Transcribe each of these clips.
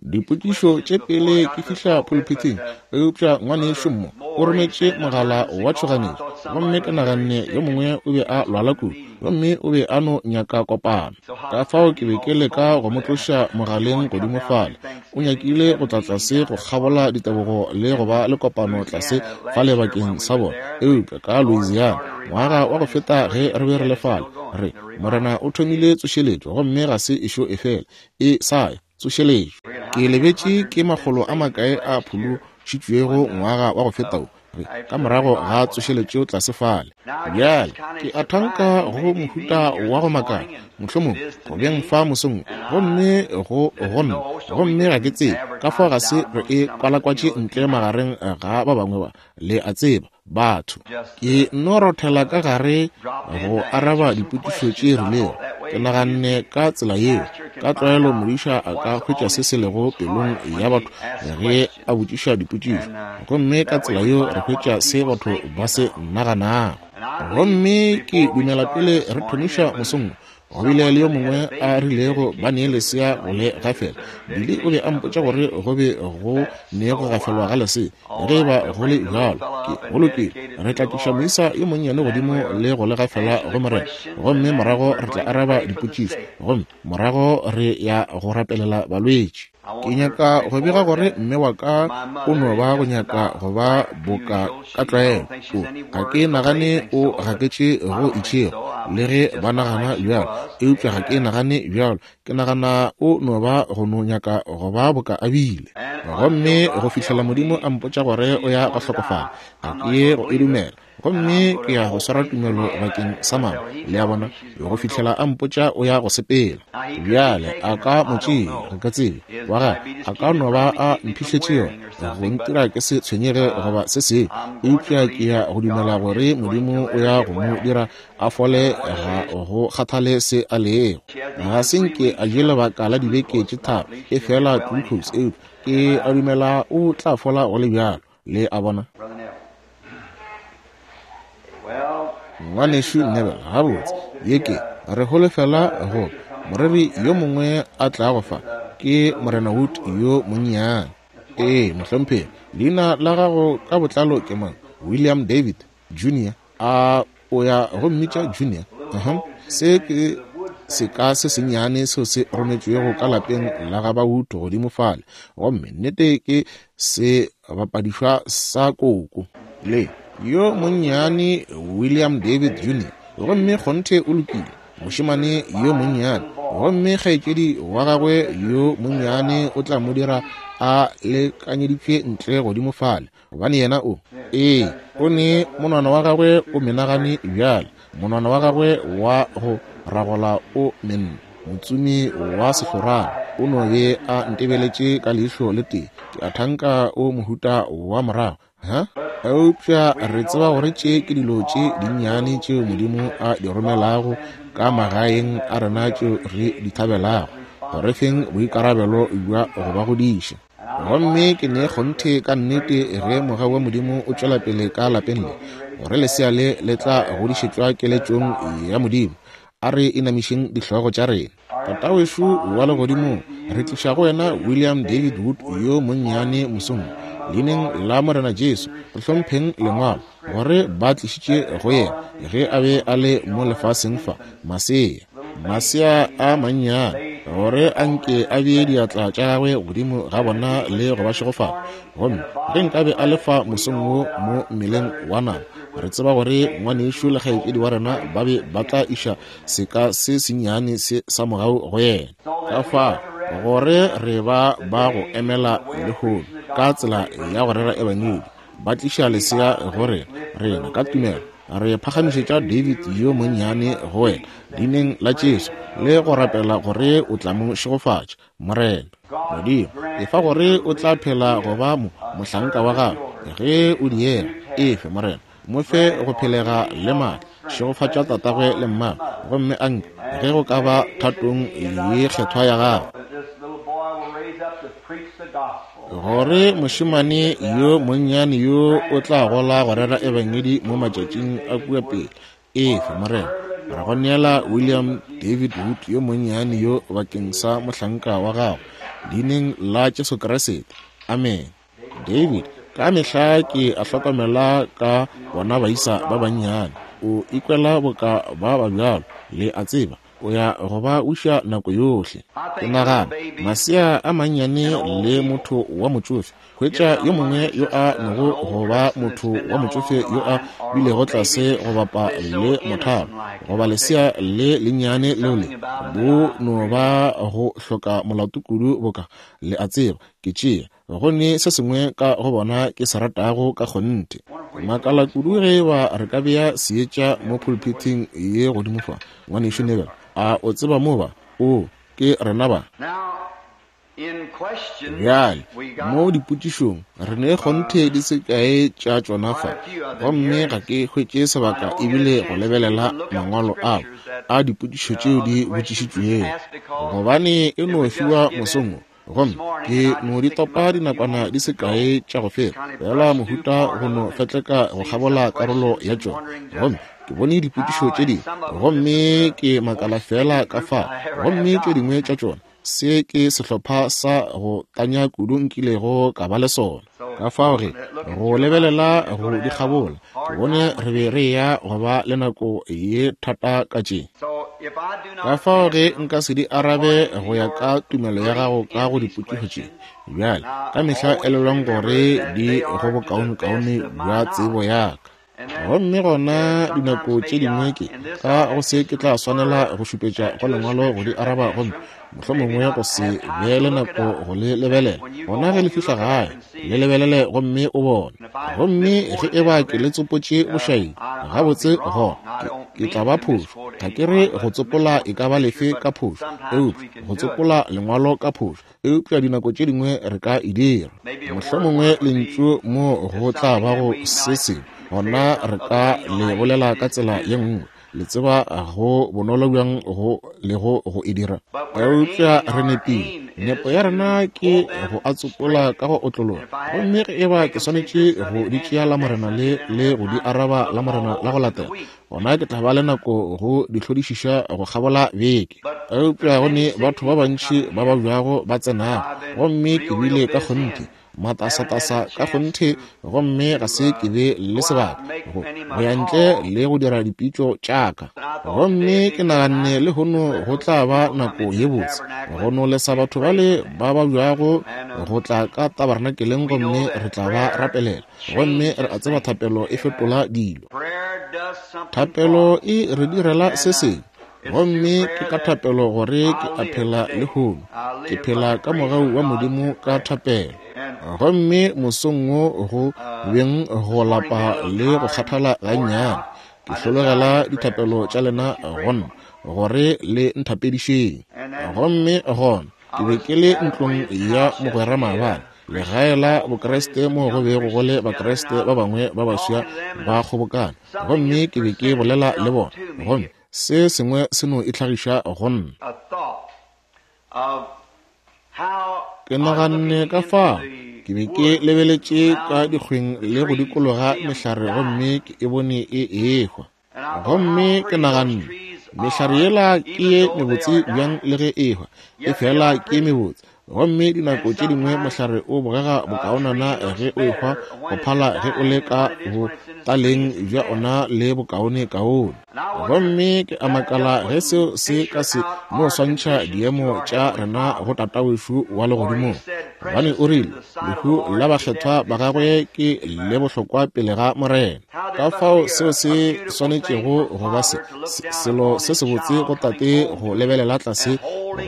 Dipotšišo tše pele ke fihla pulpithing, eupša ngwanešu mo o rometše mogala wa tšhoganetšo, gomme ke naganne yo mongwe o be a lwala kudu, gomme o be a no nyaka kopano. Ka fao ke be ke leka go mo tloša mogaleng godimo fale. O nyakile go tla tlase go kgabola ditebogo le go ba le kopano tlase fale bakeng sa bona, eupša ka Louisiana, ngwaga wa go feta ge re be re le fale, re, Morena o thomile tsošeletšo gomme ga se ešo e fele, e sa ya. Tsošeletšo. Ke lebetše ke makgolo a makae a phološitšwego ngwaga wa go feta wo, re, ka morago ga tsošeletšo tlase fale. Bjale, ke a thanka go mohuta wa go makala, mohlomongwe, go beng fa mosong wo, gomme go, go nna, gomme ga ke tsebe, ka fao ga se re e kwalakwatše ntle magareng ga ba bangwe ba, le a tseba, batho. Ke nno rothela ka gare go araba dipotšišo tše rilego. Ke naganne ka tsela yeo. Ka tlwaelo modiša a ka hwetša se se lego pelong ya batho ge a botšiša dipotšišo, gomme ka tsela yeo re hwetša se batho ba se naganago. Gomme ke dumela pele re thomiša mosong wo, Go bile le yo mongwe a rilego ba nee lesea go le gafela. Billy o be a mpotša gore go be go ne go gafelwa ga lesea. Ge e ba go le bjalo, ke go lokile. Re tla tliša moisa yo monnyane godimo le go le gafela go Morena, gomme morago re tla araba dipotšišo, gomme morago re ya go rapelela balwetši. Ke nyaka go bega gore mme wa ka o no ba go nyaka go ba boka ka tlwaelo. O, ga ke nagane o gaketše go itšego, le ge ba nagana bjalo, eupša ga ke nagane bjalo. Ke nagana o no ba go no nyaka go ba boka a bile. Gomme go fihlela Modimo a mpotša gore o ya go hlokofala, ga ke ye go e dumela. Gomme ke ya go swara tumelo bakeng sa mama, le a bona, go fihlela a mpotša o ya go sepela. Bjale, a ka mo tšea, re ka tsebe, wa gagwe, a ka no ba a mphihletše yona, go ntira ke se tshwenyege goba se sengwe, eupša ke ya go dumela gore Modimo o ya go mo dira a fole ga go kgathale se a lego. Ga se nke a je lebaka la dibeke tše tharo, efela glucose, eupša ke a dumela o tla fola go le bjalo, le a bona. Ngwanešu Neville, gabotse, ye ke, re holofela go moreri yo mongwe a tlago fa, ke Morena Wood yo monnyane. Ee, mohlomphegi, leina la gago ka botlalo ke mang? William David Junior. A o ya go mmitša Junior? Uh -huh. Se ke seka se sennyane seo se rometšwego ka lapeng la ga ba Wood godimo fale, gomme nnete ke se bapadišwa sa koko le yo monnyane William David Junior. Gomme kgonthe o lokile, mošemane yo monnyane. Gomme kgaetšedi wa gagwe yo monnyane o tla mo dira a lekanyeditšwe ntle godimo fale, gobane yena o, ee, o ne monwana wa gagwe o menagane bjale, monwana wa gagwe wa go ragola o menne, motsomi wa sehlorana o no be a ntebeletše ka leihlo le tee, ke a thanka o mohuta wa morago, ha? Eupša re tseba gore tše ke dilo tše dinnyane tšeo Modimo a di romelago ka magaeng a rena tšeo re di thabelago, go re feng boikarabelo bja go ba godiša. Gomme ke ne kgonthe ka nnete ge mogau wa Modimo o tšwela pele ka lapeng le, gore lesea le le tla godišetšwa keletšong ya Modimo. A re inamišeng dihlogo tša rena. Tatawešu wa Legodimong, re tliša go wena William David Wood yo monnyane mosong wo. Leineng la Morena Jesu, re hlompheng Lengwalo, gore ba tlišitše go yena ge a be a le mo lefaseng fa, masea, masea a mannyane, gore a nke a bee diatla tša gagwe godimo ga bona le go ba šegofatša. Gomme ge nkabe a le fa mosong wo mo mmeleng wa nama, re tseba gore ngwanešu le kgaetšedi wa rena ba be ba tla iša seka se sennyane se sa mogau go yena. Ka fao gore re ba ba go emela lehono ka tsela ya go rera ebangedi, ba tliša lesea go rena, rena ka tumelo re phagamišetša David yo monnyane go wena, leineng la Jesu, le go rapela gore o tla mo šegofatša, Morena. Modimo, efa gore o tla phela go ba mo, mohlanka wa gago, ge o diega. Efe, Morena. Mo fe go phelega le maatla. Šegofatša tatagwe le mmagwe, gomme a nke, ge go ka ba thatong ye kgethwa ya gago, gore mošemane yo monnyane yo o tla gola go rera ebangedi mo matšatšing a kua pele. Efe, Morena. Re go neela William David Wood yo monnyane yo bakeng sa mohlanka wa gago. Leineng la Jesu Kriste. Amene. David, ka mehla ke a hlokomela ka bona baisa ba bannyane. O ikwela boka ba ba bjalo, le a tseba. O ya go ba uša nako yohle. Ke nagana, masea a mannyane le motho wa motšofe, hwetša yo mongwe yo a nogo go ba motho wa motšofe yo a bilego tlase go bapa le mothalo, goba lesea le lennyane leo le bo no ba go hloka molato kudu boka, le a tseba, ke tšea go ne se sengwe ka go bona ke se ratago ka kgonthe. Makala kudu ge ba re ka bea seetša mo pulpithing ye godimo fa. Ngwanešu Neville, a o tseba mo ba? O, ke rena ba. Bjale, mo dipotšišong, re ne kgonthe di se kae tša tšona fa, gomme ga ke hwetše sebaka ebile go lebelela mangwalo ao a dipotšišo tšeo di botšišitšwego, gobane e no fiwa mosong wo. Gomme ke no di topa dinakwana di se kae tša go feta, feela mohuta go no fetleka go kgabola karolo ya tšona. Gomme ke bone dipotšišo tše dingwe, gomme ke makala feela ka fao, gomme tše dingwe tša tšona, se ke sehlopha sa go tanya kudu nkilego ka ba le sona. Ka fao ge, go lebelela go di kgabola, ke bone re be re eya go ba le nako ye thata ka tše. Ka fao ge nka se di arabe go ya ka tumelo ya gago ka go dipotšišo tše, bjale, ka mehla elelwang gore di go bokaonekaone bja tsebo ya ka. Gomme gona dinako tše dingwe ke ka go se ke tla swanela go šupetša go Lengwalo go di araba, gomme mohlomongwe go se be le nako go le lebelela. Gona ge le fihla gae, le lebelele gomme o bone. Gomme ge e ba ke le tsopotše bošaedi, gabotse gona ke, ke tla ba phošo. Ga ke re go tsopola e ka ba lefe ka phošo, eupša go tsopola Lengwalo ka phošo. Eupša dinako tše dingwe re ka e dira. Mohlomongwe lentšu mo go tla ba go se sengwe, gona re ka le bolela ka tsela ye nngwe. Le tseba go bonolo bjang go lego go e dira. Eupša re nepile. Nepo ya rena ke go a tsopola ka go otlologa. Gomme ge e ba ke swanetše go di tšea Lamorena le, le go di araba Lamorena la go latela, gona ke tla ba le nako go di hlodišiša go kgabola beke. Eupša go ne batho ba bantši ba babjago ba tsenago, gomme ke bile ka kgonthe matasatasa ka kgonthe, gomme ga se ke be le sebaka go go ya ntle le go dira dipitšo tša ka. Gomme ke naganne lehono go tla ba nako ye botse go no lesa batho bale ba babjago go tla ka tabarnakeleng, gomme re tla ba rapelela. Gomme re a tseba thapelo e fetola dilo. Thapelo e re direla se sengwe. Gomme ke ka thapelo gore ke a phela lehono. Ke phela ka mogau wa Modimo ka thapelo. Gomme mosong wo go beng go lapa le go kgathala gannyane, ke hlologela dithapelo tša lena go nna, gore le nthapedišeng. Gomme gona ke be ke le ntlong ya mogwera maabane, legae la Bokriste moo go bego go le Bakriste ba bangwe ba baswa ba kgobokana, gomme ke be ke bolela le bona, gomme se sengwe se no itlhagiša go nna. Ke naganne ka fao ke be ke lebeletše ka dikgweng le go dikologa mehlare, gomme ke e bone e ehwa. Gomme ke naganne, mehlare yela ke ye mebotse bjang le ge e ehwa, e fela ke ye mebotse. Gomme dinako tše dingwe mohlare o bogega bokaonana ge o ehwa go phala ge o le ka botaleng bja ona le bokaonekaone. Gomme ke a makala ge seo se ka se no swantšha diemo tša rena go Tatawešu wa Legodimong. Gobane o rile, lehu la bakgethwa ba gagwe ke le bohlokwa pele ga Morena. Ka fao seo se swanetšego go ba se, selo se sebotse go tate go lebelela tlase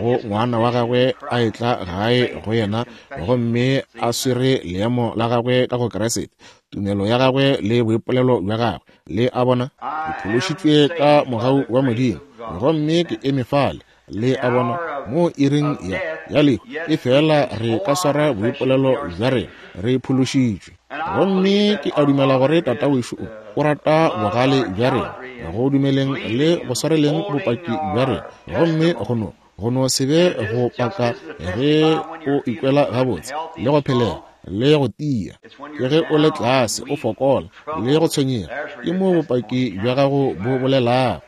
go ngwana wa gagwe a etla gae go yena gomme a swere leemo la gagwe ka go Kriste, tumelo ya gagwe le boipolelo bja gagwe. Le a bona, ke phološitšwe ka mogau wa Modimo, gomme ke eme fale. Le a bona, mo iring ya, ya lehu, e fela re ka swara boipolelo bja rena, re phološitšwe. Gomme ke a dumela gore Tata wešo o, o rata bogale bja rena, go dumeleng le go swareleng bopaki bja rena, gomme go no, go no se be go paka ge o ikwela gabotse le go phelega le go tia. Ke ge o le tlase, o fokola le go tshwenyega, ke mo bopaki bja gago bo bolelago.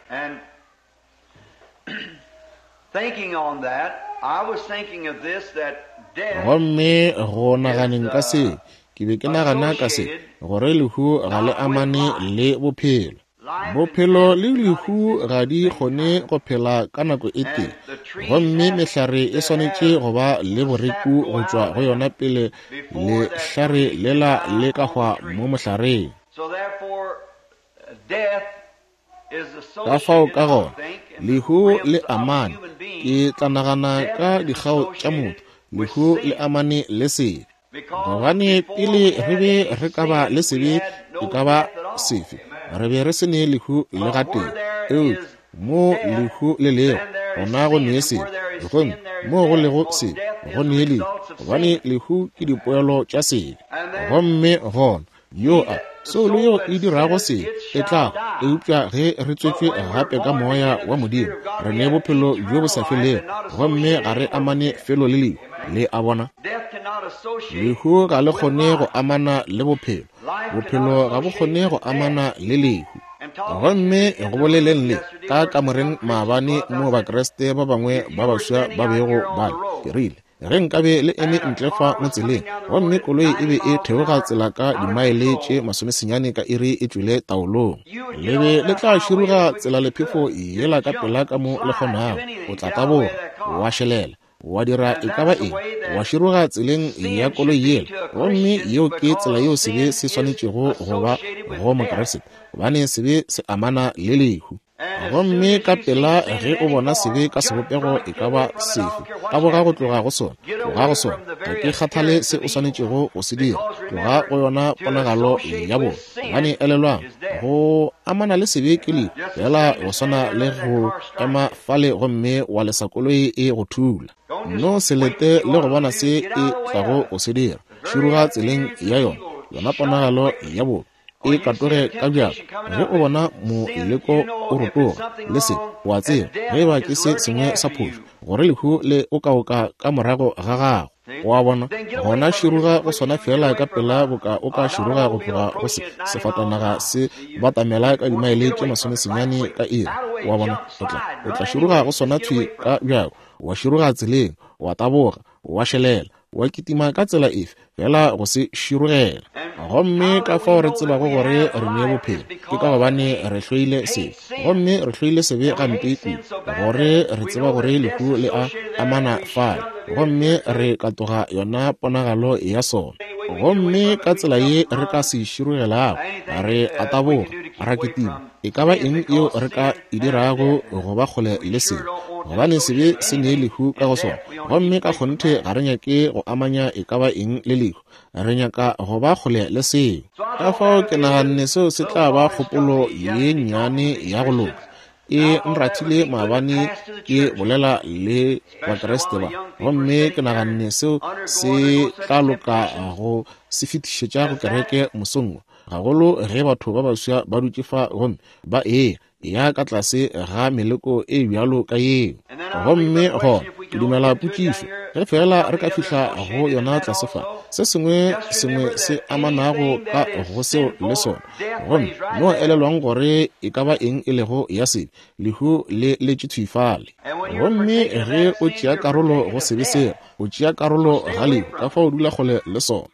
Gomme go naganeng ka se, ke be ke nagana ka se, gore lehu ga le amane le bophelo. Bophelo le lehu ga di kgone go phela ka nako e tee, gomme mehlare e swanetše go ba le boreku go tšwa go yona pele lehlare lela le ka hwa mo mohlareng. Ka fao ka gona, lehu le amane, ke tla nagana ka dikgao tša motho, lehu le amane le sebe. Gobane pele re be re ka ba le sebe e ka ba sefe, re be re se ne lehu le gatee. Eupša mo lehu le lego, gona go ne sebe, gomme mo go lego sebe, go ne lehu, gobane lehu ke dipoelo tša sebe. Gomme gona yo a soulo yeo e dirago sebe e tla hwa. Eupša ge re tswetšwe gape ka Moya wa Modimo, re ne bophelo bjo bo sa felego, gomme ga re amane felo le lehu. Le a bona? Lehu ga le kgone go amana le bophelo, bophelo ga bo kgone go amana le lehu. Gomme go boleleng le ka kamoreng maabane moo Bakriste ba bangwe ba baswa ba bego ba le, ke rile, Ge nkabe le eme ntle fa mo tseleng, gomme koloi e be e theoga tsela ka dimaele tše masomesenyane ka iri e tšwele taolong, le be le tla široga tselalephefo yela ka pela ka mo le kgonago. O tla taboga, wa šelela, wa dira e ka ba eng, wa široga tseleng ya koloi yela. Gomme yeo ke tsela yeo sebe se swanetšego go ba go Mokriste, gobane sebe se amana le lehu. Gomme ka pela ge o bona sebe ka sebopego e ka ba sefe, taboga go tloga go sona, tloga go sona. Ga ke kgathale se o swanetšego go se dira, tloga go yona ponagalo ya bona. Gobane elelwang, go amana le sebe ke lehu, feela go swana le go ema fale gomme wa lesa koloi e go thula. No se lete le go bona se e tlago go se dira, široga tseleng ya yona, yona ponagalo ya bobe. E katoge ka bjako ge o bona moleko o rotoga le se, o a tseba ge eba ke se sengwe sa phošo, gore lehu le okaoka ka morago ga gago. O a bona? Gona široga go sona feela ka pela boka o ka široga go tloga go se sefatanaga se batamela ka dimaele tše masomesenyane ka iri. O a bona? O tla, o tla široga go sona thwi ka bjako, wa široga tseleng, wa taboga, wa šelela, wa kitima ka tsela efe, fela go se širogela. Gomme ka fao re tsebago gore re ne bophelo, ke ka gobane re hloile sebe. Gomme re hloile sebe gampe kudu, gore re tseba gore lehu le a amana fale, gomme re katoga yona ponagalo ya sona. Gomme ka tsela ye re ka se širogelago, re a taboga, ra kitima, e ka ba eng yeo re ka e dirago go ba kgole le sebe, gobane sebe se ne lehu ka go sona, gomme ka kgonthe ga re nyake go amanya e ka ba eng le lehu, re nyaka go ba kgole le seo. Ka fao ke naganne seo se tla ba kgopolo ye nnyane ya go loka. E nrathile maabane ke bolela le Bakriste ba, gomme ke naganne seo se tla loka go se fetišetša go kereke mosong wo, gagolo ge batho ba baswa ba dutše fa gomme ba eya ya ka tlase ga meleko e bjalo ka yeo. Gomme gona ke dumela potšišo, ge feela re ka fihla go yona tlase fa, se sengwe sengwe se amanago ka go seo le sona. Gomme no elelwang gore e ka ba eng e lego ya sebe, lehu le letše thwi fale. Gomme ge o tšea karolo go sebe seo, o tšea karolo ga lehu, ka fao dula kgole le sona.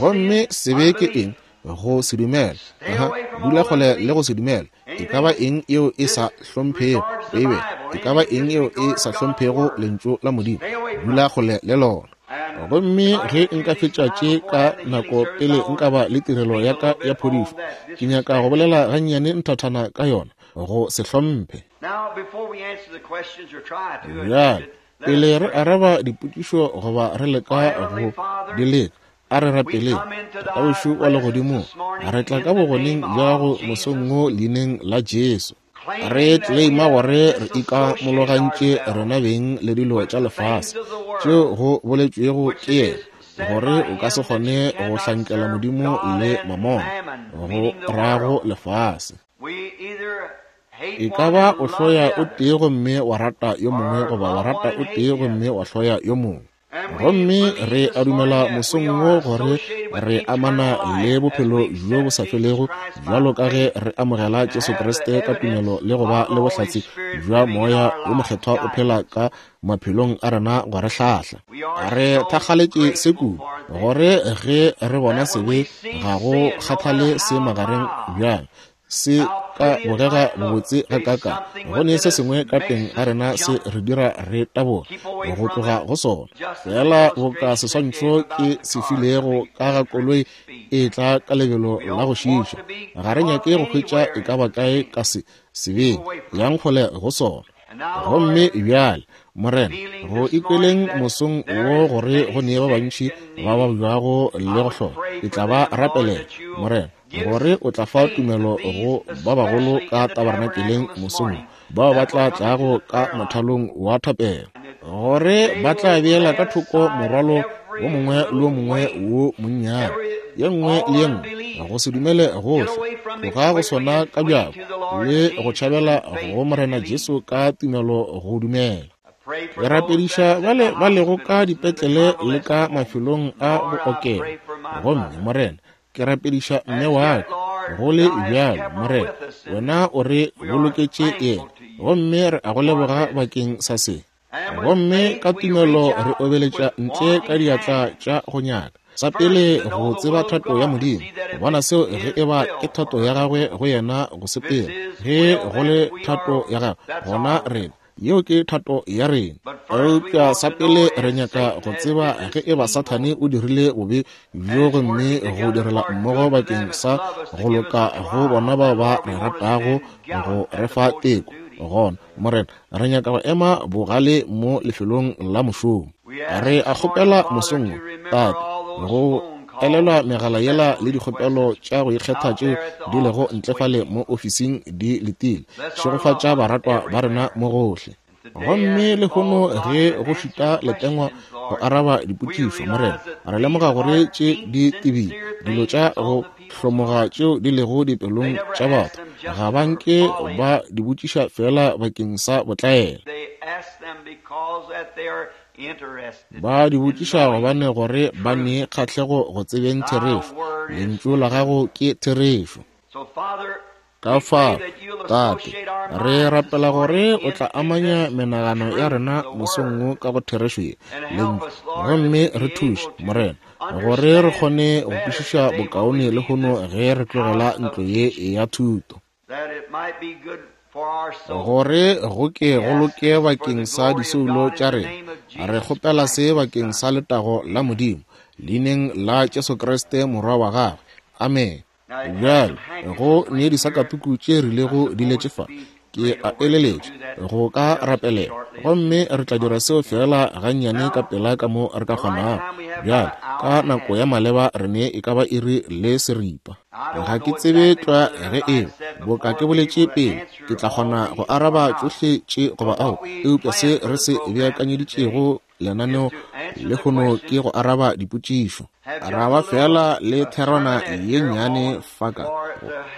Gomme sebe ke eng? Go se dumele. Aha, dula kgole le go se dumele. E ka ba eng yeo e sa hlomphego Beibele, e ka ba eng yeo e sa hlomphego Lentšu la Modimo, dula kgole le lona. Gomme ge nka fetša tše ka nako pele nka ba le tirelo ya ka ya phodišo, ke nyaka go bolela gannyane nthathana ka yona, go se hlomphe. Bjale, pele re araba dipotšišo goba re leka go di leka, A re rapeleng. Tatawešu wa Legodimong, re tla ka bogoneng bja gago mosong wo Leineng la Jesu. Re tleleima gore re ikamologantše rena beng le dilo tša lefase, tšeo go boletšwego ke yena, gore o ka se kgone go hlankela Modimo le mamona, go rago lefase. E ka ba o hloya o tee gomme wa rata yo mongwe, goba wa rata o tee gomme wa hloya yo mongwe. Gomme re a dumela mosong wo gore re amana le bophelo bjo bo sa felego bjalo ka ge re amogela Jesu Kriste ka tumelo le go ba le bohlatse bja Moya wo Mokgethwa o phela ka maphelong a rena go re hlahla. Re thakgaletše se kudu gore ge re bona sebe ga go kgathale se magareng bjang se ka bogega bobotse gakaakang, go ne se sengwe ka teng ga rena se re dira re taboge go tloga go sona. Feela boka seswantšho ke se filego ka ga koloi e tla ka lebelo la go šiiša, ga re nyake go hwetša e ka ba kae ka se sebeng, yang kgole go sona. Gomme bjale, Morena, go ikweleng mosong wo gore go ne ba bantši ba babjago le go hloka, ke tla ba rapelela, Morena, gore o tla fa tumelo go ba bagolo ka tabernakeleng mosong wo, bao ba tla tlago ka mothalong wa thapelo, gore ba tla beela ka thoko morwalo wo mongwe le wo mongwe wo monnyane, ye nngwe le ye nngwe, go se dumele gohle, tloga go sona ka bjako, le go tšhabela go Morena Jesu ka tumelo go dumela. Ke rapediša bale ba lego ka dipetlele le ka mafelong a bookelo. Gomme, Morena, ke rapediša mme wa ka, go le bjalo, Morena, wena o re boloketše yena, gomme re a go leboga bakeng sa se. Gomme ka tumelo re obeletša ntle ka diatla tša go nyaka sa pele go tseba thato ya Modimo, go bona seo ge e ba ke thato ya gagwe go yena go sepela. Ge go le thato ya gagwe, gona rena, yeo ke thato ya rena. Eupša sa pele re nyaka go tseba ge e ba Sathane o dirile bobe bjo gomme go direla mmogo bakeng sa go loka go bona bao ba re ratago go re fa teko. Gona, Morena, re nyaka go ema bogale mo lefelong la mošomo. Re a kgopela mosong wo, Tate, go elelwa megala yela le dikgopelo tša go ikgetha tšeo di lego ntle fale mo ofising di letile. Šegofatša baratwa ba rena mo gohle. Gomme lehono ge go šuta letengwa go araba dipotšišo, Morena, re lemoga gore tše di tebile, dilo tša go hlomoga tšeo di lego dipelong tša batho, ga ba nke ba di botšiša feela bakeng sa botlaela. Ba di botšiša gobane gore ba ne kgahlego go tsebeng therešo. Lentšu la gago ke therešo. Ka fao, Tate, re rapela gore o tla amanya menagano ya rena mosong wo ka go therešo ye, Lentšu, gomme re thuše, Morena, gore re kgone go kwešiša bokaone lehono ge re tlogela ntlo ye ya thuto, gore go ke go loke bakeng sa disoulo tša rena. Re kgopela se bakeng sa letago la Modimo, Leineng la Jesu Kriste, Morwa wa gagwe. Amene. Bjale, go ne disakatuku tše rilego di letše fa, ke a eleletša, go ka rapelela. Gomme re tla dira seo feela gannyane ka pela ka mo re ka kgonago. Bjale, ka nako ya maleba re ne e ka ba iri le seripa. Ga ke tsebe tlwa ge eba, boka ke boletše pele, ke tla kgona go araba tšohle tše goba ao, eupša se re se beakanyeditšego lenaneo lehono ke go araba dipotšišo. Ra ba feela le therwana ye nnyane fa ka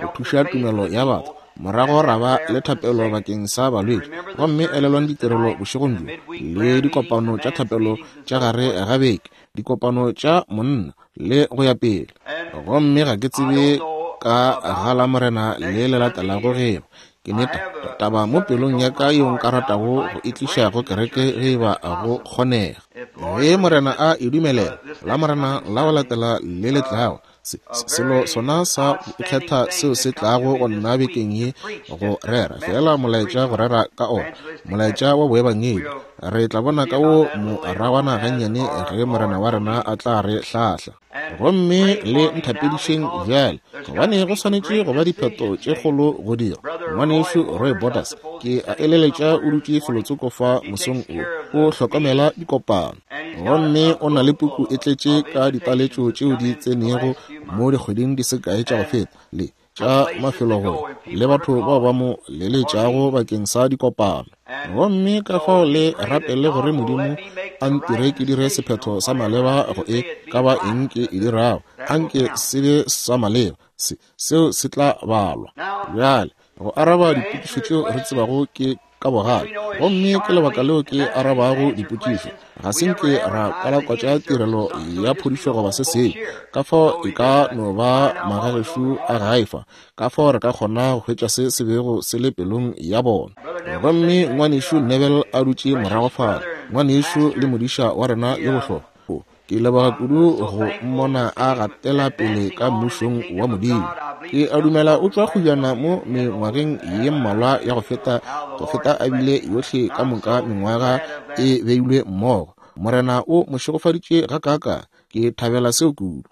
go thuša tumelo ya batho, morago ra ba le thapelo bakeng sa balwetši. Gomme elelwang ditirelo bošegong bjo, le dikopano tša thapelo tša gare ga beke, dikopano tša monna, le go ya pele. Gomme ga ke tsebe ka ga Lamorena le le latelago ge eba ke ne taba mo pelong ya ka yeo nka ratago go e tliša go kereke ge eba go kgonega. Ge Morena a e dumelela, Lamorena la go latela le le tlago, se, selo sona sa go ikgetha seo se tlago go nna bekeng ye go rera, feela molaetša go rera ka ona, molaetša wa boebangedi. Re tla bona ka wo moragwana gannyane ge Morena wa rena a tla re hlahla. Gomme le nthapedišeng bjale, gobane go swanetše go ba diphetho tše kgolo go dirwa. Ngwanešu Roy Borders, ke a eleletša o dutše felotsoko fa mosong wo, o hlokomela dikopano. Gomme o na le puku e tletše ka ditaletšo tšeo di tsenego mo dikgweding di se kae tša go feta, le tša mafelo go le batho bao ba mo leletšago bakeng sa dikopano. Gomme ka fao le rapele gore Modimo a ntire ke dire sephetho sa maleba go e ka ba eng ke e dirago, anke se be sa maleba, se, seo se tla balwa. Bjale, go araba dipotšišo tšeo re tsebago ke. ka bogale. Gomme ke lebaka leo ke arabago dipotšišo. Ga se nke ra kwalakwatša tirelo ya phodišo goba se sengwe. Ka fao e ka no ba magagešo a gae fa, ka fao re ka kgona go hwetša se se bego se le pelong ya bona. Gomme Ngwanešu Neville a dutše morago fale, ngwanešu le modiša wa rena yo bohlokwa. Ke leboga kudu go mmona a gatela pele ka Mmušong wa Modimo. Ke a dumela o tšwa kgojana mo mengwageng ye mmalwa ya go feta, go feta a bile yohle ka moka mengwaga e beilwe mmogo. Morena o mo šegofaditše gakaakang. Ke thabela seo kudu.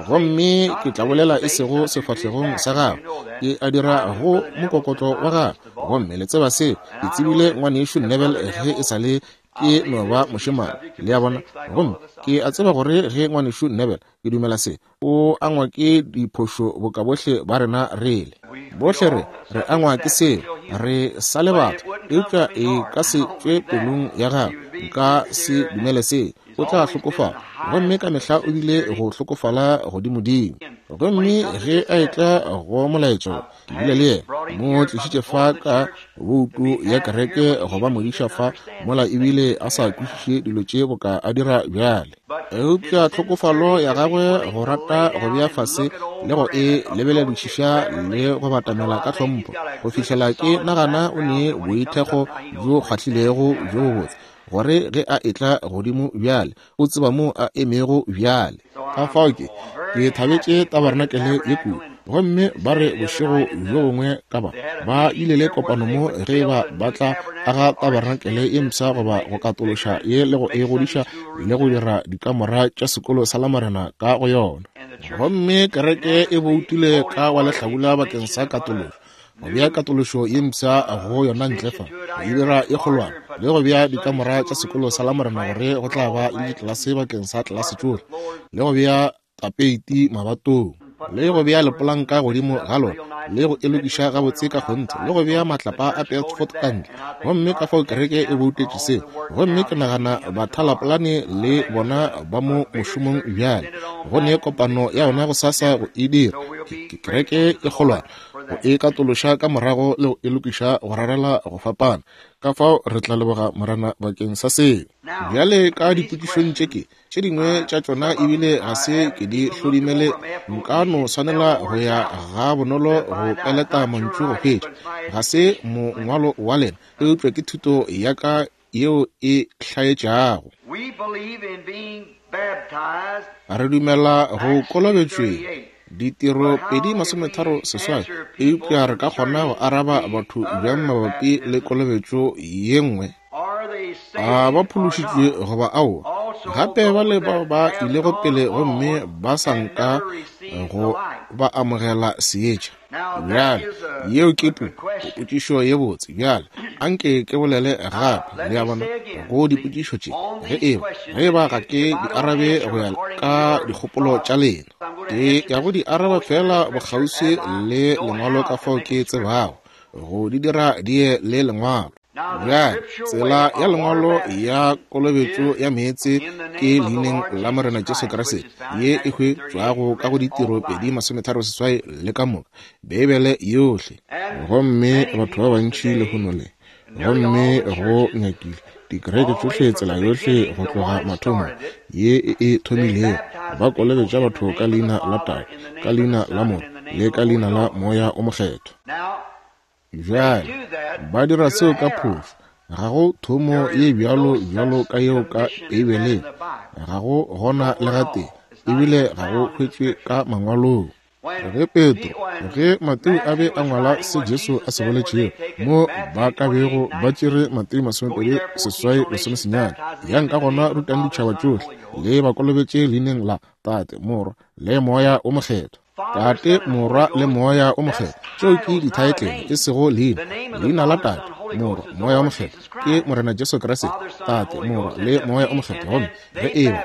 Gomme ke tla bolela e sego sefahlegong sa gagwe, ke a dira go mokokotlo wa gagwe. Gomme le tseba seo, ke tsebile Ngwanešu Neville ge e sa le ke no ba mošemane, le a bona. Gomme ke a tseba gore ge Ngwanešu Neville, ke dumela se, o angwa ke diphošo boka bohle ba rena re le. Bohle re, re angwa ke seo, re sa le batho, eupša e ka se tšwe pelong ya gagwe. Nka se dumele seo. O tla hlokofala, gomme ka mehla o bile go hlokofala godimodimo. Gomme ge a etla go molaetšo, ke bile le yena, mo tlišitše fa ka boutu ya kereke go ba modiša fa, mola ebile a sa kwešiše dilo tše boka a dira bjale. Eupša tlhokofalo ya gagwe go rata go bea fase le go e lebeledišiša le go batamela ka tlhompho, go fihlela ke nagana o ne boithekgo bjo kgwahlilego bjo bobotse, gore ge a etla godimo bjale, o tseba mo a emego bjale. Ka fao ke, ke thabetše tabarenakele ye kudu. Gomme ba re bošego bjo bongwe ka ba, ba ile le kopano mo ge eba ba tla aga tabarenakele ye mpsha goba go katološa ye le go e godiša le go dira dikamora tša sekolo sa Lamorena ka go yona. Gomme kereke e boutile ka wa lehlabula bakeng sa katološo, go bea katološo ye mpsha go yona ntle fa, go e dira e kgolwane, le go bea dikamora tša sekolo sa Lamorena gore go tla ba le ditlelase bakeng sa tlelase tšohle, le go bea tapeiti mabatong, le go bea lepolanka godimo ga lona, le go e lokiša gabotse ka kgonthe, le go bea matlapa a Bedford ka ntle. Gomme ka fao kereke e boutetše seo. Gomme ke nagana bathalapolane le bona ba mo mošomong bjale, go ne kopano ya yona gosasa go e dira. Ke kereke e kgolwane, go e katološa ka morago le go e lokiša go rarela go fapana. Ka fao re tla leboga Morena bakeng sa seo. Bjale ka dipotšišong tše ke tše dingwe tša tšona ebile ga se ke di hlodimele, nka no swanela go ya ga bonolo go peleta mantšu go hwetša. Ga se mongwalo wa lena, eupša ke thuto ya ka yeo e hlaetšago. Re dumela go kolobetšweng, Ditiro 2:38, eupša re ka kgona go araba batho bjang mabapi le kolobetšo ye nngwe? A ba phološitšwe goba aowa? Gape ba le bao ba ilego pele gomme ba sa nka go ba amogela seetša. Bjale, yeo ke po, potšišo ye botse. Bjale, anke ke bolele gape, le a bona, go dipotšišo tše, ge eba, ge eba ga ke di arabe go ya ka dikgopolo tša lena. Ke ya go di araba feela bokgauswi le Lengwalo ka fao ke tsebago go di dira di ye le Lengwalo. Bjale, tsela ya Lengwalo ya kolobetšo ya meetse ke Leineng la Morena Jesu Kriste, ye e hwetšwago ka go Ditiro 2:38 le ka moka, Beibele yohle. Gomme batho ba bantši lehono le, gomme go nyakile dikereke tšohle tsela yohle go tloga mathomong ye e e thomilego, ba kolobetša batho ka leina la Tate, ka leina la Morwa, le ka leina la Moya o Mokgethwa. Bjale, ba dira seo ka phošo. Ga go thomo ye bjalo bjalo ka yeo ka Beibeleng. Ga go gona le gatee, ebile ga go hwetšwe ka Mangwalong. Ge Petro, ge Mateo a be a ngwala se Jesu a se boletšego, mo ba ka bego ba tšere Mateo 28:19, yang ka gona rutang ditšhaba tšohle, le ba kolobetše leineng la Tate, Morwa, le Moya o Mokgethwa. Tate, Morwa, le Moya o Mokgethwa. Tšeo ke dithaetlele, e sego leina. Leina la Tate, Morwa, Moya o Mokgethwa ke Morena Jesu Kriste. Tate, Morwa, le Moya o Mokgethwa. Gomme ge eba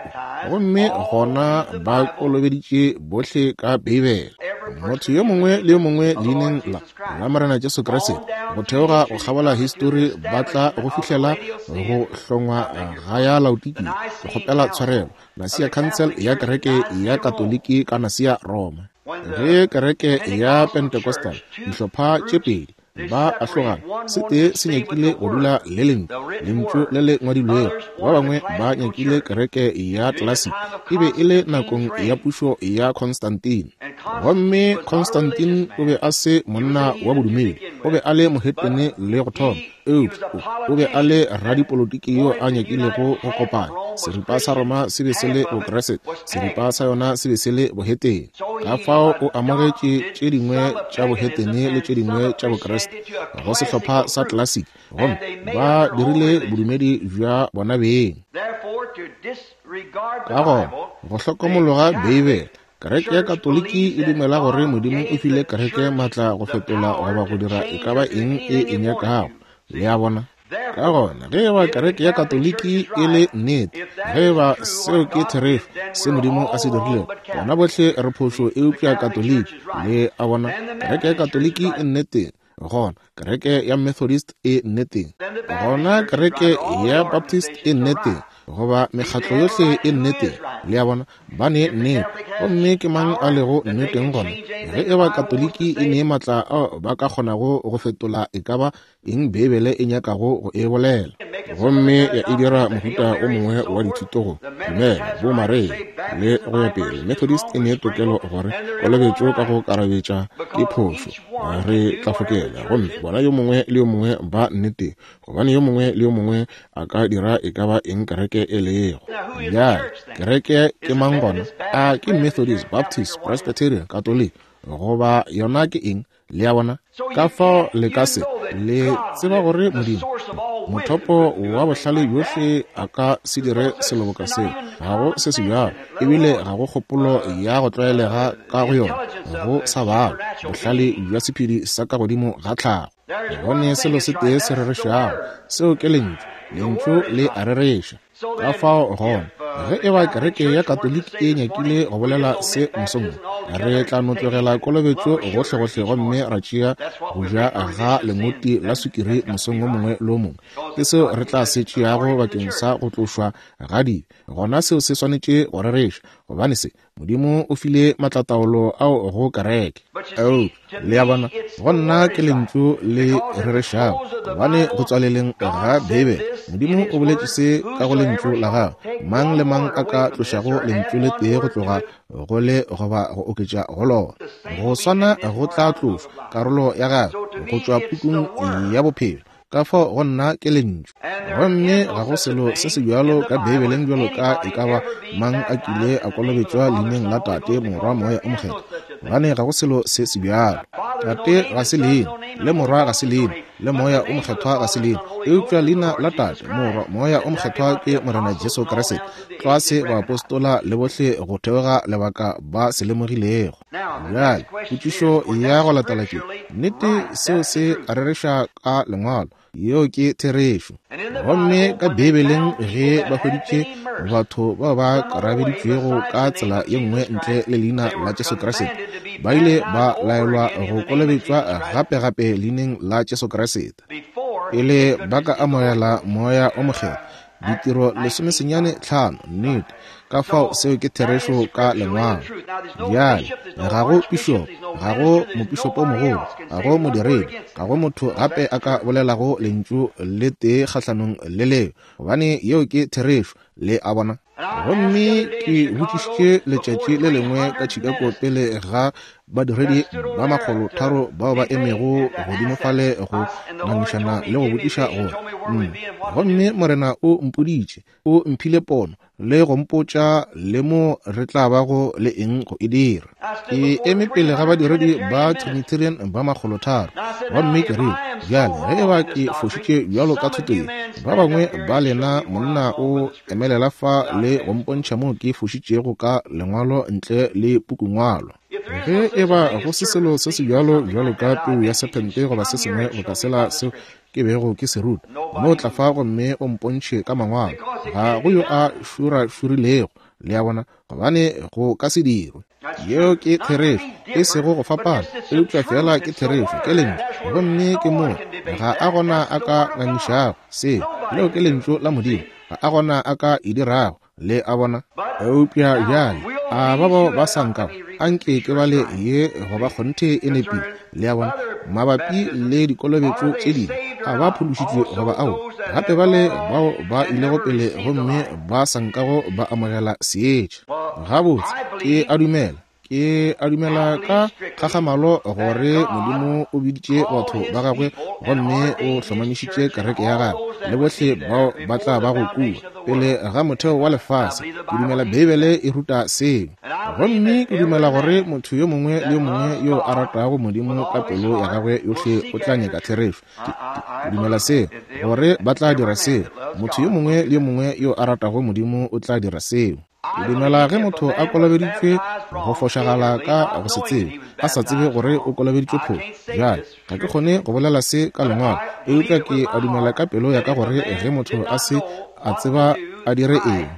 gomme gona ba kolobeditše bohle ka Beibele, motho yo mongwe le yo mongwe leineng la la Morena Jesu Kriste, go theoga go kgabola histori ba tla go fihlela go hlongwa ga ya Laodikia. Ke kgopela tshwarelo. Nasia Council ya Kereke ya Katoliki ka Nasia Roma. Ge Kereke ya Pentecostal, dihlopha tše pedi, Ba ahlogana. Se tee se nyakile go dula le Lentšu, Lentšu le le ngwadilwego. Ba bangwe ba nyakile kereke ya classic. E be e le nakong ya pušo ya Constantine. Gomme Constantine o be a se monna wa bodumedi. O be a le mohetene le go thoma. Eupša o be a le radipolotiki yo a nyakilego go kopanya. Seripa sa Roma se be se le Bokriste, seripa sa yona se be se le bohetene. Ka fao o amogetše tše dingwe tša bohetene le tše dingwe tša Bokriste go sehlopha sa classic, gomme ba dirile bodumedi bja bona beng. Ka gona, go hlokomologa Beibele, Kereke ya Katoliki e dumela gore Modimo o file kereke matla go fetola goba go dira e ka ba eng e e nyakago. Le a bona? Ka gona, ge eba kereke ya Katoliki e le nnete, ge eba seo ke therešo, se Modimo a se dirilego, gona bohle re phošo eupša Katoliki. Le a bona? Kereke ya Katoliki e nneteng, gona kereke ya Methodist e nneteng, gona kereke ya Baptist e nneteng, goba mekgatlo yohle e nneteng. Le a bona, ba ne nnete. Gomme ke mang a lego nneteng gona? Ge e ba Katoliki e ne matla ao ba ka kgonago go fetola e ka ba eng Beibele e nyakago go e bolela, gomme ya e dira mohuta o mongwe wa dithuto go dumela bo Maria le go ya pele, Methodist e ne tokelo gore kolobetšo ka go karabetša ke phošo, re tla fokela, gomme bona yo mongwe le yo mongwe ba nneteng, gobane yo mongwe le yo mongwe a ka dira e ka ba eng kereke e lego. Bjale, kereke ke mang gona? A ke Methodist, Baptist, Presbyterian, Katoliki, goba yona ke eng? Le a bona? Ka fao le ka se le tseba gore Modimo, mothopo wa bohlale bjohle, a ka se dire selo boka seo. Ga go se se bjalo, ebile ga go kgopolo ya go tlwaelega ka go yona, go sa balwa bohlale bja sephedi sa ka godimo ga tlhago. Go ne selo se tee se rerešago, seo ke Lentšu. Lentšu le a rereša. Ka fao gona, ge e ba kereke ya Katoliki e nyakile go bolela se mosong wo, re tla no tlogela kolobetšo gohlegohle gomme ra tšea go ja ga lengoti la sukiri mosong wo mongwe le wo mongwe. Ke seo re tla se tšeago bakeng sa go tlošwa ga dibe. Gona seo se swanetše go rereša, gobane se Modimo o file matlataolo ao go kereke. Eupša, le a bona, go nna ke Lentšu le rerešago, gobane go tswaleleng ga Beibele, Modimo o boletše se ka go Lentšu la Gagwe, mang le mang a ka tlošago Lentšu le tee go tloga go le goba go oketša go lona, go swana go tla tlošwa karolo ya gagwe go tšwa pukung ya bophelo. Ka fao go nna ke Lentšu. Gomme ga go selo se se bjalo ka Beibeleng bjalo ka e ka ba mang a kile a kolobetšwa leineng la Tate, Morwa, Moya o Mokgethwa, gobane ga go selo se se bjalo. Tate ga se leina, le Morwa ga se leina, le Moya o Mokgethwa ga se leina, eupša leina la Tate, Morwa, Moya o Mokgethwa ke Morena Jesu Kriste, tlwa se baapostola le bohle go theoga lebaka ba se lemogilego. Bjale, potšišo ya go latela ke, nnete seo se rereša ka Lengwalo, yeo ke therešo. Gomme ka Beibeleng ge ba hweditše batho bao ba karabeditšwego ka tsela ye nngwe ntle le leina la Jesu Kriste, ba ile ba laelwa go kolobetšwa gape-gape leineng la Jesu Kriste pele ba ka amogela Moya o Mokgethwa. Ditiro 15, nnete. Ka fao seo ke therešo ka Lengwalo. Bjale, ga go pišopo, ga go mopišopomogolo, ga go modiredi, ga go motho gape a ka bolelago lentšu le tee kgahlanong le leo, gobane yeo ke therešo. Le a bona? Gomme ke botšišitše letšatši le lengwe ka Chicago pele ga badiredi ba 300 bao ba emego godimo fale go ngangišana le go botšiša gore nna, gomme Morena o mpoditše, o mphile pono le go mpotša le mo re tla bago le eng go e dira. Ke eme pele ga badiredi ba Trinitarian ba 300, gomme ke rile, Bjale, ge e ba ke fošitše bjalo ka thuto ye, ba bangwe ba lena monna o emelela fa le go mpontšha moo ke fošitšego ka Lengwalo ntle le pukungwalo. Ge e ba go se selo se se bjalo bjalo ka peu ya sephente goba se sengwe boka sela seo ke bego ke se ruta, no tla fa gomme o mpontšhe ka Mangwalo. Ga go yo a šurašurilego, le a bona, gobane go ka se dirwe. Yeo ke therešo, e sego go fapana, eupša feela ke therešo, ke Lentšu. Gomme ke moo, ga a gona a ka ngangišago seo. Leo ke Lentšu la Modimo, ga a gona a ka e dirago. Le a bona? Eupša bjale, a ba bao ba sa nkago, a nke ke bale ye go ba kgonthe e nepile. Le a bona? Mabapi le dikolobetšo tše dingwe, a ba phološitšwe goba aowa? Gape bale bao ba ilego pele gomme ba sa nkago ba amogela seetša. Gabotse, ke a dumela, ke a dumela ka kgakgamalo gore Modimo o biditše batho ba gagwe gomme o hlomamišitše kereke ya gagwe le bohle bao ba tla bago kua pele ga motheo wa lefase. Ke dumela Beibele e ruta seo. Gomme ke dumela gore motho yo mongwe le yo mongwe yo a ratago Modimo ka pelo ya gagwe yohle o tla nyaka therešo. Ke, ke, ke dumela seo, gore ba tla dira seo. Motho yo mongwe le yo mongwe yo a ratago Modimo o tla dira seo. Ke dumela ge motho a kolobeditšwe go fošagala ka go se tsebe, a sa tsebe gore o kolobeditšwe phošo. Bjale, ga ke kgone go bolela se ka Lengwalo, eupša ke a dumela ka pelo ya ka gore ge motho a se a tseba a dire eng,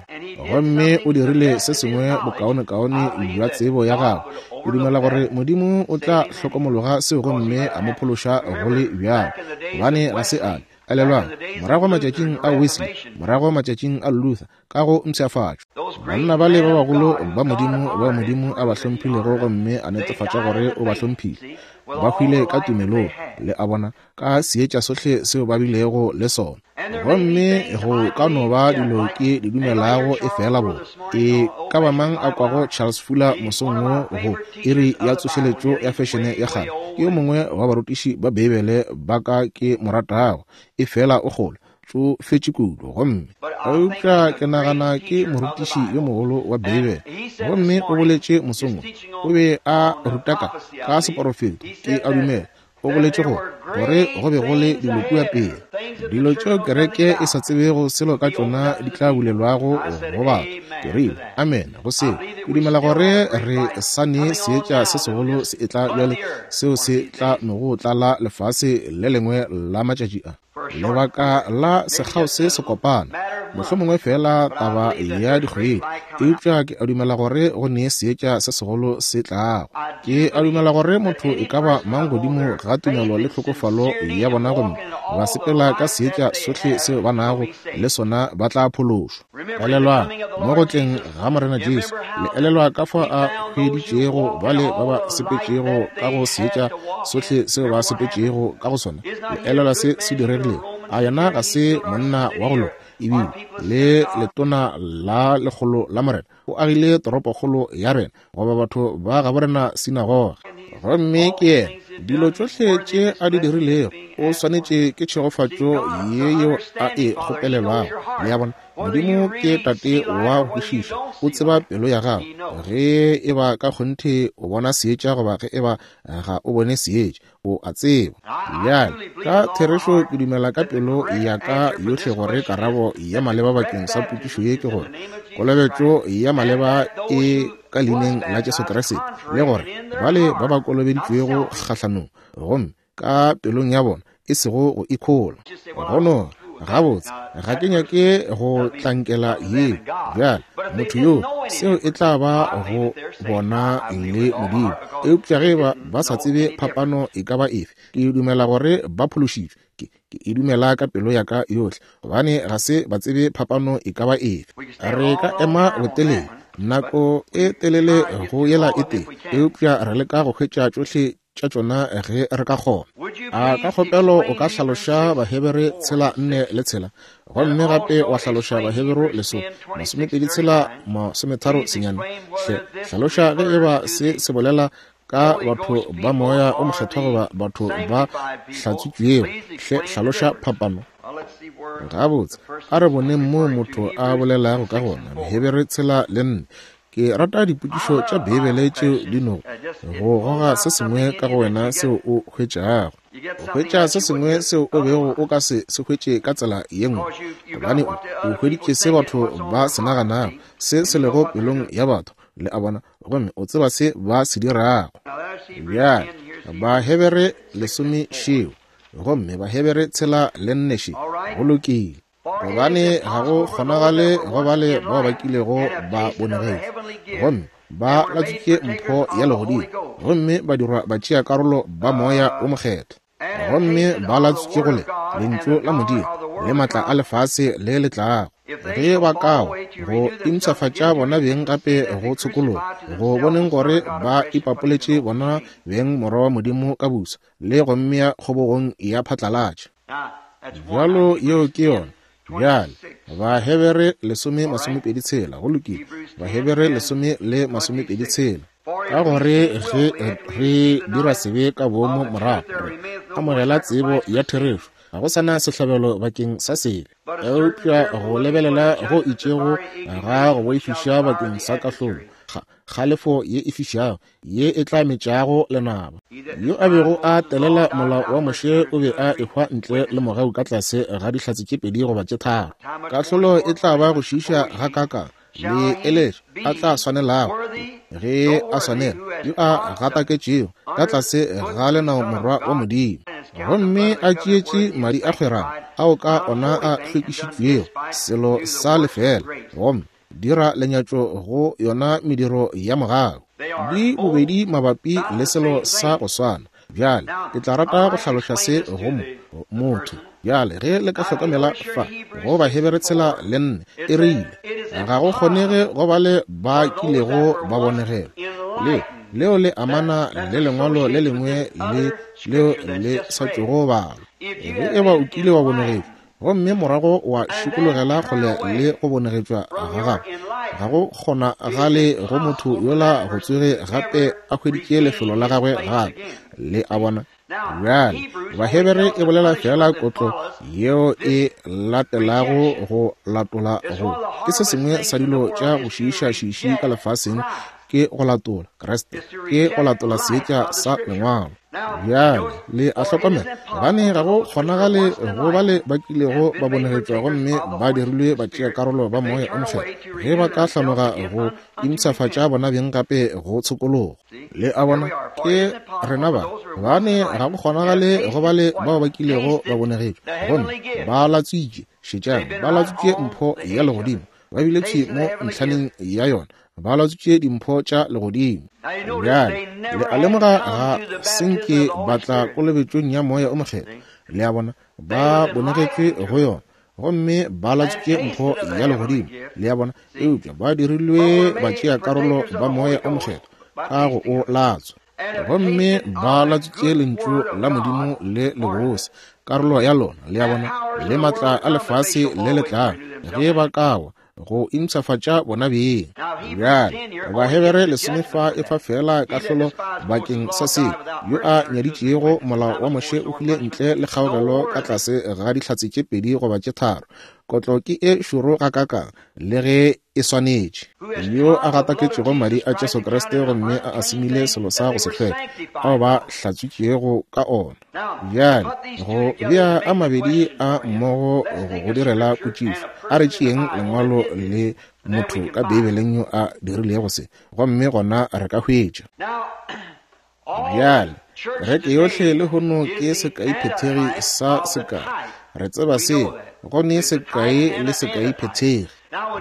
gomme o dirile se sengwe bokaonekaone bja tsebo ya gagwe, ke dumela gore Modimo o tla hlokomologa seo gomme a mo phološa go le bjalo, gobane ga se a elelwang morago matšatšing a Wesley, morago matšatšing a Luther, ka go mpshafatšo. Banna bale ba bagolo ba Modimo bao Modimo a ba hlomphilego gomme a netefatša gore o ba hlomphile, ba hwile ka tumelong, le a bona, ka seetša sohle seo ba bilego le sona. Gomme go ka no ba dilo ke di dumelago efela bo e ka ba mang a kwago Charles Fuller mosong wo go iri ya tsošeletšo ya fešene ya kgale, ke yo mongwe wa barutiši ba Beibele ba ka ke mo ratago, efela o kgolo tšofetše kudu. Gomme eupša ke nagana ke morutiši yo mogolo wa Beibele. Gomme o boletše mosong wo, o be a ruta ka, ka seporofeto, ke a dumela o boletše gore, gore go be go le dilo kua pele, dilo tšeo kereke e sa tsebego selo ka tšona di tla bulelwago go batho. Ke rile, Amene go seo. Ke dumela gore re sa ne seetša se segolo se etla bjale, seo se tla nogo tlala lefase le lengwe la matšatši a. Lebaka la sekgao se se kopana, mohlomongwe feela taba ya dikgwedi, eupša ke a dumela gore go ne seetša se segolo se tlago. Ke a dumela gore motho e ka ba mang godimo ga tumelo le tlhokofalo ya bona gomme ba sepela ka seetša sohle seo ba nago le sona ba tla phološwa. Elelwang, mo go tleng ga Morena Jesu, le elelwa ka fao a hweditšego bale ba ba sepetšego ka go seetša sohle seo ba sepetšego ka go sona? Le elelwa se se diregilego? A yena ga se monna wa go loka, ebile le letona la lekgolo la Morena? O agile toropokgolo ya rena, goba batho ba gabo rena sinagoge. Gomme ke yena, dilo tšohle tše a di dirilego, o swanetše ke tšhegofatšo ye yeo a e kgopelelwago. Le a bona? Modimo ke Tate wa go kwešiša, o tseba pelo ya gago, ge e ba ka kgonthe o bona seetša goba ge e ba ga o bone seetša. O a tseba. Bjale, ka therešo ke dumela ka pelo ya ka yohle gore karabo ya maleba bakeng sa potšišo ye ke gore kolobetšo ya maleba e ka leineng la Jesu Kriste, le gore bale ba ba kolobeditšwego kgahlanong gomme ka pelong ya bona e sego go ikhola go no Gabotse, ga ke nyake go tlankela yeo. Bjale, motho yo, seo e tla ba go bona le Modimo. Eupša ge ba, ba sa tsebe phapano e ka ba efe, ke dumela gore ba phološitšwe. Ke, ke e dumela ka pelo ya ka yohle, gobane ga se ba tsebe phapano e ka ba efe. Re ka ema botelele, nako e telele go yela e tee, eupša re leka go hwetša tšohle tša tšona ge re ka kgona. A ka kgopelo o ka hlaloša Bahebere tshela nne le tshela, gomme gape wa hlaloša Baheberu leso 26 tshela 39? Hle hlaloša ge e ba se se bolela ka batho ba moya o mokgethwa goba batho ba hlatswitšwego. Hle hlaloša phapano. Gabotse, a re boneng moo motho a bolelago ka gona. Bahebere tshela le nne. Ke rata dipotšišo tša Beibele tšeo di nogo go goga se sengwe ka go wena seo o hwetšago. O hwetša se sengwe seo o bego o ka se se hwetše ka tsela ye nngwe, gobane o, o hweditše se batho ba se naganago, se se lego pelong ya batho, le a bona, gomme o tseba se ba se dirago. Bjale, Bahebere lesome šeo, gomme Bahebere tshela le nne še. Go lokile. Gobane ga go kgonagale go bale bao ba kilego ba bonegetšwe gomme ba latswitše mpho ya legodimo gomme ba dirwa batšeakarolo ba Moya wo Mokgethwa, gomme ba latswitše go le Lentšu la Modimo le maatla a lefase le le tlago. Ge ba ka wa, go impshafatša bona beng gape go tshokologo, go boneng gore ba ipapoletše bona beng Morwa wa Modimo ka boswa, le go mmea kgobogong ya phatlalatša. Bjalo yeo ke yona. Bjale, Bahebere lesome masomepedi tshela. Go lokile. Bahebere lesome le masomepedi tshela. Ka gore ge re dira sebe ka boomo morago re amogela tsebo ya therešo, ga go sa na sehlabelo bakeng sa sebe, eupša go lebelela go itšego ga go boifiša bakeng sa kahlolo, kgalefo ye e fišago ye e tla metšago lenaba. Yo a bego a telela molao wa Moshe o be a ehwa ntle le mogau ka tlase ga dihlatse tše pedi goba tše tharo. Kahlolo e tla ba go šiiša gakaakang le eletšo a tla swanelago ge a swanela yo a gataketšego ka tlase ga lenao morwa wa Modimo, gomme a tšeetše madi a kgwerano ao ka ona a hlwekišitšwego selo sa lefela, gomme dira lenyatšo go yona mediro ya mogau. Di bobedi mabapi le selo sa go swana. Bjale ke tla rata go hlaloša se go mo, motho. Bjale ge le ka hlokomela fa go Bahebere tshela le nne, e rile ga go kgonege go ba le ba kilego ba bonegelwa. Le leo le amana le lengwalo le lengwe le leo le sa tšogo balwa. Ge e ba o kile wa bonegetšwa gomme morago wa šikologela kgole le go bonegetšwa ga gago, ga go kgonagale go motho yola go tsoge gape a hweditše lefelo la gagwe gape. Le a bona? Bjale, Bahebere e bolela feela kotlo yeo e latelago go latola go. Ke se sengwe sa dilo tša go šiiša-šiiši ka lefaseng, ke go latola Kriste, ke go latola seetša sa Lengwalo. Bjale le a hlokomela, gobane ga go kgonagale go bale ba kilego ba bonegetšwa gomme ba dirilwe batšeakarolo ba Moya o Mokgethwa, ge ba ka hlanoga go impshafatša bona beng gape go tshokologo. Le a bona, ke rena ba, gobane ga go kgonagale go bale bao ba kilego ba bonegetšwa gomme ba latswitše, šetšang, ba latswitše mpho ya legodimo, ba bile thwi mo ntlhaneng ya yona, ba latswitše dimpho tša legodimo. Bjale le a lemoga ga se nke ba tla kolobetšong ya Moya o Mokgethwa. Le a bona, ba bonegetšwe go yona gomme ba latswitše mpho ya legodimo. Le a bona, eupša ba dirilwe batšeakarolo ba Moya o Mokgethwa ka go o latswa, gomme ba latswitše Lentšu la Modimo le lebose, karolo ya lona, le a bona, le matla a lefase le le tlago ge ba ka wa go impshafatša bona beng. Bjale, Bahebere lesome fa e fa feela kahlolo bakeng sa se. Yo a nyaditšego molao wa Moshe o hwile ntle le kgaogelo ka tlase ga dihlatse tše pedi goba tše tharo. Kotlo ke e šoro gakaakang, le ge e swanetše. Yo a gataketšego madi a Jesu Kriste gomme a asimile selo sa go se hlweke, ao ba hlatswitšego ka ona. Bjale, go bea a mabedi a mmogo go go direla potšišo, a re tšeeng lengwalo le motho ka Beibeleng yo a dirilego se, gomme gona re ka hwetša. Bjale, kereke yohle lehono ke sekaiphethegi sa sekai. Re tseba seo, go ne sekai le sekaiphethegi.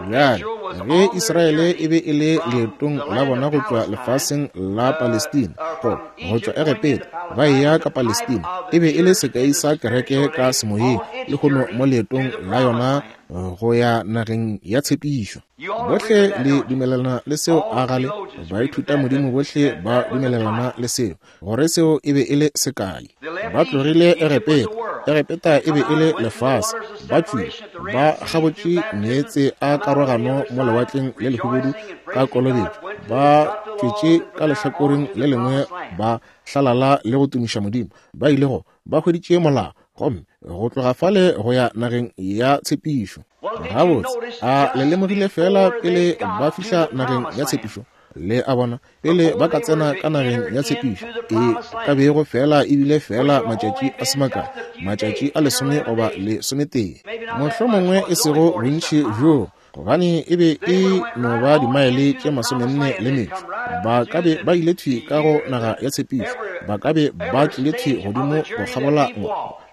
Bjale, ge Israele e be e le leetong la bona go tšwa lefaseng la Palestina, go, go tšwa Egepeta, ba eya ka Palestina, e be e le sekai sa kereke ka semoyeng, lehono mo leetong la yona go ya nageng ya tshepišo. Bohle le dumelelana le seo, a gale? Baithutamodimo bohle ba dumelelana le seo, gore seo e be e le sekai. Ba tlogile Egepeta. Egepeta e be e le lefase. Ba tšwile, ba kgabotše meetse a karogano mo Lewatleng le Lehubedu ka kolobetšo, ba tšwetše ka lehlakoreng le lengwe ba hlalala le go tumiša Modimo. Ba ile go, ba hweditše molao, gomme go tloga fale go ya nageng ya tshepišo. Gabotse, a le lemogile feela pele ba fihla nageng ya tshepišo? Le a bona, pele ba ka tsena ka nageng ya tshepišo, e ka bego feela e bile feela matšatši a se makae, matšatši a lesome goba lesometee, mohlomongwe e sego bontši bjoo, gobane e be e no ba dimaele tše masomenne le metšo. Ba ka be ba ile thwi ka go naga ya tshepišo, ba ka be ba tlile thwi godimo go kgabola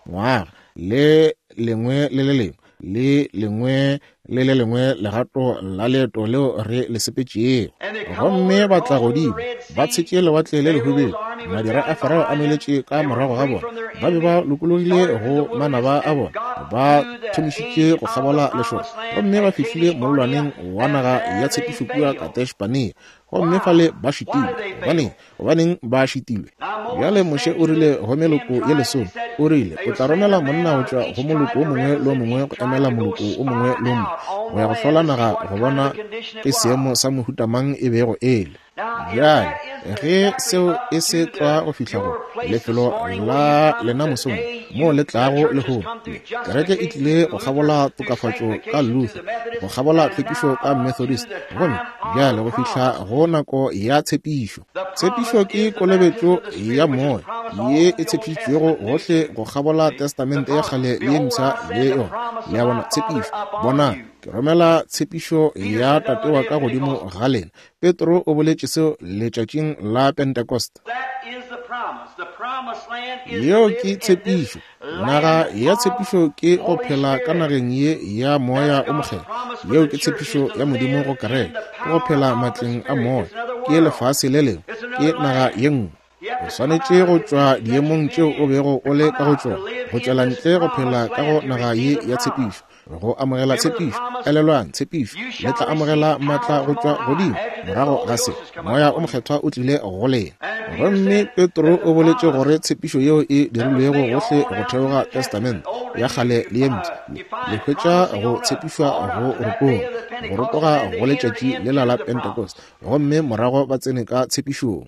ngwaga le lengwe le le lengwe. le lengwe le le lengwe legato la leeto leo re le sepetšego. Gomme ba tla godimo, ba tshetše Lewatle le Lehubedu, madira a Farao a nweletše ka morago ga bona. Ba be ba lokologile go manaba a bona, ba thomišitše go kgabola lešoka, gomme ba fihlile mollwaneng wa naga ya tshepišo kua Kadesh-Barnea. Gomme fale ba šitilwe. Gobaneng? Gobaneng ba šitilwe? Bjale Moshe o rile go meloko ye lesome, o rile, o tla romela monna go tšwa go moloko o mongwe le o mongwe go emela moloko o mongwe le o mongwe, go ya go hlola naga go bona ke seemo sa mohuta mang e bego e le. Bjale, ge seo e se tlwa go fihla go lefelo la lena mosong moo le tlago lehono, kereke e tlile go kgabola tokafatšo ka Luther, go kgabola tlhwekišo ka Methodist, gomme bjale go fihla go nako ya tshepišo. Tshepišo ke kolobetšo ya moya ye e tshepišitšwego gohle go kgabola Testamente ya kgale le ye mpsha le yona. Le a bona, tshepišo. Bonang, ke romela tshepišo ya Tate wa ka godimo ga lena. Petro o boletše seo letšatšing la Pentecost. Yeo ke tshepišo. Naga ya tshepišo ke go phela ka nageng ye ya Moya o Mokgethwa. Yeo ke tshepišo ya Modimo go kereke, ke go phela matleng a Moya. Ke lefase le lengwe, ke naga ye nngwe. O swanetše go tšwa diemong tšeo o bego o le ka go tšona, go tšwela ntle go phela ka go naga ye ya tshepišo, go amogela tshepišo. Elelwang tshepišo, le tla amogela maatla go tšwa godimo. Morago ga se, Moya o Mokgethwa o tlile go lena. Gomme Petro o boletše gore tshepišo yeo e dirilwego gohle go theoga Testamente ya Kgale le ye Mpsha, le hwetša go tshepišwa go rotoga, go rotoga go letšatši lela la Pentecost, gomme morago ba tsene ka tshepišong.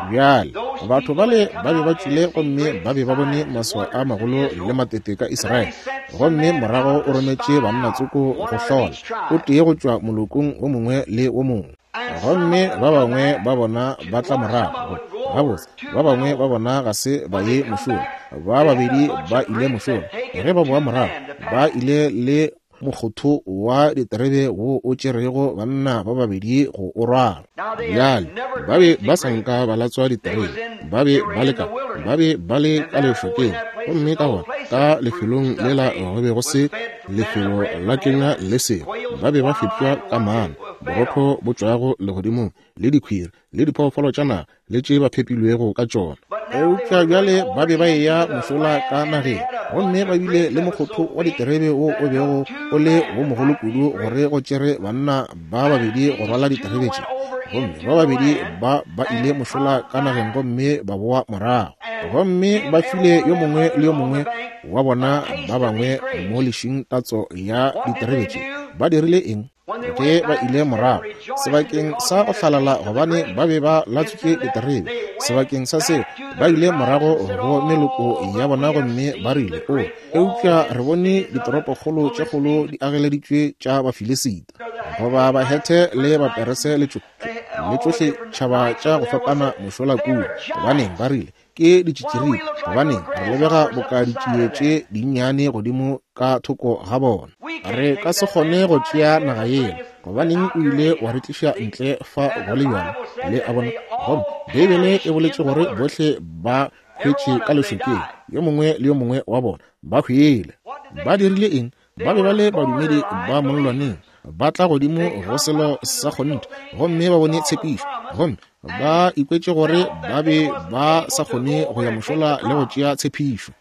Bjale, batho bale ba be ba tšwile gomme ba be ba bone maswao a magolo le matete ka Israele, gomme morago o rometše banna tsoko go hlola, o tee go tšwa molokong wo mongwe le wo mongwe. Gomme ba bangwe ba bona ba tla morago, gabotse, ba bangwe ba bona ga se ba ye mošola, ba babedi ba ile mošola. Ge ba boa morago, ba ile le mokgotho wa diterebe wo o tšerego banna ba babedi go o rwala. Bjale, ba be ba sa nka ba latswa diterebe, ba be ba le ka, ba be ba le ka lešokeng, gomme ka gona ka lefelong lela go be go se lefelo la kenywa le sengwe. Ba be ba fepša ka mana, borotho bo tšwago legodimong, le dikhwiri, le diphoofolo tša naga, le tše ba phepilwego ka tšona. Eupša bjale ba be ba eya mošola ka nageng, gomme ba bile le mokgotho wa diterebe wo o bego o le wo mogolo kudu gore go tšere banna ba babedi go rwala diterebe tše. Gomme ba babedi ba ba ile mošola ka nageng gomme ba boa morago, gomme ba file yo mongwe le yo mongwe wa bona ba bangwe mo lešing tatso ya diterebe tše. Ba dirile eng? Ge ba ile morago sebakeng sa go hlalala gobane ba be ba latswitše diterebe, sebakeng sa seo ba ile morago go meloko ya bona gomme ba rile, O, eupša re bone ditoropokgolo tše kgolo di ageleditšwe tša Bafilisita, goba Bahethe le Baperese le tšohle tšhaba tša go fapana mošola kua. Gobaneng, ba rile, ke ditšitširipa, gobaneng re lebega boka ditšie tše dinnyane godimo ka thoko ga bona. Re ka se kgone go tšea naga yela. Gobaneng o ile wa re tliša ntle fa go le bjalo? Le a bona? Gomme Beibele e boletše gore bohle ba hwetše ka lešokeng, yo mongwe le yo mongwe wa bona ba hwile. Ba dirile eng? Ba be ba le badumedi ba mollwaneng, ba tla godimo go selo sa kgonthe gomme ba bone tshepišo, gomme ba ikwetše gore ba be ba sa kgone go ya mošola le go tšea tshepišo.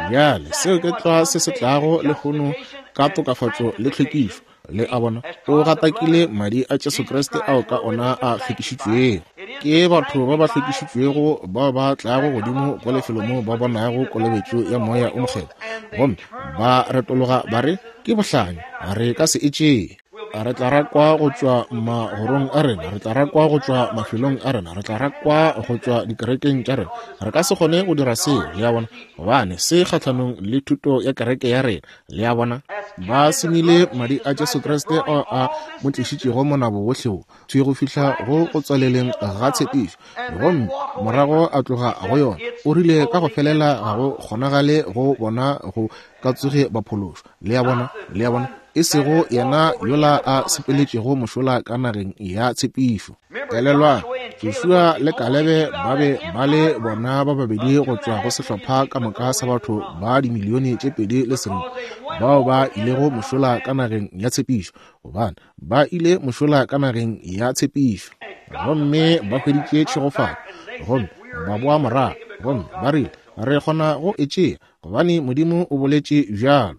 Bjale seo ke tlwa se se tlago lehono ka tokafatšo le tlhwekišo. Le a bona, o gatakile madi a Jesu Kriste ao ka ona a hlwekišitšwego. Ke batho ba ba hlwekišitšwego bao ba tlago godimo go lefelo moo ba bonago kolobetšo ya Moya o Mokgethwa, gomme ba retologa ba re, Ke bohlanya, re ka se e tšee. Re tla rakwa go tšwa magorong a rena, re tla rakwa go tšwa mafelong a rena, re tla rakwa go tšwa dikerekeng tša rena. Re ka se kgone go dira seo, le a bona, gobane se kgahlanong le thuto ya kereke ya rena. Le a bona, ba senyile madi a Jesu Kriste ao a mo tlišitšego monabo wohle wo, thwi go fihla go go tswaleleng ga tshepišo, gomme morago a tloga go yona. O rile ka go felela ga go kgonagale go bona go ka tsoge ba phološwa. Le a bona? Le a bona? E sego yena yola a sepeletšego mošola ka nageng ya tshepišo. Elelwang, Joshua le Kalebe ba be ba le bona ba babedi go tšwa go sehlopha ka moka sa batho ba dimilione tše 2.5. bao ba ilego mošola ka nageng ya tshepišo, gobane ba ile mošola ka nageng ya tshepišo gomme ba hweditše tšhegofatšo, gomme ba boa morago gomme ba rile, Re kgona go e tšea, gobane Modimo o boletše bjalo.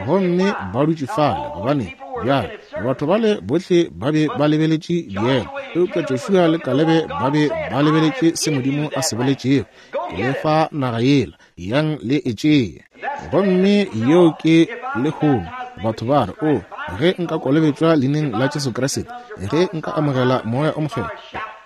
Gomme ba dutše fale, gobane bjale batho bale bohle ba be ba lebeletše diema, eupša Joshua le Kalebe ba be ba lebeletše se Modimo a se boletšego, Ke le fa naga yela, yang le e tšee. Gomme yeo ke lehono. Batho ba re, O, ge nka kolobetšwa leineng la Jesu Kriste, ge nka amogela Moya o Mokgethwa,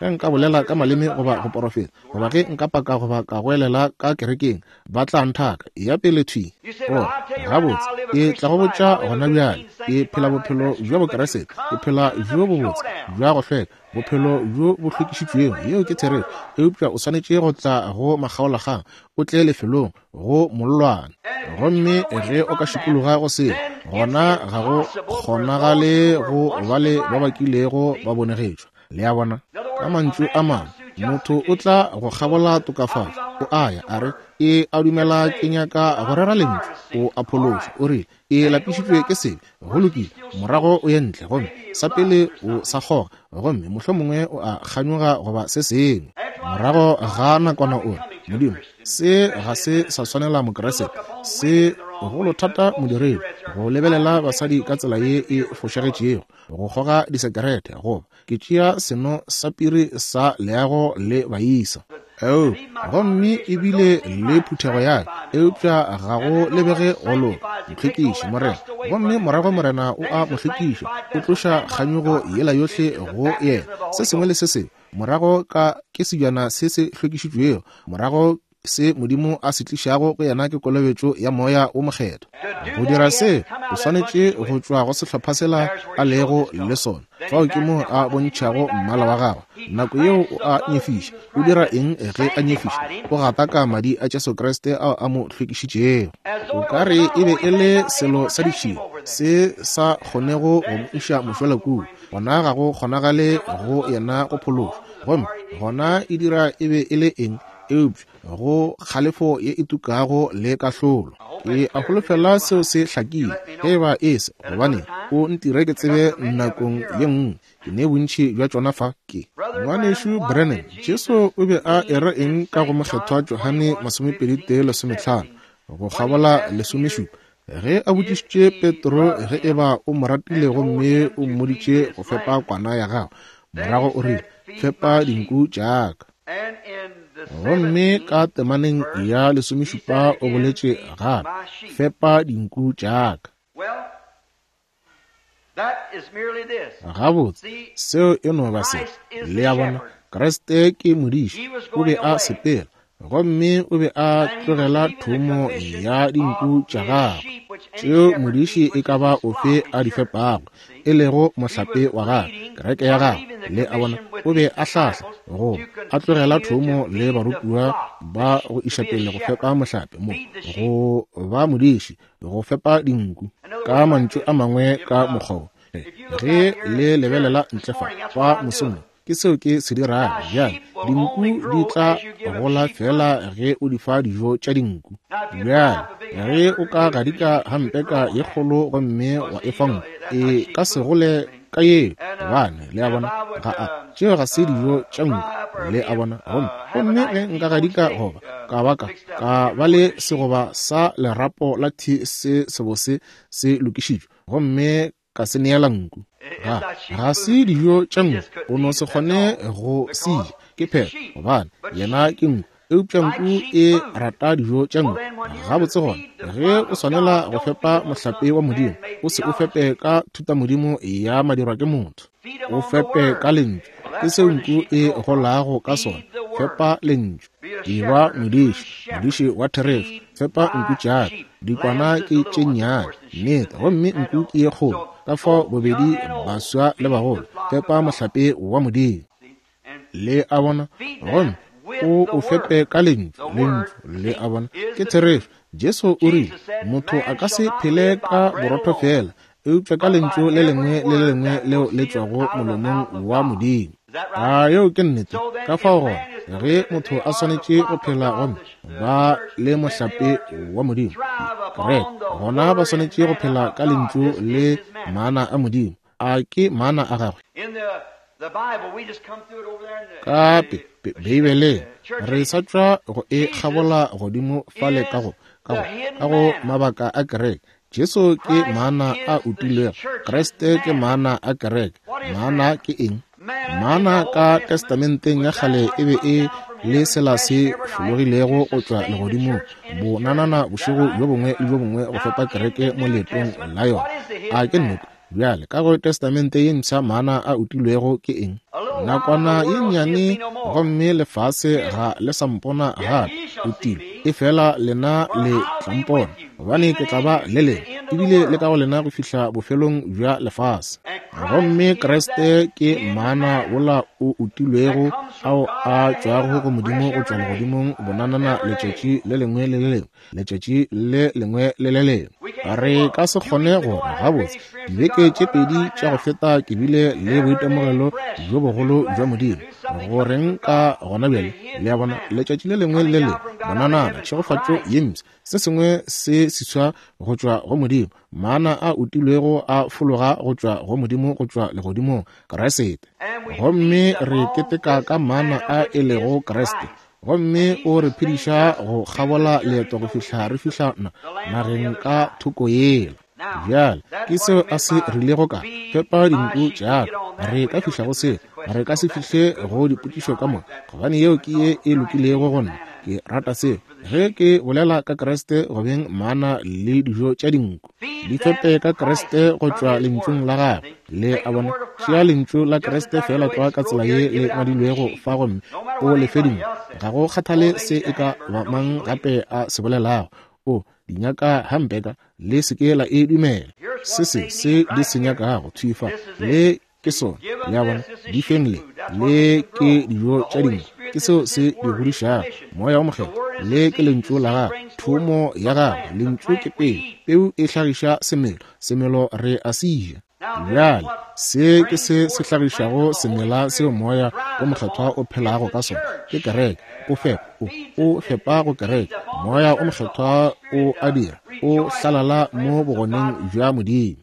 ge nka bolela ka maleme goba go porofeta, goba ge nka paka goba ka goelela ka kerekeng, ba tla nthaka. Ya pele thwi. O re, Gabotse, ke tla go botša gona bjale, ke phela bophelo bja Bokriste, ke phela bjo bobotse, bja go hlweka, bophelo bjo bo hlwekišitšwego. Yeo ke therešo. Eupša o swanetše go tla go makgaolakgang, o tle lefelong, go mollwane. Gomme ge o ka šikologa go seo, gona ga go kgonagale go ba le ba ba kilego ba bonegetšwa. Le a bona? Ka mantšu a mangwe, motho o tla go kgabola tokafatšo, o a ya, a re, Ke a dumela ke nyaka go rera Lentšu. O a phološwa. O rile, Ke lapišitšwe ke sebe. Go lokile. Morago o ye ntle, gomme sa pele o sa kgoga, gomme mohlomongwe o a kganyoga goba se sengwe. Morago ga nakwana o re, Modimo, se ga se sa swanela Mokriste. Se golo thata modiredi go lebelela basadi ka tsela ye e fošagetšego, go kgoga disekerete, goba Ke tšea seno sa piri sa leago le baisa. Oh, gomme ebile le phuthego ya ka, eupša ga go lebege go loka. Ntlhwekiše, Morena. Gomme morago Morena o a mo hlwekiša, o tloša kganyogo yela yohle go yena, se sengwe le se sengwe. Morago ka ke sebjana se se hlwekišitšwego, morago Se Modimo a se tlišago go yena ke kolobetšo ya Moya wo Mokgethwa. Go dira se, o swanetše go tšwa go sehlopha sela a lego le sona. Fao ke moo a bontšhago mmala wa gagwe. Nako yeo o a nyefiša. O dira eng ge a nyefiša? O gataka madi a Jesu Kriste ao a mo hlwekišitšego. O ka re e be e le selo sa ditšhila se sa kgonego go mo iša mošola kua. Gona ga go kgonagale go yena go phološwa. Gomme gona e dira e be e le eng? Eupša go kgalefo ye e tukago le kahlolo. Ke a holofela seo se hlakile. Ge e ba e se, gobaneng, o ntire ke tsebe nakong ye nngwe. Ke ne bontši bja tšona fa. Ke. Ngwanešu Branham, Jesu o be a era eng ka go Mokgethwa Johane 21 15 go kgabola lesomešupa, ge a botšišitše Petro ge e ba o mo ratile gomme o mmoditše go fepa kwana ya gagwe, morago o rile, Fepa dinku tša ka. Gomme ka temaneng ya lesomešupa o boletše gape, Fepa dinku tša ka. Gabotse, seo e no ba se. Le a bona, Kriste ke modiši. O be a sepela, gomme o be a tlogela thomo ya dinku tša gagwe, tšeo modiši e ka ba ofe a di fepago, e lego mohlape wa gagwe, kereke ya gagwe. Le a bona, o be a hlahla, goba a tlogela thomo le barutiwa ba go iša pele go fepa mohlape mo, go ba modiši, go fepa dinku. Ka mantšu a mangwe, ka mokgwa wo, ge le lebelela ntle fa, fa mosong wo, ke seo ke se dirago bjale. Dinku di tla gola feela ge o di fa dijo tša dinku. Bjale, ge o ka gadika hampeka ye kgolo gomme wa e fa nku, e ka se gole ka yeo, gobane, le a bona, ga a, tšeo ga se dijo tša nku, le a bona. Gomme, gomme ge nka gadika goba ka ba ka, ka ba le segoba sa lerapo la thi se sebose se lokišitšwe, gomme ka se neela nku, ga, ga se dijo tša nku, o no se kgone go se ja, ke phetho, gobane yena ke nku. Eupša nku e rata dijo tša nku. Gabotse gona, ge o swanela go fepa mohlape wa Modimo, o se o fepe ka thutamodimo ya madirwa ke motho. O fepe ka Lentšu. Ke seo nku e golago ka sona. Fepa Lentšu. Eba modiši, modiši wa therešo. Fepa nku tša ka. Dikwana ke tše nnyane, nnete, gomme nku ke ye kgolo. Ka fao bobedi baswa le bagolo, fepa mohlape wa Modimo. Le a bona? Gomme o o fepe ka Lentšu, Lentšu, le a bona, ke therešo. Jesu o rile, Motho a ka se phele ka borotho feela, eupša ka Lentšu le lengwe le le lengwe leo le tšwago molomong wa Modimo. A yeo ke nnete? Ka fao gona, ge motho a swanetše go phela gomme ba le mohlape wa Modimo, Kereke, gona ba swanetše go phela ka Lentšu le mana a Modimo. A ke mana a gagwe? Ka Beibeleng, re sa tšwa go e kgabola godimo fale ka go, ka go, ka go mabaka a kereke. Jesu ke mana a utilwego. Kriste ke mana a kereke. Mana ke eng? Mana ka Testamenteng ya kgale e be e le sela se fologilego go tšwa legodimong, bonanana bošego bjo bongwe le bjo bongwe go fepa kereke mo leetong la yona. A ke nnete? Bjale, ka go Testamente ye Mpsha mana a utilwego ke eng? Nakwana ye nnyane gomme lefase ga le sa mpona gape, utilwe, efela lena le tla mpona, gobane ke tla ba le lena, ebile le ka go lena go fihla bofelong bja lefase. Gomme Kriste ke mana wola o utilwego ao a tšwago go Modimo go tšwa legodimong bonanana letšatši le lengwe le le lengwe. Letšatši le lengwe le le lengwe. Re ka se kgone go re, Gabotse, dibeke tše pedi tša go feta ke bile le boitemogelo bjo bogolo bja Modimo. Go reng ka gona bjale? Le a bona, letšatši le lengwe le le lengwe, bonanana, tšhegofatšo ye mpsha, se sengwe se seswa go tšwa go Modimo, mana a utilwego a fologa go tšwa go Modimo go tšwa legodimong, Kriste. Gomme re keteka ka mana a e lego Kriste. Gomme o re phediša go kgabola leeto go fihla re fihla na, nageng ka thoko yela. Bjale, ke seo a se rilego ka fepa dinku tša ka. Re ka fihla go seo, re ka se fihle go dipotšišo ka moka, gobane yeo ke ye e lokilego go nna. Ke rata seo. Ge ke bolela ka Kriste go beng mana le dijo tša dinku, di fepe ka Kriste go tšwa Lentšung la Gagwe. Le a bona? Tšea Lentšu la Kriste feela tlwa ka tsela ye le ngwadilwego fa gomme o le fe dinku. Ga go kgathale se e ka ba mang gape a se bolelago, o di nyaka hampeka, le se ke la e dumela. Se se se di se nyakago thwi fa, le ke sona. Le a bona? Di feng le, le ke dijo tša dinku. Ke seo se di godišago, Moya wo Mokgethwa. Le ke Lentšu la Gagwe, thomo ya Gagwe. Lentšu ke peu, peu e hlagiša semelo, semelo re a se ja. Bjale, se ke se se hlagišago semela seo Moya wo Mokgethwa o phelago ka sona, ke kereke. O fepa, o, o fepa go kereke. Moya wo Mokgethwa o a dira, o hlalala mo bogoneng bja Modimo.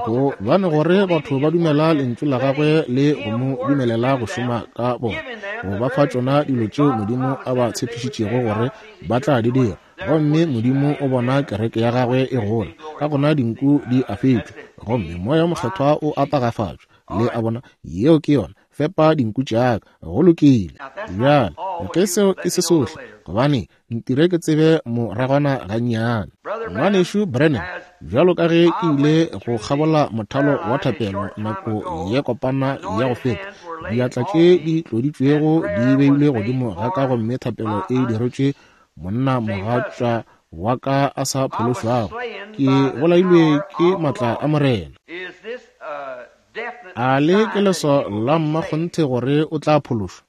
Gobane gore batho ba dumela Lentšu la Gagwe le go Mo dumelela go šoma ka bona, go ba fa tšona dilo tšeo Modimo a ba tshepišitšego gore ba tla di dira. Gomme Modimo o bona kereke ya Gagwe e gola, ka gona dinku di a fetšwa, gomme Moya wo Mokgethwa o a tagafatšwa. Le a bona? Yeo ke yona. Fepa dinku tša ka. Go lokile. Bjale, ge seo e se sohle, gobane ntire ke tsebe moragwana gannyane. Ngwanešu Branham, bjalo ka ge ke ile go kgabola mothalo wa thapelo nako ye kopana ya go feta, diatla tše di tloditšwego di beilwe godimo ga ka gomme thapelo e diretšwe monna mogatša wa ka a sa phološwago. Ke bolailwe ke matla a Morena. A le ke leswao la mmakgonthe gore o tla phološwa?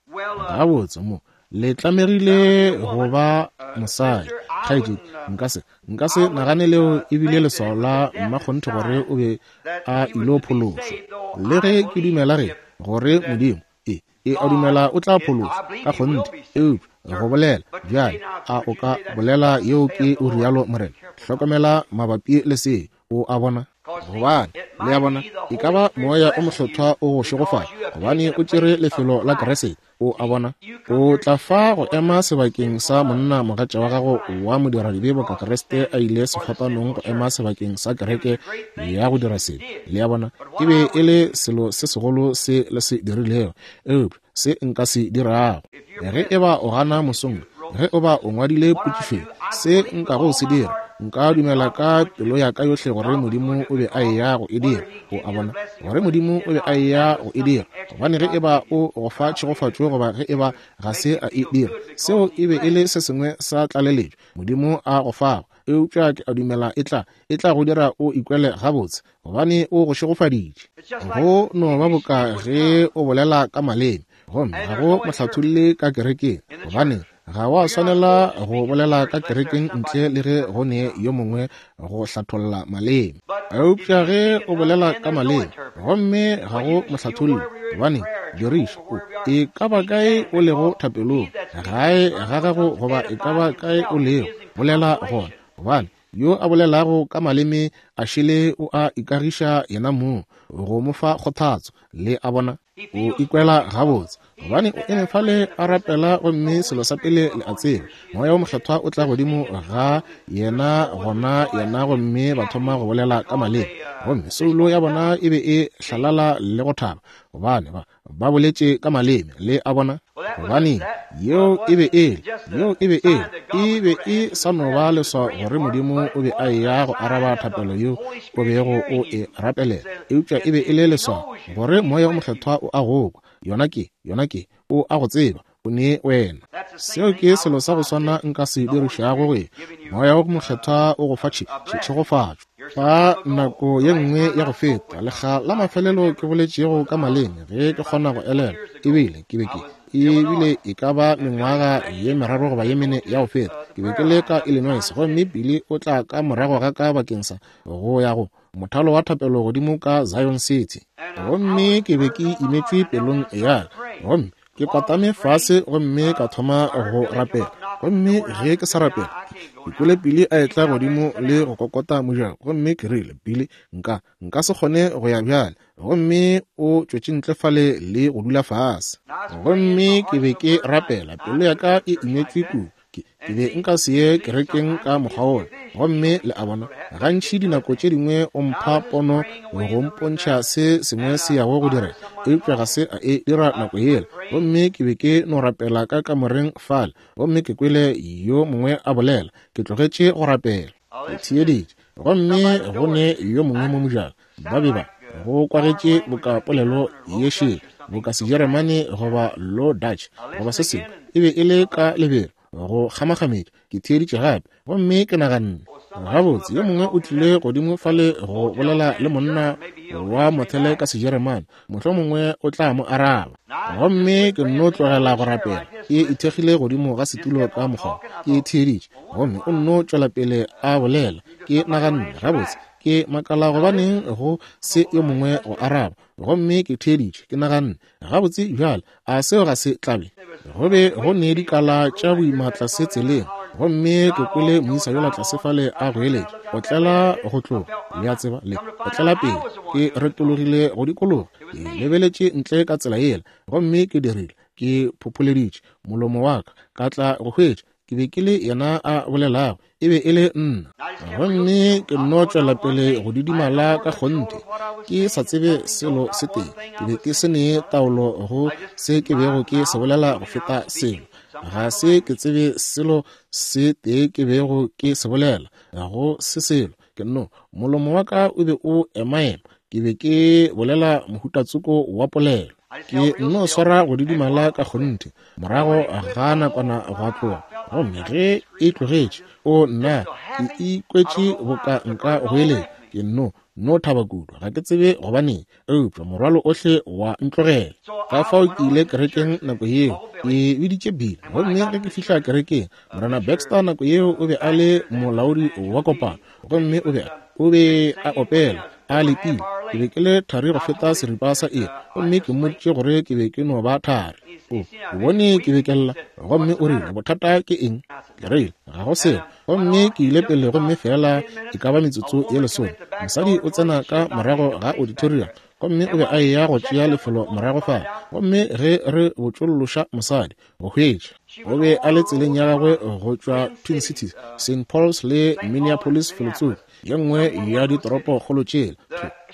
Gabotse, mo le tlamegile go ba mosadi. Kgaetšedi, nka se, nka se nagane leo e bile leswao la mmakgonthe gore o be a ilo phološwa. Le ge ke dumela ge, gore Modimo, e, e a dumela o tla phološwa, ka kgonthe, eupša go bolela bjale, a o ka bolela yeo ke o rialo Morena? Hlokomela mabapi le se, o a bona? Gobane, le a bona, e ka ba Moya o Mokgethwa o go šegofatša, gobane o tšere lefelo la Kriste. O a bona? O tla fa go ema sebakeng sa monna mogatša wa gago wa modiradibe boka Kriste a ile sefapanong go ema sebakeng sa kereke ya go dira sebe. Le a bona? E be e le selo se segolo se le se dirilego, eupša se nka se dirago. Ge e ba o gana mosong, ge o ba o ngwadile potšišo, se nkago se dira, nka dumela ka pelo ya ka yohle gore Modimo o be a eya go e dira. O a bona, gore Modimo o be a eya go e dira. Gobane ge e ba o go fa tšhegofatšo goba ge e ba ga se a e dira, seo e be e le se sengwe sa tlaleletšo Modimo a go fago. Eupša ke a dumela e tla, e tla go dira o ikwele gabotse, gobane o go šegofaditše. Go no ba boka ge o bolela ka maleme, gomme ga go mohlatholli ka kerekeng, gobane ga wa swanela go bolela ka kerekeng ntle le ge go ne yo mongwe go hlatholla maleme. Eupša ge o bolela ka maleme, gomme ga go mohlatholli, gobane diriša o, e ka ba kae o lego thapelong, gae ga gago goba e ka ba kae o lego, bolela gona, gobane. Yo a bolelago ka maleme a šele o a ikagiša yena mong, go mo fa kgothatso. Le a bona? O ikwela gabotse, gobane o eme fale a rapela, gomme selo sa pele le a tseba, Moya wo Mokgethwa o tla godimo ga yena gona yena, gomme ba thoma go bolela ka maleme, gomme soulo ya bona e be e hlalala le go thaba, gobane ba ba boletše ka maleme. Le a bona? Gobane yeo e be e le, yeo e be e le, e be e sa no ba leswao gore Modimo o be a eya go araba thapelo yeo o bego o e rapelela, eupša e be e le leswao gore Moya o Mokgethwa o a go kwa. Yona ke, yona ke, o a go tseba, o ne wena. Seo ke selo sa go swana nka se dirišago go e. Moya wo Mokgethwa o go fa tšhe, tšhe, tšhegofatšo. Fa nako ye nngwe ya go feta, lekga la mafelelo ke boletšego ka maleme, ge ke kgona go elelwa, ebile ke be ke, ebile e ka ba mengwaga ye meraro goba ye mene ya go feta, ke be ke le ka Illinois, gomme Billy o tla ka morago ga ka bakeng sa go ya go mothalo wa thapelo godimo ka Zion City. Gomme ke be ke imetšwe pelong ya ka, gomme ke kwatame fase gomme ka thoma go rapela. Gomme ge ke sa rapela, ke kwele Billy a etla godimo le go kokota mojako, gomme ke rile, Billy, nka, nka se kgone go ya bjale. Gomme o tšwetše ntle fale le go dula fase. Gomme ke be ke rapela, pelo ya ka e imetšwe kudu. Ke, ke be nka se ye kerekeng ka mokgwa wola. Gomme le a bona, gantši dinako tše dingwe o mpha pono go mpontšha se sengwe se yago go direga, eupša ga se a e dira nako yela. Gomme ke be ke no rapela ka kamoreng fale, gomme ke kwele yo mongwe a bolela. Ke tlogetše go rapela. Ke theeditše, gomme go ne yo mongwe mo mojako. Ba be ba go kwagetše boka polelo ye šele, boka Sejeremane goba Low Dutch goba se sengwe. E be e le ka lebelo go kgamakgametša. Ke theeditše gape, gomme ke naganne, Gabotse, yo mongwe o tlile godimo fale go bolela le monna wa mothele ka Sejeremane, mohlomongwe o tla mo araba. Gomme ke nno tlogela go rapela, ke ithekgile godimo ga setulo ka mokgwa, ke theeditše, gomme o nno tšwela pele a bolela. Ke naganne, Gabotse, ke makala gobaneng go se yo mongwe go araba. Gomme ke theeditše, ke naganne, Gabotse bjale, a seo ga se tlabe? Go be go ne dikala tša boima tlase tseleng, gomme ke kwele moisa yola tlase fale a goeletša, Otlela go tloga, le a tseba, le otlela pele. Ke retologile go dikologa, ke lebeletše ntle ka tsela yela, gomme ke dirile, ke phopholeditše molomo wa ka, ka tla go hwetša ke be ke le yena a bolelago, e be e le nna. Gomme ke nno tšwela pele go didimala ka kgonthe, ke sa tsebe selo se tee. Ke be ke se ne taolo go se ke bego ke se bolela go feta selo. Ga se ke tsebe selo se tee ke bego ke se bolela, ga go se selo. Ke nno, molomo wa ka o be o emaema, ke be ke bolela mohutatsoko wa polelo. Ke nno swara go didimala ka kgonthe, morago ga nakwana gwa tloga. Gomme ge e tlogetše, o nna, ke ikwetše boka nka goeletša. Ke nno, nno thaba kudu, ga ke tsebe gobaneng, eupša morwalo ohle wa ntlogela. Ka fao ke ile kerekeng nako yeo, ke biditše Bill. Gomme ge ke fihla kerekeng, Morena Baxter nako yeo o be a le molaodi wa kopano, gomme o be o be a opela a letile. Ke be ke le thari go feta seripa sa iri, gomme ke mmoditše gore ke be ke no ba thari. O bone ke be ke lla, gomme o rile, Bothata ke eng? Ke rile, Ga go selo. Gomme ke ile pele, gomme feela e ka ba metsotso ye lesome, mosadi o tsena ka morago ga auditorium, gomme o be a eya go tšea lefelo morago fale. Gomme ge re botšolloša mosadi go hwetša, o be a le tseleng ya gagwe go tšwa Twin Cities, Saint Paul's le Minneapolis felotsoko, ye nngwe ya ditoropokgolo tšela.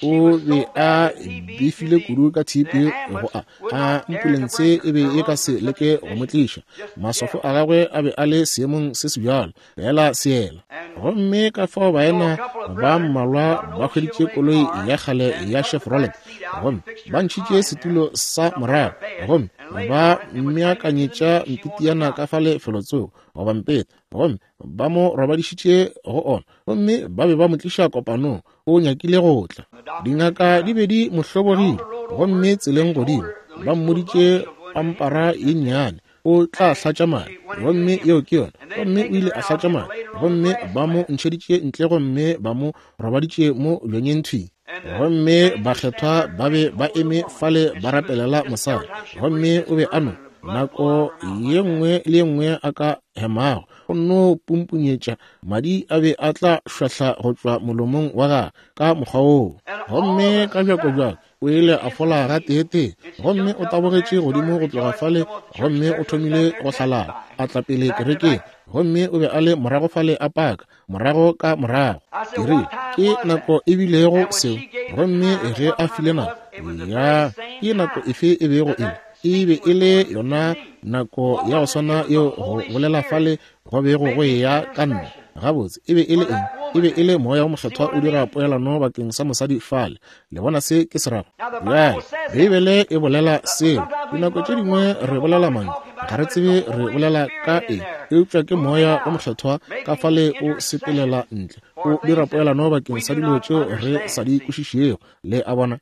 O be a befile kudu ka TB go a a ambulense e be e ka se leke go mo tliša. Maswafo a gagwe a be a le seemong se sebjalo, feela seela. Gomme ka fao baena ba mmalwa ba hweditše koloi ya kgale ya Chevrolet, gomme ba ntšhitše setulo sa morago, gomme ba mmeakanyetša mpitiana ka fale felotsoko, goba mpeta, gomme ba mo robadišitše go ona, gomme ba be ba mo tliša kopanong. O nyakile go tla. Dingaka di be di mo hlobogile, gomme tseleng godimo ba mmoditše pampara ye nnyane, o tla hlatša madi, gomme yeo ke yona. Gomme o ile a hlatša madi, gomme ba mo ntšheditše ntle gomme ba mo robaditše mo bjanyeng thwi. Gomme bakgethwa ba be ba eme fale ba rapelela mosadi, gomme o be a no. Nako ye nngwe le ye nngwe a ka hemago, o nno pumpunyetša madi a be a tla šwahla go tšwa molomong wa gagwe ka mokgwa woo. Gomme ka bjakobjako o ile a fola gateetee, gomme o tabogetše godimo go tloga fale gomme o thomile go hlalala, a tla pele kerekeng, gomme o be a le morago fale a paka, morago ka morago. Ke rile, Ke nako e bilego seo, gomme ge a file nako ya, ke nako efe e bego e le? E be e le yona nako ya go swana yeo go bolela fale go bego go eya ka nna. Gabotse, e be e le eng? E be e le Moya wo Mokgethwa o dira poelano bakeng sa mosadi fale. Le bona se ke se rago? Bjale, Beibele e bolela seo. Dinako tše dingwe re bolela mantšu, ga re tsebe re bolela ka eng, eupša ke Moya wo Mokgethwa ka fale o sepelela ntle, o dira poelano bakeng sa dilo tšeo re sa di kwešišego. Le a bona?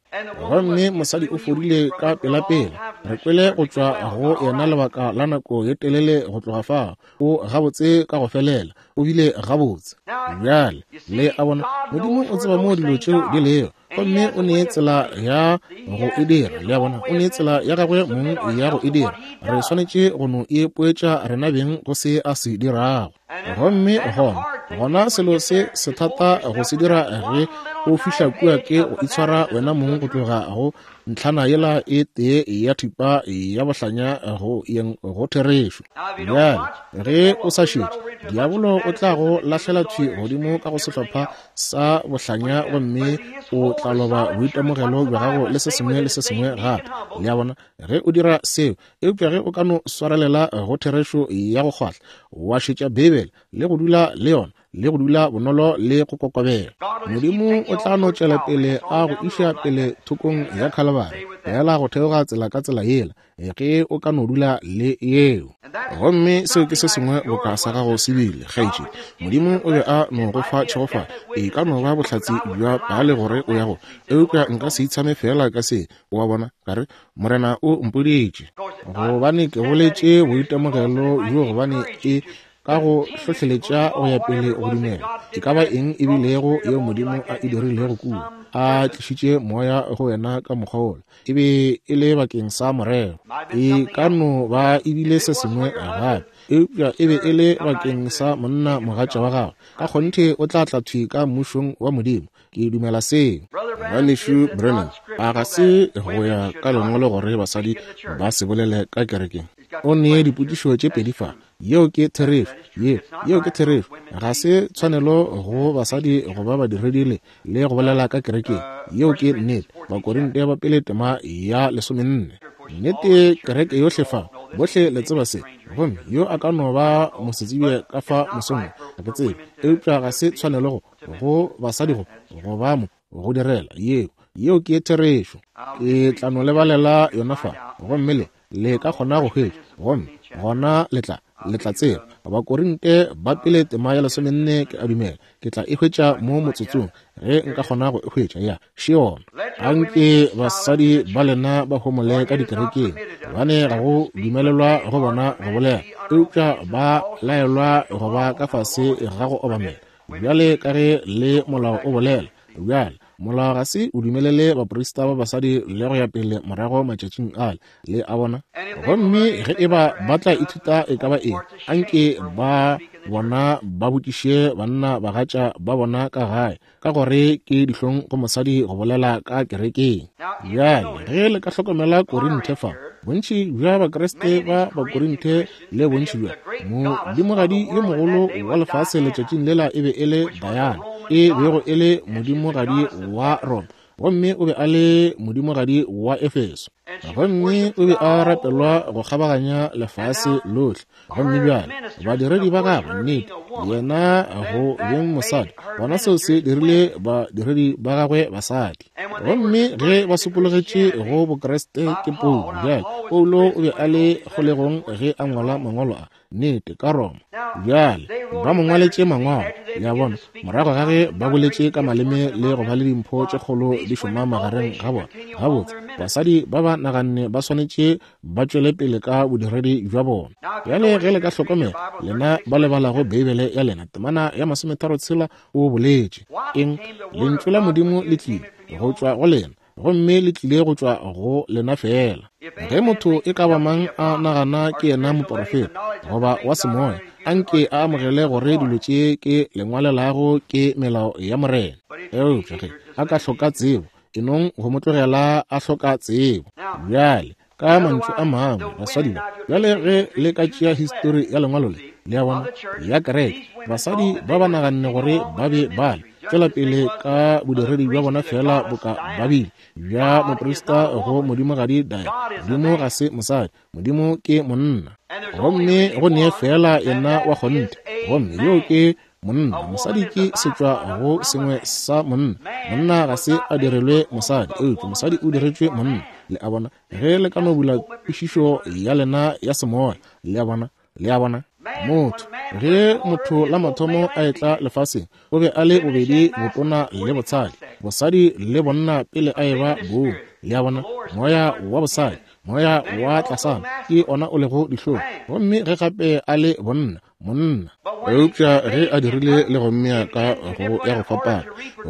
Gomme mosadi o fodile ka pelapela. Re kwele go tšwa go yena lebaka la nako ye telele go tloga fao. O gabotse ka go felela. O bile gabotse. Bjale, le a bona, Modimo o tseba moo dilo tšeo di lego, gomme o ne tsela ya go e dira. Le a bona, o ne tsela ya gagwe mong ya go e dira. Re swanetše go no e poetša rena beng go se a se dirago. Gomme gona, gona selo se sethata go se dira ge o fihla kua ke go itshwara wena mong go tloga go ntlhana yela e tee ya thipa ya bohlanya go yeng go therešo. Bjale, ge o sa šetše, diabolo o tla go lahlela thwi godimo ka go sehlopha sa bohlanya gomme o tla loba boitemogelo bja gago le se sengwe le se sengwe gape. Le a bona? Ge o dira seo, eupša ge o ka no swarelela go therešo ya go kgwahla, wa šetša Beibele le go dula le yona, le go dula bonolo le go kokobela, Modimo o tla no tšwela pele a go iša pele thokong ya Khalabari, feela go theoga tsela ka tsela yela, ge o ka no dula le yeo. Gomme seo ke se sengwe boka sa gago se bile, kgaetšedi. Modimo o be a no go fa tšhegofatšo. E ka no ba bohlatse bja paale gore o ya go, eupša nka se itshame feela ka se, o a bona, ka re, Morena o mpoditše. Gobane ke boletše boitemogelo bjo gobane e ka go hlohleletša go ya pele go dumela e ka ba eng e bilego yeo Modimo a e dirilego kua, a tlišitše moya go wena ka mokgwa wola, e be e le bakeng sa morero. E ka no ba e bile se sengwe gape, eupša e be e le bakeng sa monna mogatša wa gagwe. Ka kgonthe o tla tla thwi ka Mmušong wa Modimo. Ke dumela seo. Ngwanešu Branham, a ga se go ya ka Lengwalo gore basadi ba se bolele ka kerekeng? O nee dipotšišo tše pedi fa. Yeo ke therešo. Yeo, yeo ke therešo. Ga se tshwanelo go basadi go ba badiredi le, le go bolela ka kerekeng. Yeo ke nnete. Bakorinte ba pele tema ya lesomenne. Nnete, kereke yohle fa, bohle le tseba se. Gomme yo a ka no ba mosetsebje ka fa mosong wo, ga ke tsebe. Eupša ga se tshwanelo go, go basadi go, go ba mo, go direla. Yeo, yeo ke therešo. Ke tla no lebalela yona fa, gomme le, le ka kgona go hwetša, gomme gona le tla, le tla tseba. Bakorinte ba pele tema ya lesomenne, ke a dumela ke tla e hwetša mo motsotsong, ge nka kgona go e hwetša. Ya, še yona. Anke basadi ba lena ba homole ka dikerekeng, gobane ga go dumelelwa go bona go bolela, eupša ba laelwa go ba ka fase ga go obamela, bjale ka ge le molao o bolela. Bjale, molao ga se o dumelele baprista ba basadi le go ya pele morago matšatšing ale, le a bona. Gomme ge e ba ba tla ithuta e ka ba eng, anke ba bona ba botšiše banna bagatša ba bona ka gae, ka gore ke dihlong go mosadi go bolela ka kerekeng. Bjale, ge le ka hlokomela Korinthe fa, bontši bja Bakriste ba Bakorinthe le bontši bja modimogadi yo mogolo wa lefase letšatšing lela e be e le Diana, e bego e le modimogadi wa Roma, gomme o be a le modimogadi wa Efeso, gomme o be a rapelwa go kgabaganya lefase lohle. Gomme bjale badiredi ba gagwe, nnete, yena go beng mosadi, gona seo se dirile badiredi ba gagwe basadi. Gomme ge ba sokologetše go Bokriste ke Paulo. Bjale, Paulo o be a le kgolegong ge a ngwala mangwalo a, nnete, ka Roma. Bjale, ba mo ngwaletše mangwalo, le a bona, morago ga ge ba boletše ka maleme le go ba le dimpho tše kgolo di šoma magareng ga bona. Gabotse, basadi ba ba naganne ba swanetše ba tšwele pele ka bodiredi bja bona. Bjale ge le ka hlokomela, lena ba le balago Beibele ya lena, temana ya 33 o boletše eng? Lentšu la Modimo le tlile go tšwa go lena. gomme le tlile go tšwa go lena feela. Ge motho e ka ba mang a nagana ke yena moporofeta goba wa semoya, anke a amogele gore dilo tše ke le ngwalelago ke melao ya Morena. Eupša ge a ka hloka tsebo, e nong go mo tlogela a hloka tsebo. Bjale, ka mantšu a mangwe, basadi ba, bjale ge le ka tšea histori ya lengwalo le, le a bona, ya kereke, basadi ba ba naganne gore ba be ba le tšwela pele ka bodiredi bja bona feela boka ba bile bja moprista go modimogadi Diana. Modimo ga se mosadi, Modimo ke monna. Gomme go nee feela yena wa kgonthe, gomme yoo ke monna. Mosadi ke setšwa go sengwe sa monna. Monna ga se a direlwe mosadi, eupša mosadi o diretšwe monna. Le a bona? Ge le ka no bula kwešišo ya lena ya semoya, le a bona, le a bona? Motho, ge motho la mathomo a etla lefaseng, o be a le bobedi botona le botshadi, bosadi le bonna pele a eba boo. Le a bona? Moya wa bosadi, moya wa tlasana ke ona o lego dihlong, gomme ge gape a le bonna, monna. Eupša ge a dirile le go mmea ka go ya go fapana,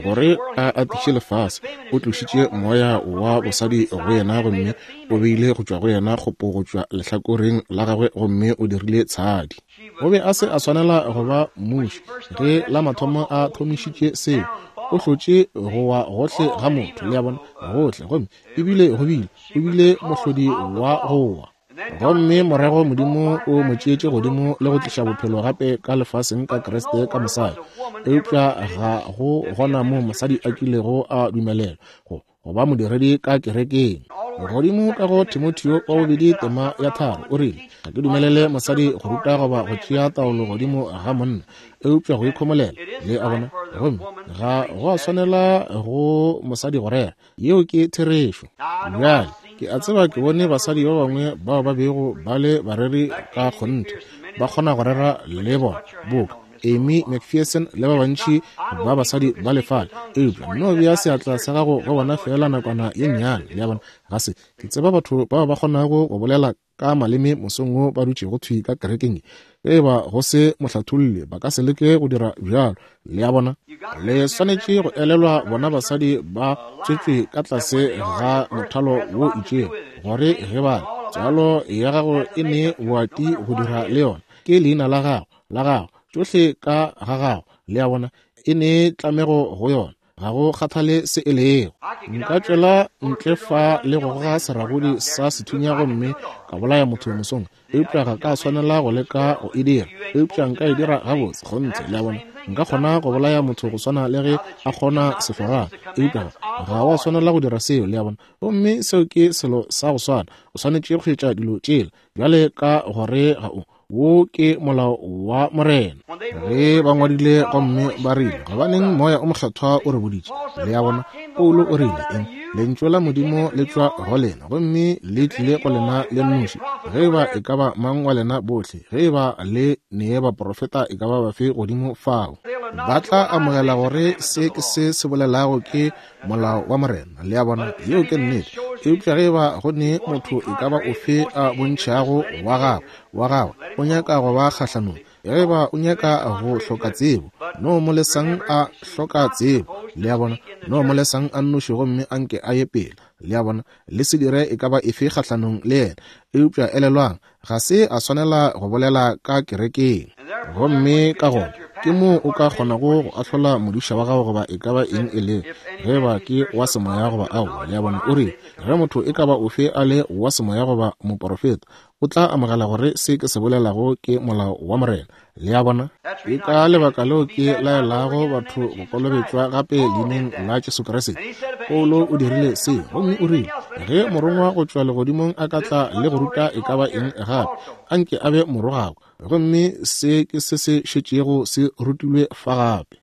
gore a atiše lefase, o tlošitše moya wa bosadi go yena gomme o beile go tšwa go yena kgopo go tšwa lehlakoreng la gagwe, gomme o dirile tshadi. O be a se a swanela go ba mmuši ge la mathomo a thomišitše seo. O hlotše go wa gohle ga motho, le a bona, gohle, gomme ebile go bile, o bile mohlodi wa go wa. Gomme morago Modimo o mo tšeetše godimo le go tliša bophelo gape ka lefaseng ka Kriste ka mosadi. Eupša ga go gona moo mosadi a kilego a dumelelwa go go ba modiredi ka kerekeng. Godimo ka go Timotheo wa bobedi tema ya 3 o rile, ga ke dumelele mosadi go ruta goba go tšea taolo godimo ga monna, eupša go ikhomolela, le a bona. Gomme ga go a swanela go mosadi go rera. Yeo ke therešo. Bjale, ke a tseba ke bone basadi ba bangwe bao ba bego ba le bareri ka kgonthe, ba kgona go rera le bona, boka Amy McPherson le ba bantši ba basadi ba lefale. Eupša nno bea seatla sa gago go bona feela nakwana ye nnyane, le a bona. Ga se ke tseba batho bao ba kgonago go bolela ka maleme mosong wo ba dutšego thwi ka kerekeng ye. Ge e ba go se mohlatholli, ba ka se leke go dira bjalo. Le a bona? Le swanetše go elelwa bona basadi ba tswetšwe ka tlase ga mothalo wo itšego, gore ge ba le, tswalo ya gago e ne boati go dira le yona. Ke leina la gago, la gago, tšohle ka ga gago, le a bona, e ne tlamego go yona. Ga go kgathale se e lego. Nka tšwela ntle fa le go goga seragodi sa sethunya gomme ka bolaya motho mosong, eupša ga ka swanela go leka go e dira. Eupša nka e dira gabotse, kgonthe, le a bona. Nka kgona go bolaya motho go swana le ge a kgona sehlorana, eupša ga wa swanela go dira seo, le a bona. Gomme seo ke selo sa go swana. O swanetše go šetša dilo tšela bjale ka gore ga o. Wo ke molao wa Morena. Ge ba ngwadile gomme ba rile, gobaneng Moya o Mokgethwa o re boditše? Le a bona, Paulo o rile, eng? Lentšu la Modimo le tšwa go lena, gomme le tlile go lena le nnoši. Ge eba e ka ba mang wa lena bohle, ge eba le nee baprofeta e ka ba bafe godimo fao, ba tla amogela gore se ke se se bolelago ke molao wa Morena. Le a bona, yeo ke nnete. Eupša ge eba go ne motho e ka ba ofe a bontšhago wa gagwe, wa gagwe, o nyaka go ba kgahlanong, ge eba o nyaka go hloka tsebo, no mo lesang a hloka tsebo. Le a bona, no mo lesang a nnoši gomme a nke a ye pele. Le a bona, le se dire e ka ba efe kgahlanong le yena. Eupša elelwang, ga se a swanela go bolela ka kerekeng. Gomme ka gona ke moo o ka kgonago go ahlola modiša wa gago goba e ka ba eng e le, ge ba ke wa semoya goba aowa. Le a bona? O rile, ge motho e ka ba ofe a le wa semoya goba moporofeta, o tla amogela gore se ke se bolelago ke molao wa Morena. Le a bona? Ke ka lebaka leo ke laelago batho go kolobetšwa gape leineng la Jesu Kriste. Paulo o dirile se, gomme o rile, ge morongwa go tšwa legodimong a ka tla le go ruta e ka ba eng gape, anke a be morogakwa. Gomme se ke se se šetšego se rutilwe fa gape.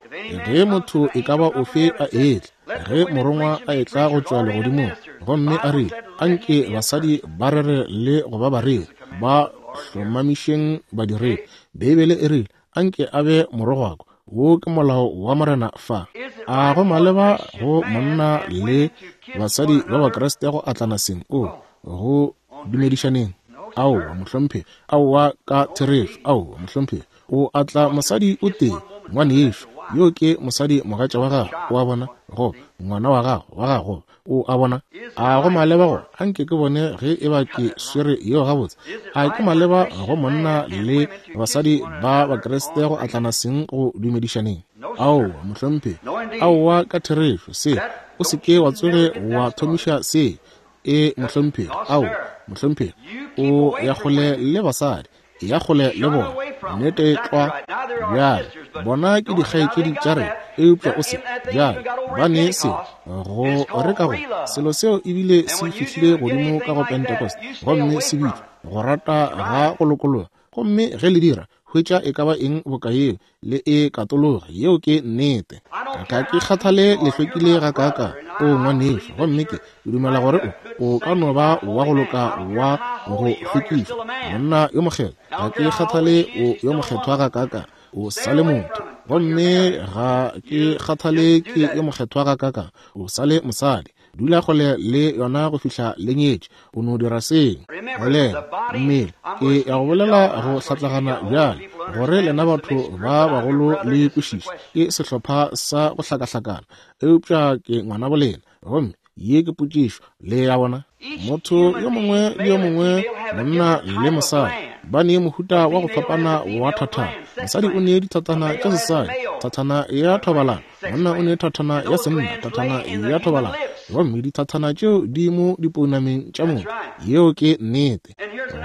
Ge motho e ka ba ofe a etla, ge morongwa a etla go tšwa legodimong, gomme a rile, anke basadi ba rere le go ba bareri, ba hlomamišeng badiredi. Beibele e rile, anke a be morogwako. Wo ke molao wa Morena fa. A go maleba go monna le basadi ba Bakriste go atlana seng? O, go dumedišaneng? Aowa, mohlomphegi. Aowa, ka therešo. Aowa, mohlomphegi. O atla mosadi o tee, ngwanešu. Yo ke mosadi mogatša wa gago, o a bona, goba ngwana wa gago, wa gago, o a bona. A go maleba go, anke ke bone ge e ba ke swere yeo gabotse. A ke maleba go monna le basadi ba Bakriste go atlana seng go dumedišaneng? Aowa, mohlomphegi. Aowa, ka therešo, se, o se ke wa tsoge wa thomiša se. E, mohlomphegi. Aowa, mohlomphegi. O ya kgole le basadi. Eya kgole le bona. Nnete tlwa. Bjale, bona ke dikgaetšedi tša rena, eupša o se. Bjale, ba ne se, go re ka go, selo seo ebile se fihlile godimo ka go Pentecost, gomme se bitšwa, go rata ga go lokologa. Gomme ge le dira, hwetša e ka ba eng boka yeo, le e katologe. Yeo ke nnete. Ga ke kgathale le hlwekile gakaakang, o ngwanešu, gomme ke dumela gore o, o ka no ba wa go loka wa go hlwekišwa, monna yo mokgethwa. Ga ke kgathale o yo mokgethwa gakaakang, o sa le motho. Gomme ga ke kgathale ke yo mokgethwa gakaakang, o sa le mosadi. Dula kgole le yona go fihla le nyetše. O no dira seo. Bolela, mmele. Ke ya go bolela go hlatlagana bjale, gore lena batho ba bagolo le kwešiše. Ke sehlopha sa go hlakahlakana, eupša ke ngwanabo lena. Gomme ye ke potšišo, le ya bona. Motho yo mongwe le yo mongwe, monna le mosadi, ba ne mohuta wa go fapana wa thathana. Mosadi o ne dithathana tša sesadi, thathana ya thobalano. Monna o ne thathana ya senna, thathana ya thobalano. Gomme dithathana tšeo di mo dipounameng tša motho. Yeo ke nnete.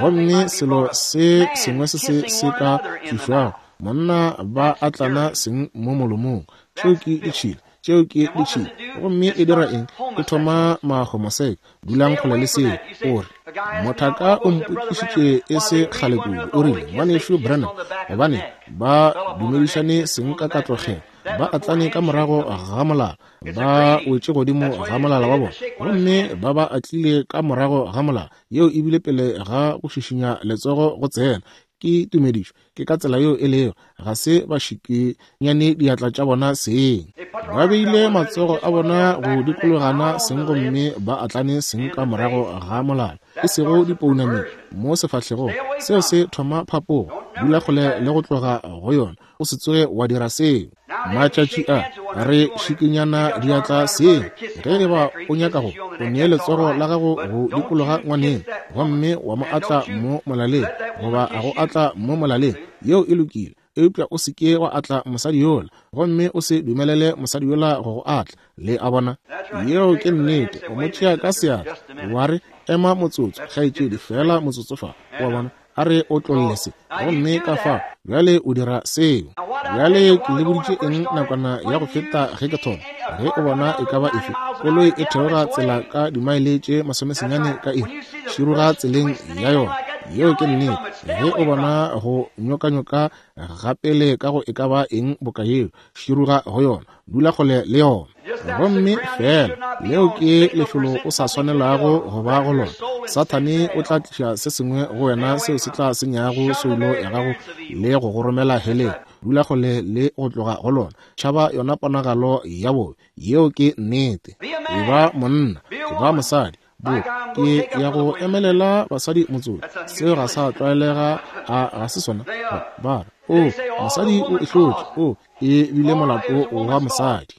Gomme selo se sengwe se se se ka tlišwago, monna ba atlana seng mo molomong. Tšeo ke ditšhila. Tšeo ke ditšhila. Gomme e dira eng? E thoma mahomoseke. Dulang kgole le seo. O re, Mothaka o mpotšišitše e se kgale kudu. O rile, Ngwanešu Branham, gobane ba dumedišane seng ka katlogelo, ba atlane ka morago ga molala, ba wetše godimo ga molala wa bona, gomme ba ba atlile ka morago ga molala. Yeo e bile pele ga go šišinya letsogo go tsena. Ke tumedišo. Ke ka tsela yeo e lego. Ga se ba šikinyane diatla tša bona seng. Ba beile matsogo a bona go dikologana seng gomme ba atlane seng ka morago ga molala, e sego dipounameng mo sefahlegong. Seo se thoma phapogo. Dula kgole le go tloga go yona. O se tsoge wa dira seo. Matšatši a re šikinyana diatla seng. Ge e ba o nyaka go, o nee letsogo la gago go dikologa ngwaneng gomme wa mo atla mo molaleng, goba a go atla mo molaleng, yeo e lokile. Eupša o se ke wa atla mosadi yola, gomme o se dumelele mosadi yola go go atla. Le a bona? Yeo ke nnete. O mo tšea ka seatla, wa re, Ema motsotso, kgaetšedi, feela motsotso fa. O a bona? A re otlolle se. Gomme ka fa, bjale o dira seo. Bjale ke le boditše eng nakwana ya go feta ge ke thoma? Ge o bona e ka ba efe koloi e theoga tsela ka dimaele tše masomesenyane ka iri, široga tseleng ya yona. Yeo ke nnete. Ge o bona go nyokanyoka gapele ka go e ka ba eng boka yeo, široga go yona. Dula kgole le yona. Gomme feela leo ke lefelo o sa swanelago go ba go lona. Sathane o tla tliša se sengwe go wena seo se tla senyago soulo ya gago le go go romela heleng. Dula kgole le go tloga go lona. Tšhaba yona ponagalo ya bobe. Yeo ke nnete. Eba monna, eba mosadi. Bo, ke ya go emelela basadi motsotso. Seo ga sa tlwaelega, a ga se sona? Ba re, O, mosadi o e hlotše. O, e bile molato wa mosadi.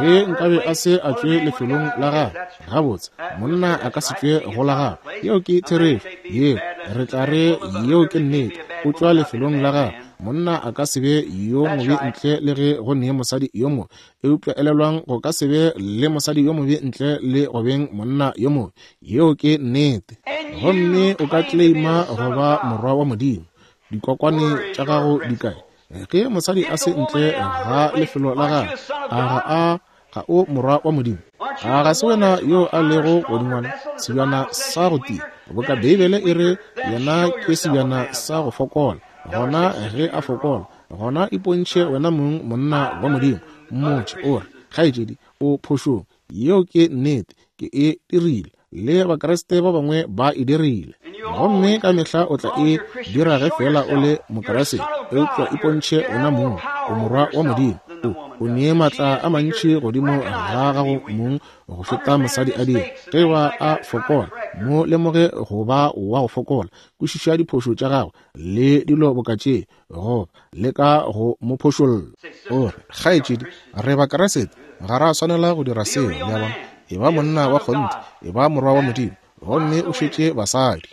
Ge nkabe a se a tšwe lefelong la gagwe, gabotse, monna a ka se tšwe go la gagwe. Yeo ke therešo. Yeo, re tla re yeo ke nnete. O tšwa lefelong la gagwe. Monna a ka se be yo mobe ntle le ge go ne mosadi yo mobe. Eupša elelwang, go ka se be le mosadi yo mobe ntle le go beng monna yo mobe. Yeo ke nnete. Gomme o ka claima go ba morwa wa Modimo. Dikokwane tša gago di kae? Ge mosadi a se ntle ga lefelo la gagwe, a ga a ga o morwa wa Modimo? A ga se wena yo a lego godingwana, sebjana sa go tia? Boka Beibele e re yena ke sebjana sa go fokola. Gona ge a fokola, gona ipontšhe wena mong monna wa Modimo. Mmotše o re, Kgaetšedi, o phošong. Yeo ke nnete. Ke e dirile. Le Bakriste ba bangwe ba e dirile. Gomme ka mehla o tla e dira ge feela o le Mokriste, eupša ipontšhe wena mong, o morwa wa Modimo. O, o nee maatla a mantši godimo ga gago mong go feta mosadi a dira. Ge eba a fokola, mo lemoge go ba wa go fokola. Kwešiša diphošo tša gagwe le dilo boka tše, goba leka go mo phošolla. O re, Kgaetšedi, re Bakriste, ga ra swanela go dira seo. Le a bona? Eba monna wa kgonthe, eba morwa wa Modimo, gomme o šetše basadi.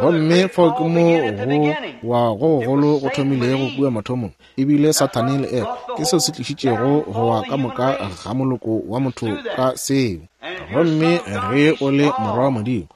Gomme fao ke mo go wa go gogolo go thomilego kua mathomong, e bile Sathane le Efa. Ke seo se tlišitšego go wa ka moka ga moloko wa motho ka seo. Gomme ge o le morwa wa Modimo,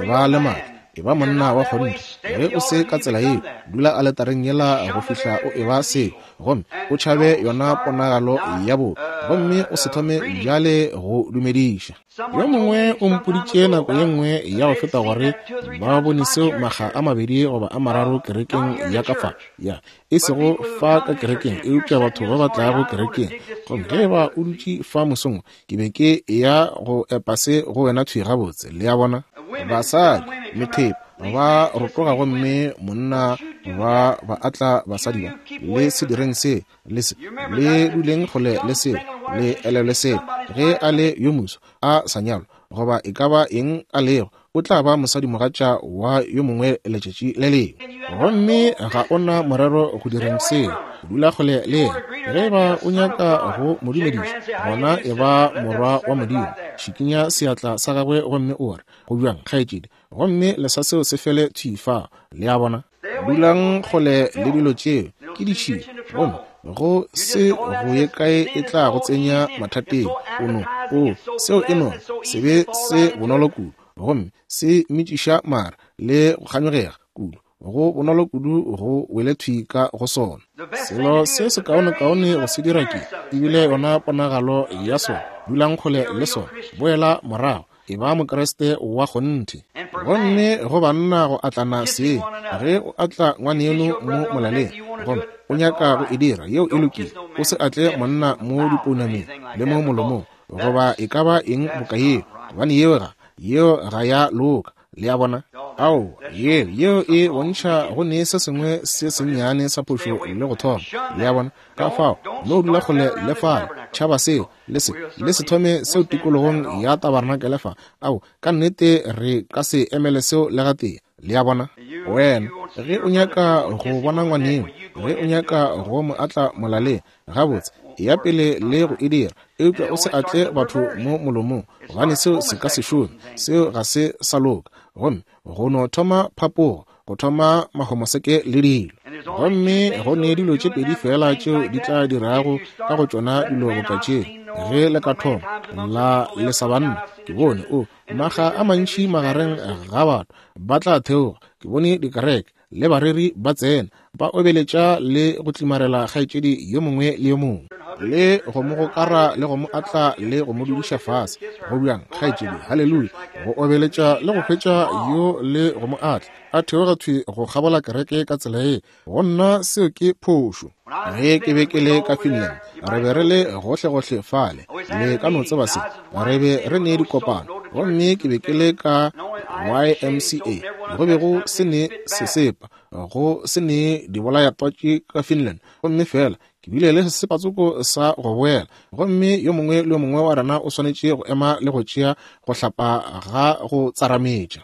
eba le maatla, eba monna wa kgonthe. Ge o se ka tsela yeo, dula aletareng yela go fihla o eba seo, gomme o tšhabe yona ponagalo ya bobe, gomme o se thome bjale go dumediša. Yo mongwe o mpoditše nako ye nngwe ya go feta gore ba bone seo makga a mabedi goba a mararo kerekeng ya ka fa, ya, e sego fa ka kerekeng, eupša batho ba ba tlago kerekeng. Gomme ge eba o dutše fa mosong, ke be ke eya go epa se go wena thwi gabotse, le a bona. Basadi, methepa, ba rotoga gomme monna ba ba atla basadi ba, le se direng se, le se, le duleng kgole le seo, le elelwe seo. Ge a le yo moso, a sa nyalwa, goba e ka ba eng a lego, o tla ba mosadimogatša wa yo mongwe letšatši le lengwe. Gomme ga o na morero go direng seo. Dula kgole le yena. Ge e ba o nyaka go mo dumediša, gona e ba morwa wa Modimo. Šikinya seatla sa gagwe gomme o re, Go bjang, kgaetšedi? Gomme lesa seo se fele thwi fao. Le a bona? Dulang kgole le dilo tšeo, ke ditšhila, gomme go se go ye kae e tla go tsenya mathateng. O no, o, seo e no se be se bonolo kudu, gomme se metšiša mara le go kganyogega kudu, go bonolo kudu go wele thwi ka go sona. Selo se sekaonekaone go se dira ke, ebile yona ponagalo ya sona, dulang kgole le sona, boela morago, e ba Mokriste wa kgonthe. Gomme go banna go atlana seng, ge o atla ngwaneno mo molaleng, gomme o nyaka go e dira, yeo e lokile, o se atle monna mo dipounameng le mo molomong, goba e ka ba eng boka yeo, gobane yeo ga, yeo ga ya loka. Le a bona? Ao, yeo, yeo e bontšha go ne se sengwe se sennyane sa phošo le go thoma. Le a bona? Ka fao, no dula kgole le fale, tšhaba seo, le se, le se thome seo tikologong ya tabarnakele fa. Ao, ka nnete re ka se emele seo le gatee. Le a bona? Wena, ge o nyaka go bona ngwaneno, ge o nyaka go mo atla molaleng, gabotse, eya pele le go e dira, eupša o se atle batho mo molomong, gobane seo se ka se šome, seo ga se sa loka. Gomme go no thoma phapogo, go thoma mahomoseke le dilo. Gomme go ne dilo tše pedi feela tšeo di tla dirago ka go tšona dilo boka tšeo, ge le ka thoma la lesa banna. Ke bone o makga a mantši magareng ga batho ba tla theoga, ke bone dikereke le bareri ba tsena, ba obeletša le go tlimarela kgaetšedi yo mongwe le yo mongwe, le go mo gokara le go mo atla le go mo dudiša fase. Go bjang, kgaetšedi? Haleluya! Go obeletša le go hwetša yo le go mo atla, a theoga thwi go kgabola kereke ka tsela ye. Go nna seo ke phošo. Ge ke be ke le ka Finland, re be re le gohlegohle fale, le ka no tseba se, re be re ne dikopano, gomme ke be ke le ka YMCA, go be go se ne sesepa, go se ne dibolayatwatši ka Finland, gomme feela ke bile le sesepatsoko sa go boela, gomme yo mongwe le yo mongwe wa rena o swanetše go ema le go tšea go hlapa ga go tsarametša.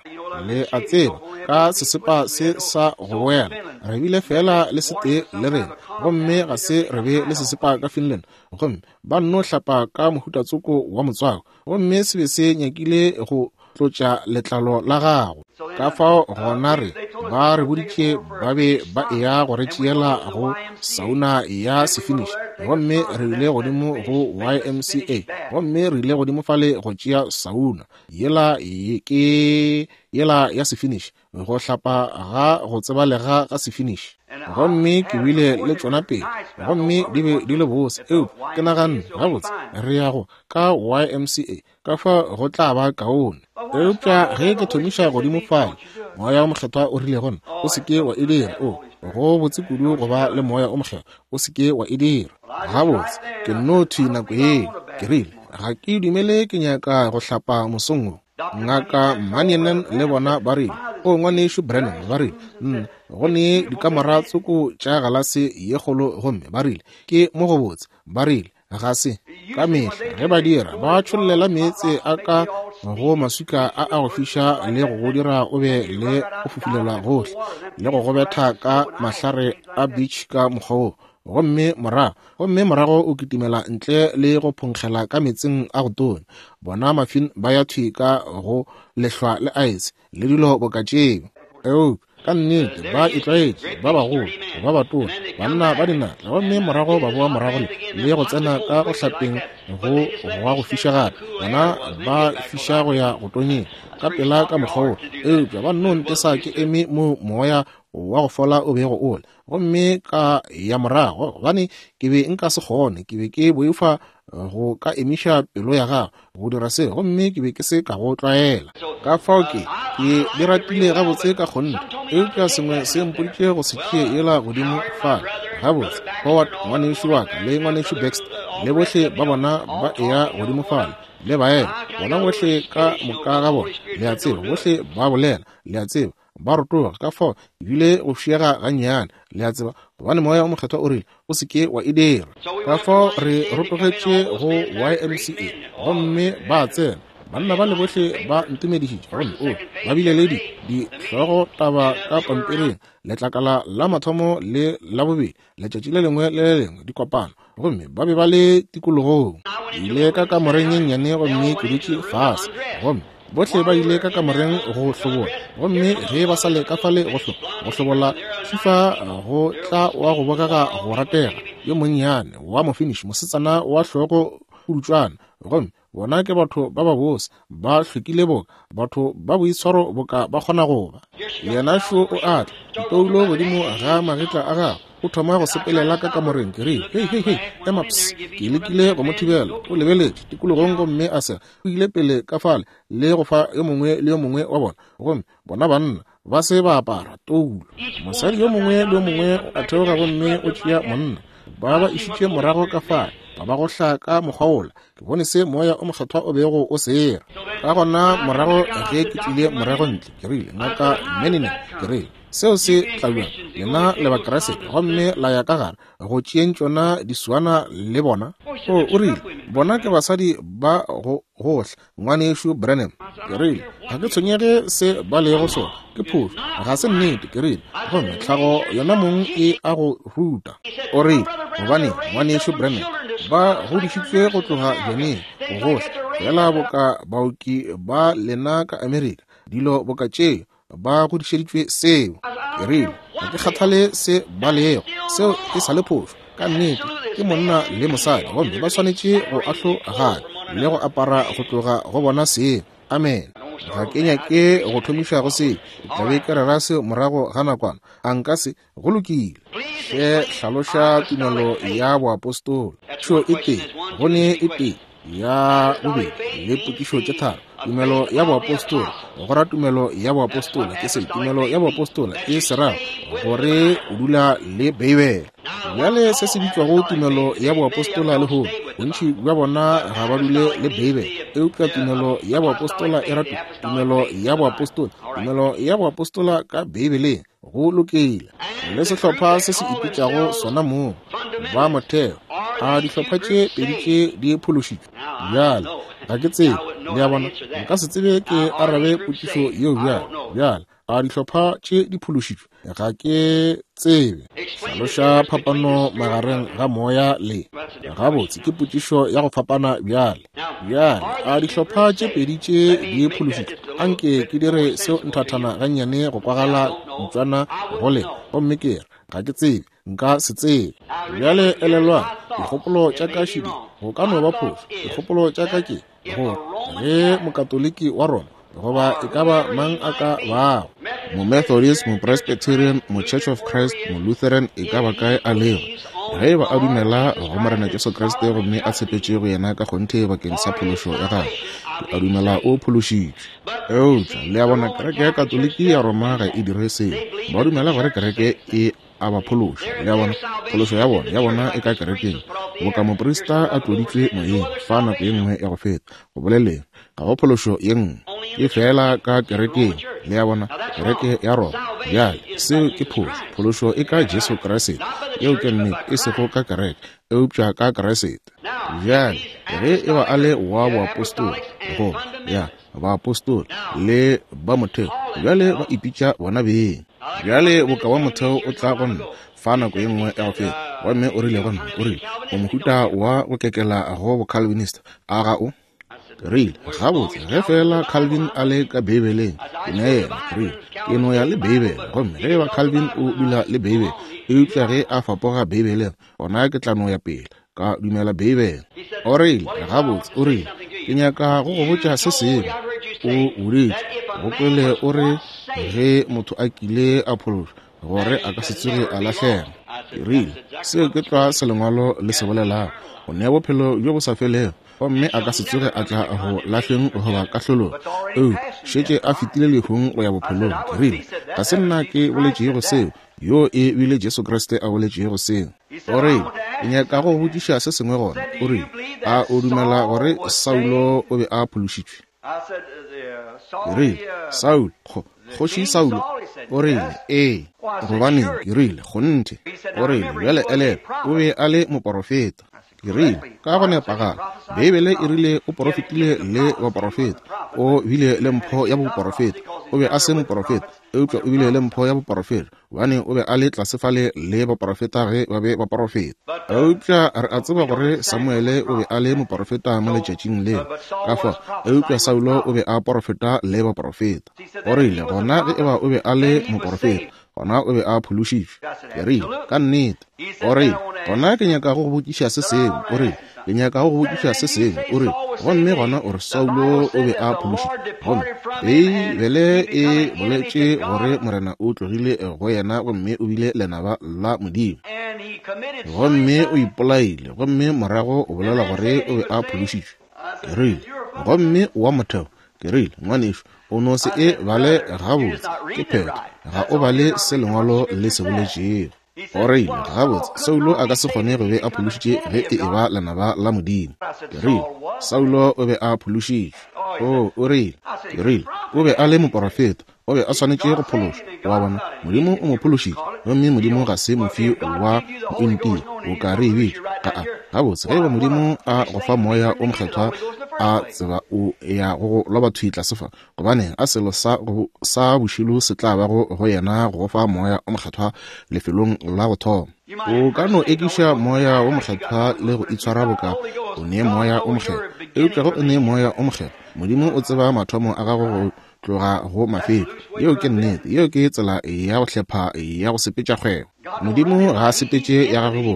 Le a tseba, ka sesepa se sa go boela, re bile feela le setee le rena, gomme ga se re be le sesepa ka Finland, gomme ba nno hlapa ka mohutatsoko wa motswako, gomme se be se nyakile go tlotša letlalo la gago. Ka fao gona re, ba re boditše ba be ba eya go re tšeela go sauna ya Sefinish, gomme re ile godimo go YMCA, gomme re ile godimo fale go tšea sauna yela, ke yela ya Sefinish, go hlapa ga go tsebalega ga Sefinish. Gomme ke bile le tšona pele, gomme di be di le bose, eupša ke naganne, gabotse, re ya go ka YMCA, ka fa go tla ba kaone. Eupša ge ke thomiša godimo fale, Moya wo Mokgethwa o rile go nna, O se ke wa e dira. O, go botse kudu go ba le Moya wo Mokgethwa. O se ke wa e dira. Gabotse, ke nno thwi nako yeo. Ke rile, Ga ke dumele ke nyaka go hlapa mosong wo. Ngaka Mannion le bona ba rile, O, Ngwanešu Branham, ba rile, nna, go ne dikamora tsoko tša galase ye kgolo, gomme ba rile, ke mo gobotse. Ba rile, ga se ka mehla ge ba dira, ba tšhollela meetse a ka go maswika a a go fiša le go go dira o be le go fufulelwa gohle, le go go betha ka mahlare a beach ka mokgwa wo, gomme morago, gomme morago o kitimela ntle le go phonkgela ka meetseng a go tonya. Bona mafin ba ya thwi ka go lehlwa le aese le dilo boka tšeo. Eupša ka nnete ba itlwaetše, ba bagolo, ba batona, banna ba dinatla, gomme morago ba boa morago le go tsena ka go hlapeng go gwa go fiša gape. Bona ba fiša go ya go tonyeng ka pela ka mokgwa wo. Eupša ba nno ntesa ke eme moo moya wa go fola o bego o le, gomme ka ya morago, gobane ke be nka se kgone, ke be ke boifa go ka emiša pelo ya gago go dira se, gomme ke be ke se ka go tlwaela. Ka fao ke di ratile gabotse ka kgonthe, eupša sengwe se mpoditše go se tšee yela godimo fale. Gabotse, Howard ngwanešu wa ka le ngwanešu Baxter le bohle ba bona ba eya godimo fale le baena, bona bohle ka moka ga bona, le a tseba, bohle ba bolela, le a tseba, ba rotoga. Ka fao ebile go fiega gannyane, le a tseba, gobane Moya o Mokgethwa o rile o se ke wa e dira. Ka fao re rotogetše go YMCA, gomme ba tsena banna ba le bohle ba ntumedišitše, gomme o ba bile le dihlogo taba ka pampiring, letlakala la mathomo le la bobedi, letšatši le lengwe le le lengwe, dikopano, gomme ba be ba le tikologong. Ke ile ka kamoreng ye nnyane gomme ke dutše fase, gomme bohle ba ile ka kamoreng go hlobola, gomme ge ba sa le ka fale go hlobola, fifa go tla wa go bogega go ratega yo monnyane wa mofinish, mosetsana wa hlogo pudutšwana, gomme bona ke batho ba babose, ba hlwekile boka batho ba boitshwaro boka ba kgona go ba. Yena šo o a tla, ditoulo godimo ga magetla a gagwe, o thoma go sepelela ka kamoreng. Ke rile, hei, hei, hei, ema ps. Ke lekile go mo thibela, o lebeletše tikologong gomme a sega. O ile pele ka fale le go fa yo mongwe le yo mongwe wa bona, gomme bona banna ba se ba apara toulo. Mosadi yo mongwe le yo mongwe a theoga gomme o tšea monna, ba ba išitše morago ka fale, ba ba gohla ka mokgwa wola. Ke bone se Moya o Mokgethwa o bego o sera. Ka gona morago ge ke tlile morago ntle, ke rile, Ngaka Menine, ke rile, seo se tla bjang? Lena le Bakriste, gomme la ya ka gare go tšeeng tšona disuana le bona? O, o rile, bona ke basadi ba go gohla, Ngwanešu Branham. Ke rile, ga ke tshwenyege se ba lego sona, ke phošo, ga se nnete. Ke rile, gomme tlhago yona mong e a go ruta. O rile, gobane Ngwanešu Branham, ba godišitšwe go tloga bjaneng go gohla, feela boka baoki ba lena ka Amerika, dilo boka tšeo, ba godišeditšwe seo. Ke rile, ga ke kgathale se ba lego, seo e sa le phošo. Ka nnete ke monna le mosadi, gomme ba swanetše go ahlogana le go apara go tloga go bona seo. Amen. Ga ke nyake go thomiša go seo, ke tla be ke rera seo morago ga nakwana. A nka se? Go lokile. Hle hlaloša tumelo ya boapostola. Tšo e tee, go ne e tee, ya bobedi le potšišo tše tharo. Tumelo ya boapostola, go ra tumelo ya boapostola ke se, tumelo ya boapostola e se ra gore o dula le Beibele. Bjale se se bitšwago tumelo ya boapostola lehono, bontši bja bona ga ba dule le Beibele, eupša tumelo ya boapostola e ra tumelo ya boapostola, tumelo ya boapostola ka Beibeleng. Go lokile. Le sehlopha se se ipitšago sona mong ba motheo, a dihlopha tše pedi tše di phološitšwe? Bjale ga ke tsebe, le a bona, nka se tsebe ke arabe potšišo yeo bjale. Bjale a dihlopha tše di phološitšwe? Ga ke tsebe. Hlaloša phapano magareng ga moya le. Gabotse, ke potšišo ya go fapana bjale. Bjale, a dihlopha tše pedi tše di phološitšwe? Anke ke dire seo nthathana gannyane go kwagala ntswana go le, gomme ke re, ga ke tsebe, nka se tsebe. Bjale elelwang, dikgopolo tša ka šidi, go ka no ba phošo. Dikgopolo tša ka ke, gore ge Mokatoliki wa Roma, goba e ka ba mang a ka bago, Momethodist, Mopresbyterian, Mochurch of Christ, Molutheran, e ka ba kae a lego, ge e ba a dumela go Morena Jesu Kriste gomme a tshepetše go yena ka kgonthe bakeng sa phološo ya gagwe, ke a dumela o phološitšwe. Eupša, le a bona, kereke ya Katoliki ya Roma ga e dire seo. Ba dumela gore kereke e a ba phološa. Le a bona, phološo ya bona, ya bona e ka kerekeng, boka moprista a tloditšwe moyeng fa nako ye nngwe ya go feta, go boleleng, ga go phološo ye nngwe. Ke feela ka kerekeng, le a bona, kereke ya Roma. Bjale, seo ke phošo. Phološo e ka Jesu Kriste. Yeo ke nnete, e sego ka kereke, eupša ka Kriste. Bjale, ge e ba a le wa boapostola, goba, ya, baapostola le ba motheo, bjale ba ipitša bona beng. Bjale, boka wa motheo o tla go nna fa nako ye nngwe ya go feta, gomme o rile go nna, o rile, O mohuta wa go kekela go Bocalvinist, a ga o? Ke rile, Gabotse, ge feela Calvin a le ka Beibeleng, ke ne yena. Ke rile, Ke no ya le Beibele. Gomme ge eba Calvin o dula le Beibele, eupša ge a fapoga Beibeleng, gona ke tla no ya pele, ka dumela Beibele. O rile, Gabotse, o rile, ke nyaka go go botša se sengwe. O boditše, go kwele o re ge motho a kile a phološwa, gore a ka se tsoge a lahlega. Ke rile, Seo ke tlwa se Lengwalo le se bolelago. O nea bophelo bjo bo sa felego, gomme a ka se tsoge a tla go lahleng goba kahlolong, eupša šetše a fetile lehung go ya bophelong. Ke rile, Ga se nna ke boletšego seo, yoo e bile Jesu Kriste a boletšego seo. O rile, Ke nyaka go go botšiša se sengwe gona. O rile, A o dumela gore Saulo o be a phološitšwe? Ke rile, Saulo, kgo, kgoši Saulo? O rile, Ee. Gobaneng, ke rile, kgonthe. O rile, Bjale elelwa, o be a le moporofeta. Ke rile, Ka go nepagala. Beibele e rile o porofetile le baporofeta. O bile le mpho ya boporofeta. O be a se moporofeta, eupša o bile le mpho ya boporofeta, gobane o be a le tlase fale le baporofeta ge ba be ba porofeta. Eupša re a tseba gore Samuele o be a le moporofeta mo letšatšing leo. Ka fao, eupša Saulo o be a porofeta le baporofeta. O rile, Gona ge eba o be a le moporofeta, gona o be a phološitšwe. Ke rile, Ka nnete. O rile, Gona ke nyaka go go botšiša se sengwe. O rile, Ke nyaka go go botšiša se sengwe. O rile, Gomme gona o re Saulo o be a phološitšwe. Gomme Beibele e boletše gore Morena o tlogile go yena gomme o bile lenaba la Modimo. Gomme o ipolaile, gomme morago o bolela gore o be a phološitšwe. Ke rile, Gomme wa motheo Ke rile, Ngwanešu, o no se e bale gabotse, ke phetho. Ga o bale se Lengwalo le se boletšego. O rile, Gabotse, Saulo a ka se kgone go be a phološitše ge e eba lenaba la Modimo. Ke rile, Saulo o be a phološitšwe. Oo, o rile. Ke rile, O be a le moporofeta. O be a swanetše go phološwa. O a bona? Modimo o mo phološitše, gomme Modimo ga se mofi wa mointia, o ka re e bitša. Aa, gabotse, ge eba Modimo a go fa Moya wo Mokgethwa, a tseba o ya go go loba thwi tlase fa, gobaneng, a selo sa, go, sa bošilo se tla bago go yena go go fa Moya wo Mokgethwa lefelong la go thoma. O ka no ekiša Moya wo Mokgethwa le go itshwara boka o ne Moya wo Mokgethwa, eupša ge o ne Moya wo Mokgethwa, Modimo o tseba mathomo a gago go tloga go mafetšo. Yeo ke nnete. Yeo ke tsela ya go hlepha ya go sepetša kgwebo. Modimo ga a sepetše ya gagwe bo.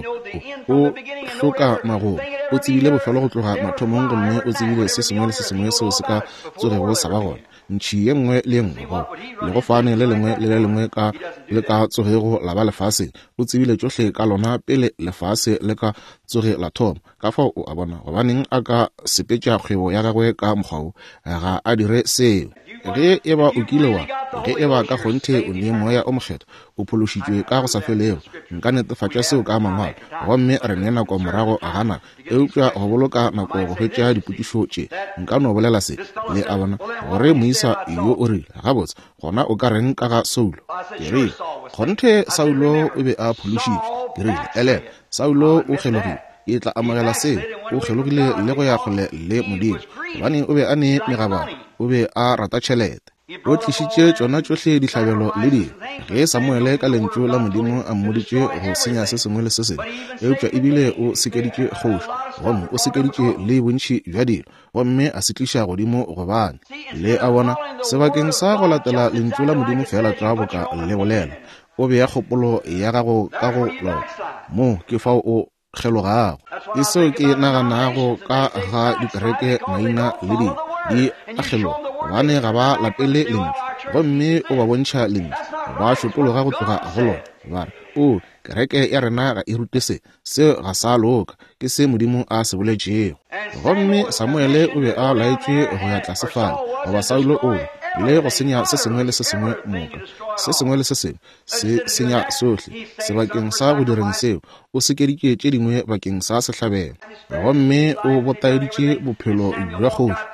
O hloka magomo. O tsebile bofelo go tloga mathomong gomme o tsebile se sengwe le se sengwe seo se ka tsogego sa ba gona. Ntšhi ye nngwe le ye nngwe, goba legofane le lengwe le le lengwe ka le ka tsogego la ba lefaseng, o tsebile tšohle ka lona pele lefase le ka tsoge la thoma. Ka fao o a bona gobaneng a ka sepetša kgwebo ya gagwe ka mokgwa wo. Ga a dire seo. Ge e ba o kile wa, ge e ba ka kgonthe o ne Moya o Mokgethwa, o phološitšwe ka go sa felego. Nka netefatša seo ka Mangwalo. Gomme re ne nako morago ga nako, eupša go boloka nako go hwetša dipotšišo tše, nka no bolela se, le a bona, gore moisa yo o rile, Gabotse, gona o ka reng ka ga Saulo? Ke rile, Kgonthe Saulo o be a phološitšwe. Ke rile, Elelwa, Saulo o kgelogile. Ke tla amogela seo. O kgelogile le go ya kgole le Modimo, gobane o be a ne megabaro, o be a rata tšhelete. O tlišitše tšona tšohle dihlabelo le dilo, ge Samuele ka Lentšu la Modimo a mmoditše go senya se sengwe le se sengwe, eupša ebile o sekeditše kgoši, gomme o sekeditše le bontši bja dilo, gomme a se tliša godimo gobane, le a bona, sebakeng sa go latela Lentšu la Modimo feela tlwa boka le bolela, O bea kgopolo ya gago ka go lona. Moo ke fao o kgelogago. Ke seo ke naganago ka ga dikereke maina le dilo, di a kgeloga, gobane ga ba latele Lentšu. Gomme o ba bontšha Lentšu, ba šotologa go tloga go lona, ba re, Oo, kereke ya rena ga e rute se. Seo ga sa loka. Ke se Modimo a se boletšego. Gomme Samuele o be a laetšwe go ya tlase fale, goba Saulo o be. le go senya se sengwe le se sengwe moka, se sengwe le se sengwe se senya sohle. Sebakeng sa go direng seo, o sekeditše tše dingwe bakeng sa sehlabelo, gomme o botaeditše bophelo bja kgoši,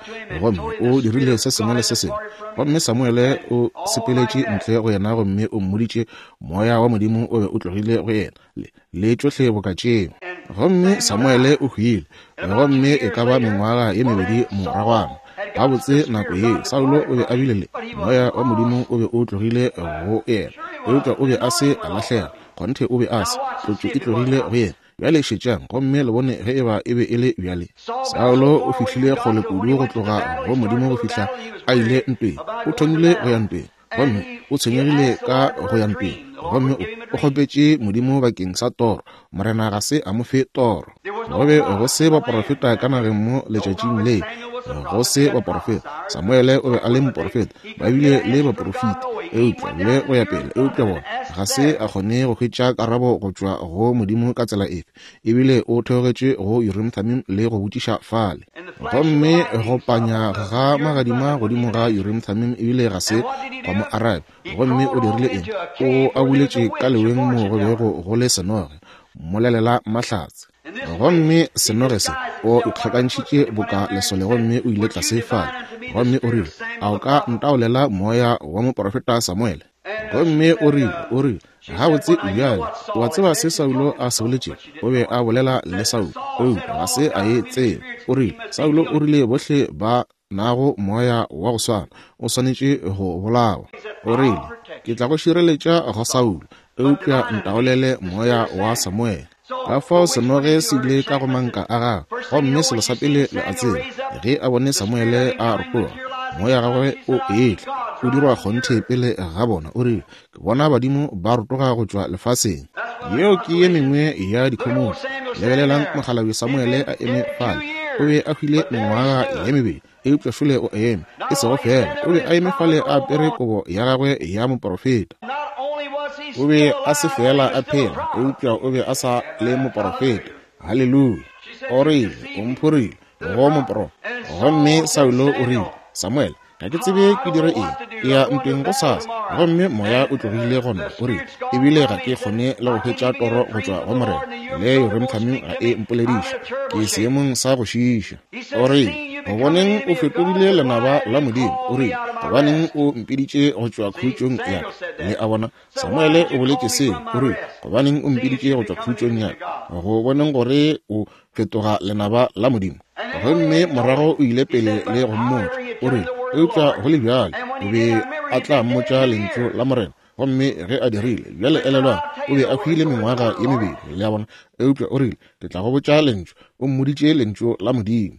gomme o dirile se sengwe le se sengwe. Gomme Samuele o sepeletše ntle go yena gomme o mmoditše Moya wa Modimo o be o tlogile go yena, le, le tšohle boka tšeo. Gomme Samuele o hwile, gomme e ka ba mengwaga ye mebedi moragwana. Gabotse nako yeo Saulo o be a bile le Moya wa Modimo o be o tlogile go yena, eupša o be a se a lahlega. Kgonthe o be a se, tlotšo e tlogile go yena. Bjale šetšang gomme le bone ge eba e be e le bjale. Saulo o fihlile kgole kudu go tloga go Modimo go fihla a ile ntweng. O thomile go ya ntweng, gomme o tshwenyegile ka go ya ntweng, gomme o, o kgopetše Modimo bakeng sa toro. Morena ga se a mo fe toro. Go be go se baporofeta ka nageng mo letšatšing le, go se baporofeta. Samuele o be a le moporofeta, ba bile le baporofeta, eupša le go ya pele, eupša bona ga se a kgone go hwetša karabo go tšwa go Modimo ka tsela efe. Ebile o theogetše go Urim Thummim le go botšiša fale. Gomme go panya ga magadima godimo ga Urim Thummim ebile ga se gwa mo arabe. Gomme o dirile eng? O abuletše ka leweng mo go bego go le senoge, mmolelela mahlatse. Gomme senoge se, o ikgakantšhitše boka lesole gomme o ile tlase fale. Gomme o rile, A o ka ntaolela moya wa moprofeta Samuele? Gomme o rile, o rile, Gabotse, bjale, o a tseba se Saulo a se boletšego? O be a bolela le Saulo, eupša ga se a e tseba. O rile, Saulo o rile bohle ba nago moya wa go swana o swanetše go bolawa. O rile, Ke tla go šireletša go Saulo, eupša ntaolele moya wa Samuele. Ka fao senoge se ile ka go manka a gagwe, gomme selo sa pele le a tseba, ge a bone Samuele a rotoga, moya gagwe o etla, o dirwa kgonthe pele ga bona, o rile, Ke bona badimo ba rotoga go tšwa lefaseng. Yeo ke ye mengwe ya dikhomotšo. Lebelelang mokgalabje Samuele a eme fale. O be a hwile mengwaga ye mebedi, eupša šole o eme. E sego feela, o be a eme fale a apere kobo ya gagwe ya moporofeta. O be a se feela a phela, eupša o be a sa le moporofeta. Haleluya! O rile, O mphorile go mopro. Gomme Saulo o rile, Samuele, Ga ke tsebe ke dire eng. Ke ya ntweng gosasa, gomme moya o tlogile go nna. O rile, Ebile ga ke kgone le go hwetša toro go tšwa go Morena. Le Urim Thummim ga e mpolediše. Ke seemong sa go šiiša. O rile, Gobaneng o fetogile lenaba la Modimo? O rile, Gobaneng o mpiditše go tšwa khutšong ya ka? Le a bona, Samuele o boletše seo. O rile, Gobaneng o mpiditše go tšwa khutšong ya ka? Go boneng gore o fetoga lenaba la Modimo. Gomme morago o ile pele le go mmotša, o rile, eupša go le bjalo o be a tla mmotša lentšu la Morena. Gomme ge a dirile, bjale elelwang, o be a hwile mengwaga ye mebedi, le a bona, eupša o rile, Ke tla go botša lentšu. O mmoditše lentšu la Modimo.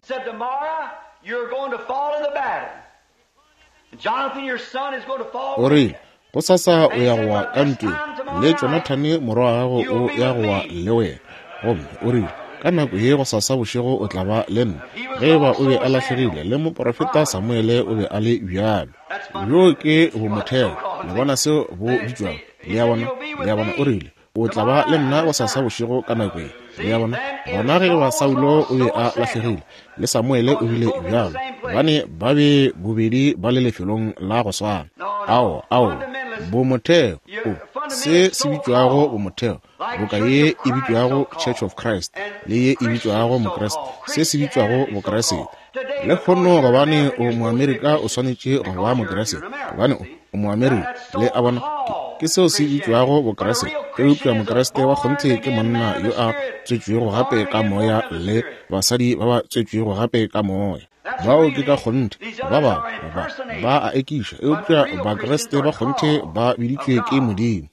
O rile, Gosasa o ya go wa ka ntweng, le Jonathane morwa wa gago o ya go wa le wena. Gomme o rile, Ka nako ye gosasa bošego o tla ba le nna. Ge e ba o be a lahlegile, le moporofeta Samuele o be a le bjalo. Bjoo ke bomotheo. Le bona seo bo bitšwago? Le a bona? Le a bona? O rile, O tla ba le nna gosasa bošego ka nako ye. Le a bona? Gona ge eba Saulo o be a lahlegile, le Samuele o bile bjalo, gobane ba be bobedi ba le lefelong la go swana. Ao, ao, bomotheo, o, se se bitšwago bomotheo, boka ye e bitšwago Church of Christ, le ye e bitšwago Mokriste, se se bitšwago Bokriste. Lehono, gobane o Moamerika, o swanetše go ba Mokriste, gobane o, o Moamerika. Le a bona? Ke, ke seo se bitšwago Bokriste. Eupša Mokriste wa kgonthe ke monna yo a tswetšwego gape ka Moya le basadi ba ba tswetšwego gape ka Moya. Bao ke ka kgonthe. Ba bangwe ba, ba a ekiša, eupša Bakriste ba kgonthe ba biditšwe ke Modimo.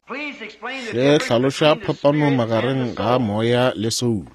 Hle hlaloša phapano magareng ga moya le soulo.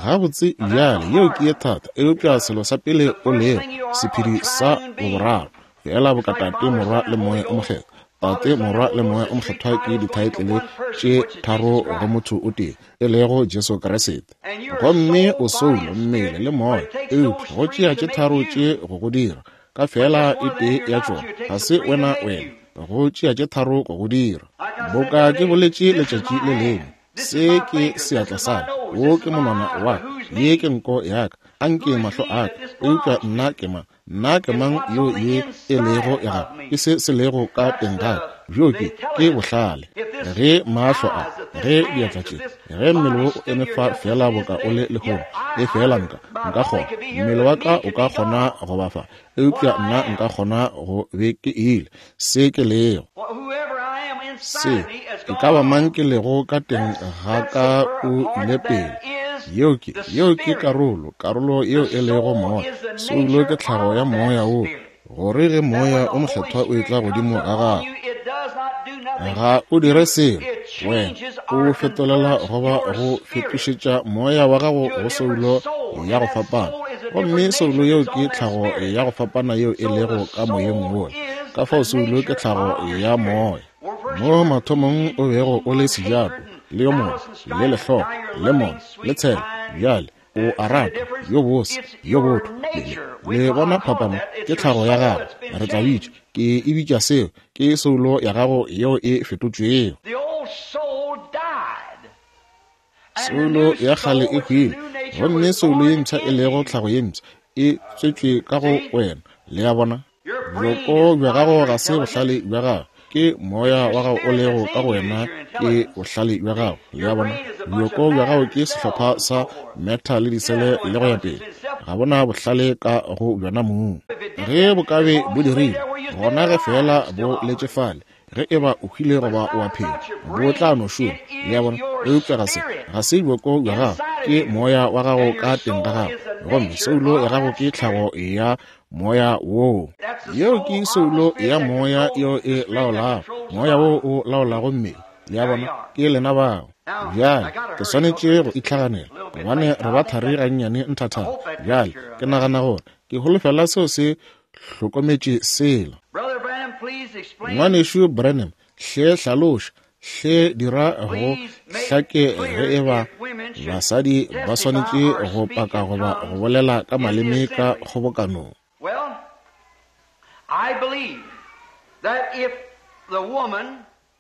Gabotse, bjale, yeo ke ye thata, eupša selo sa pele o lego, sephedi sa boboraro, feela boka Tate, Morwa, le Moya o Mokgethwa. Tate, Morwa, le Moya o Mokgethwa ke dithaetlele tše tharo go motho o tee, e lego Jesu Kriste. Gomme o soulo, mmele, le moya, eupša go tšea tše tharo tše go go dira, ka feela e tee ya tšona, ga se wena wena, go tšea tše tharo go go dira. Boka ke boletše letšatši le lengwe, Se ke seatla sa ka, wo ke monwana wa ka, ye ke nko ya ka, a nke mahlo a ka, eupša nna ke mang? Nna ke mang yo ye e lego ya gago? Ke se se lego ka teng ga ka. Bjo ke, ke bohlale. Ge mahlo a, ge diatla tše, ge mmele wo o eme fa feela boka o le lehono, e feela nka, nka kgona, mmele wa ka o ka kgona go ba fa, eupša nna nka kgona go be ke ile, se ke lego. Se, e ka ba mang ke lego ka teng ga ka o ile pele. Yeo ke, yeo ke karolo, karolo yeo e lego moya. Soulo ke tlhago ya moya wo, gore ge Moya o Mokgethwa o etla godimo ga gago, ga o dire selo, wena o fetolela goba go fetošetša moya wa gago go soulo ya go fapana. Gomme soulo yeo ke tlhago ya go fapana yeo e lego ka moyeng wola. Ka fao soulo ke tlhago ya moya. Mo mathomong o bego o le sejato, le yo mongwe, le lehlogo, le mona, le tshela, bjale o a rata, yo bose, yo botho. Le, le bona phapano? Ke tlhago ya gago. Re tla bitša, ke e bitša seo, ke soulo ya gago yeo e fetotšwego. Soulo ya kgale e hwile, gomme soulo ye mpsha e lego tlhago ye mpsha e tswetšwe ka go wena. Le a bona? Bjoko bja gago ga se bohlale bja gago, ke moya wa gago o lego ka go wena ke bohlale bja gago. Le a bona? Bjoko bja gago ke sehlopha sa meta le disele le go ya pele. Ga bona bohlale ka go bjona mong. Ge bo ka be bo dirile, gona ge feela bo letše fale, ge e ba o hwile goba o a phela, bo tla no šoma. Le a bona? Eupša ga se, ga se bjoko bja gago, ke moya wa gago ka teng ga gago. Gomme soulo ya gago ke tlhago ya moya woo. Yeo ke soulo ya moya yeo e laolago, moya wo o laolago mmele. Le a bona? Ke lena bao. Bjale, ke swanetše go itlhaganela, gobane re ba thari gannyane nthathana. Bjale, ke nagana gore ke holofela seo se hlokometše sela. Ngwanešu Branham, hle hlaloša, hle dira go hlake ge e ba basadi ba swanetše go paka goba go bolela ka maleme ka kgobokanong.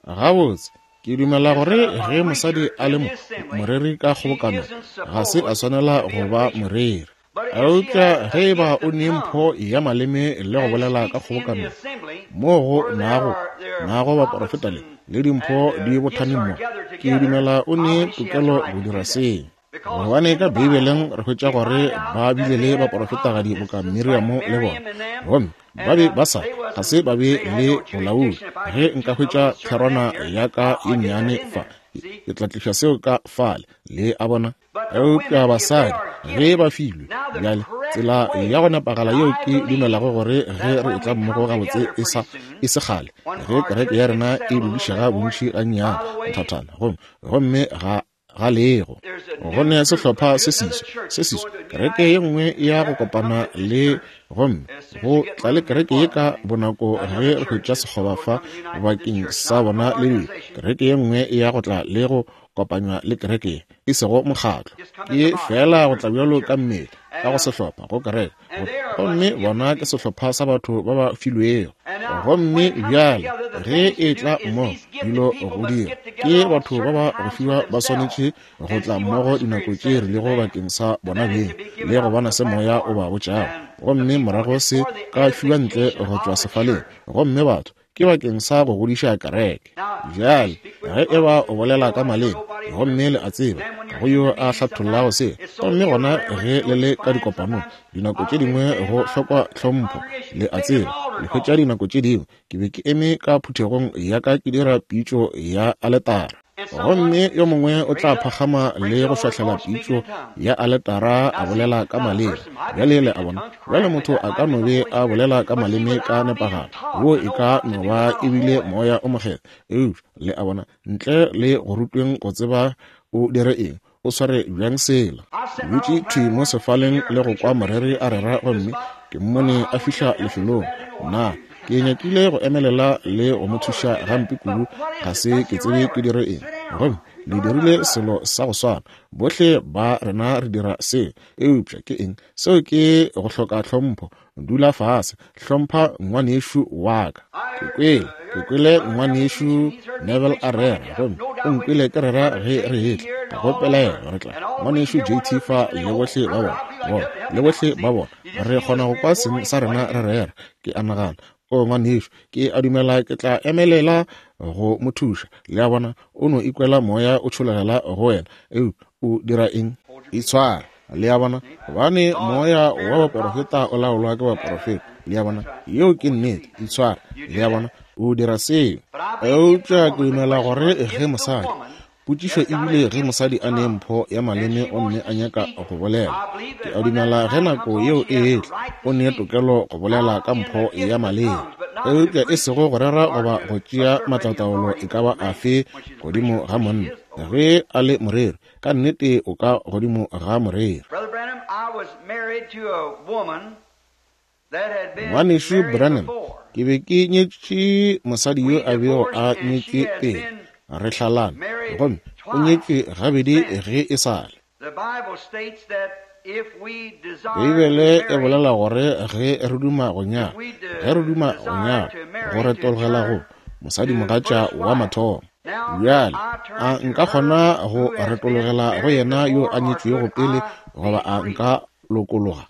Gabotse, ke dumela gore ge mosadi a le moreri ka kgobokanong, ga se a swanela go ba moreri. Eupša ge e ba o ne mpho ya maleme le go bolela ka kgobokanong, moo go nago, nago baporofeta le, le dimpho di bothane mo, ke dumela o ne tokelo go dira seo. Gobane ka Beibeleng re hwetša gore ba bile le baporofetagadi boka Miriamo le bona, gomme ba be ba sa, ga se ba be le bolaodi. Ge nka hwetša therwana ya ka ye nnyane fa, ke tla tliša seo ka fale, le a bona. Eupša basadi ge ba filwe bjale tsela ya go nepagala yeo ke dumelago gore ge re etla mmogo gabotse e sa e se kgale ge kereke ya rena e dudišega bontši gannyane nthathana gomme gomme ga ga lego go ne sehlopha se seswa se seswa kereke ye nngwe ya go kopana le gomme go tla le kereke ye ka bonako ge re hwetša sekgoba fa bakeng sa bona le kereke ye nngwe ya go tla le go kopanywa le kereke ye e sego mokgatlo, ke feela go tla bjalo ka mmele ka go sehlopha go kereke, gomme bona ke sehlopha sa batho ba ba filwego. Gomme bjale ge e tla mmogo dilo go dira, ke batho ba ba go fiwa ba swanetše go tla mmogo dinako tše rilego bakeng sa bona beng le go bona se Moya o ba botšago, gomme morago se ka fiwa ntle go tšwa sefaleng, gomme batho ke bakeng sa go godiša kereke. Bjale, ge e ba o bolela ka maleme, gomme le a tseba, ga go yo a hlathollago se, gomme gona ge le le ka dikopanong, dinako tše dingwe go hlokwa tlhompho, le a tseba, le hwetša dinako tše dingwe. Ke be ke eme ka phuthegong ya ka ke dira pitšo ya aletara. Gomme yo mongwe o tla phagama le go šwahlela pitšo ya aletara a bolela ka maleme. Bjale le a bona, bjale motho a ka no be a bolela ka maleme ka nepagalo, wo e ka no ba e bile Moya o Mokgethwa, eupša le a bona, ntle le go rutweng go tseba o dire eng, o sware bjang sela. Ke dutše thwi mo sefaleng le go kwa moreri a rera gomme ke mmone a fihla lefelong. Na ke nyakile go emelela le go mo thuša gampe kudu, ga se ke tsebe ke dire eng. Gomme le dirile selo sa go swana. Bohle ba rena re dira seo. Eupša ke eng? Seo ke go hloka tlhompho. Dula fase, hlompha ngwanešu wa ka. Ke kwele, ke kwele ngwanešu Neville a rera, gomme o nkwele ke rera ge re etla. Ga go pelaelo re tla, ngwanešu JT fa le bohle ba bona. Bona, le bohle ba bona, re kgona go kwa seng sa rena re rera. Ke a nagana, o ngwanešu, ke a dumela ke tla emelela go mo thuša. Le a bona, o no ikwela moya o tšhologela go wena. Eupša o dira eng? Itshware. Le a bona? Gobane moya wa baporofeta o laolwa ke baporofeta. Le a bona? Yeo ke nnete. Itshware. Le a bona? O dira seo. Eupša ke dumela gore ge mosadi, potšišo e bile ge mosadi a ne mpho ya maleme gomme a nyaka go bolela, ke a dumela ge nako yeo e etla, o ne tokelo go bolela ka mpho ya maleme, eupša e sego go rera goba go tšea maatlataolo e ka ba afe godimo ga monna. Ge a le moreri, ka nnete o ka godimo ga moreri. Ngwanešu Branham, ke be ke nyetše mosadi yo a bego a nyetšwe pele re hlalana, gomme o nyetšwe gabedi ge e sa le. Beibele e bolela gore ge re duma go nyala, ge re duma go nyala, go retologela go mosadimogatša wa mathomo. Bjale, a nka kgona go retologela go yena yo a nyetšwego pele, goba a nka lokologa?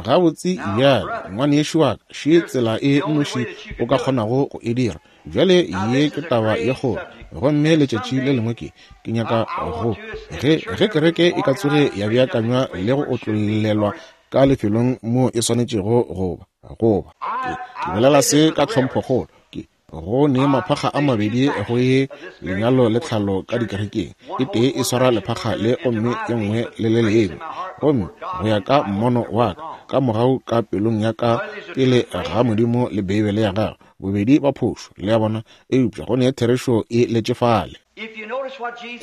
Gabotse, bjale, ngwanešu wa ka, še tsela e nnoši o ka kgonago go e dira. Bjale, ye ke taba ye kgolo. Gomme letšatši le lengwe ke, ke nyaka go, ge, ge kereke e ka tsoge ya beakanywa le go otlollelwa ka lefelong moo e swanetšego go ba, go ba. Ke, ke bolela se ka tlhomphokgolo. Ke, Go ne maphakga a mabedi go ye lenyalo le tlhalo ka dikerekeng. E tee e swara lephakga le gomme ye nngwe le le lengwe. Gomme go ya ka mmono wa ka, ka mogau ka pelong ya ka pele ga Modimo le Beibele ya Gagwe, bobedi ba phošo, le a bona, eupša go ne therešo e letše fale.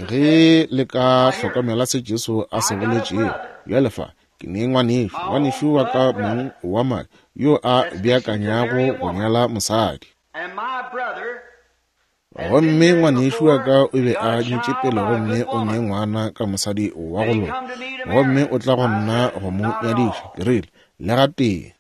Ge le ka hlokomela se Jesu a se boletšego, bjale fa, Ke ne ngwanešu, ngwanešu wa ka mong wa madi, yo a beakanyago go nyala mosadi. Gomme ngwanešu wa ka o be a nyetše pele gomme o ne ngwana ka mosadi wa go loka, gomme o tla go nna go mo nyadiša. Ke rile, Le gatee.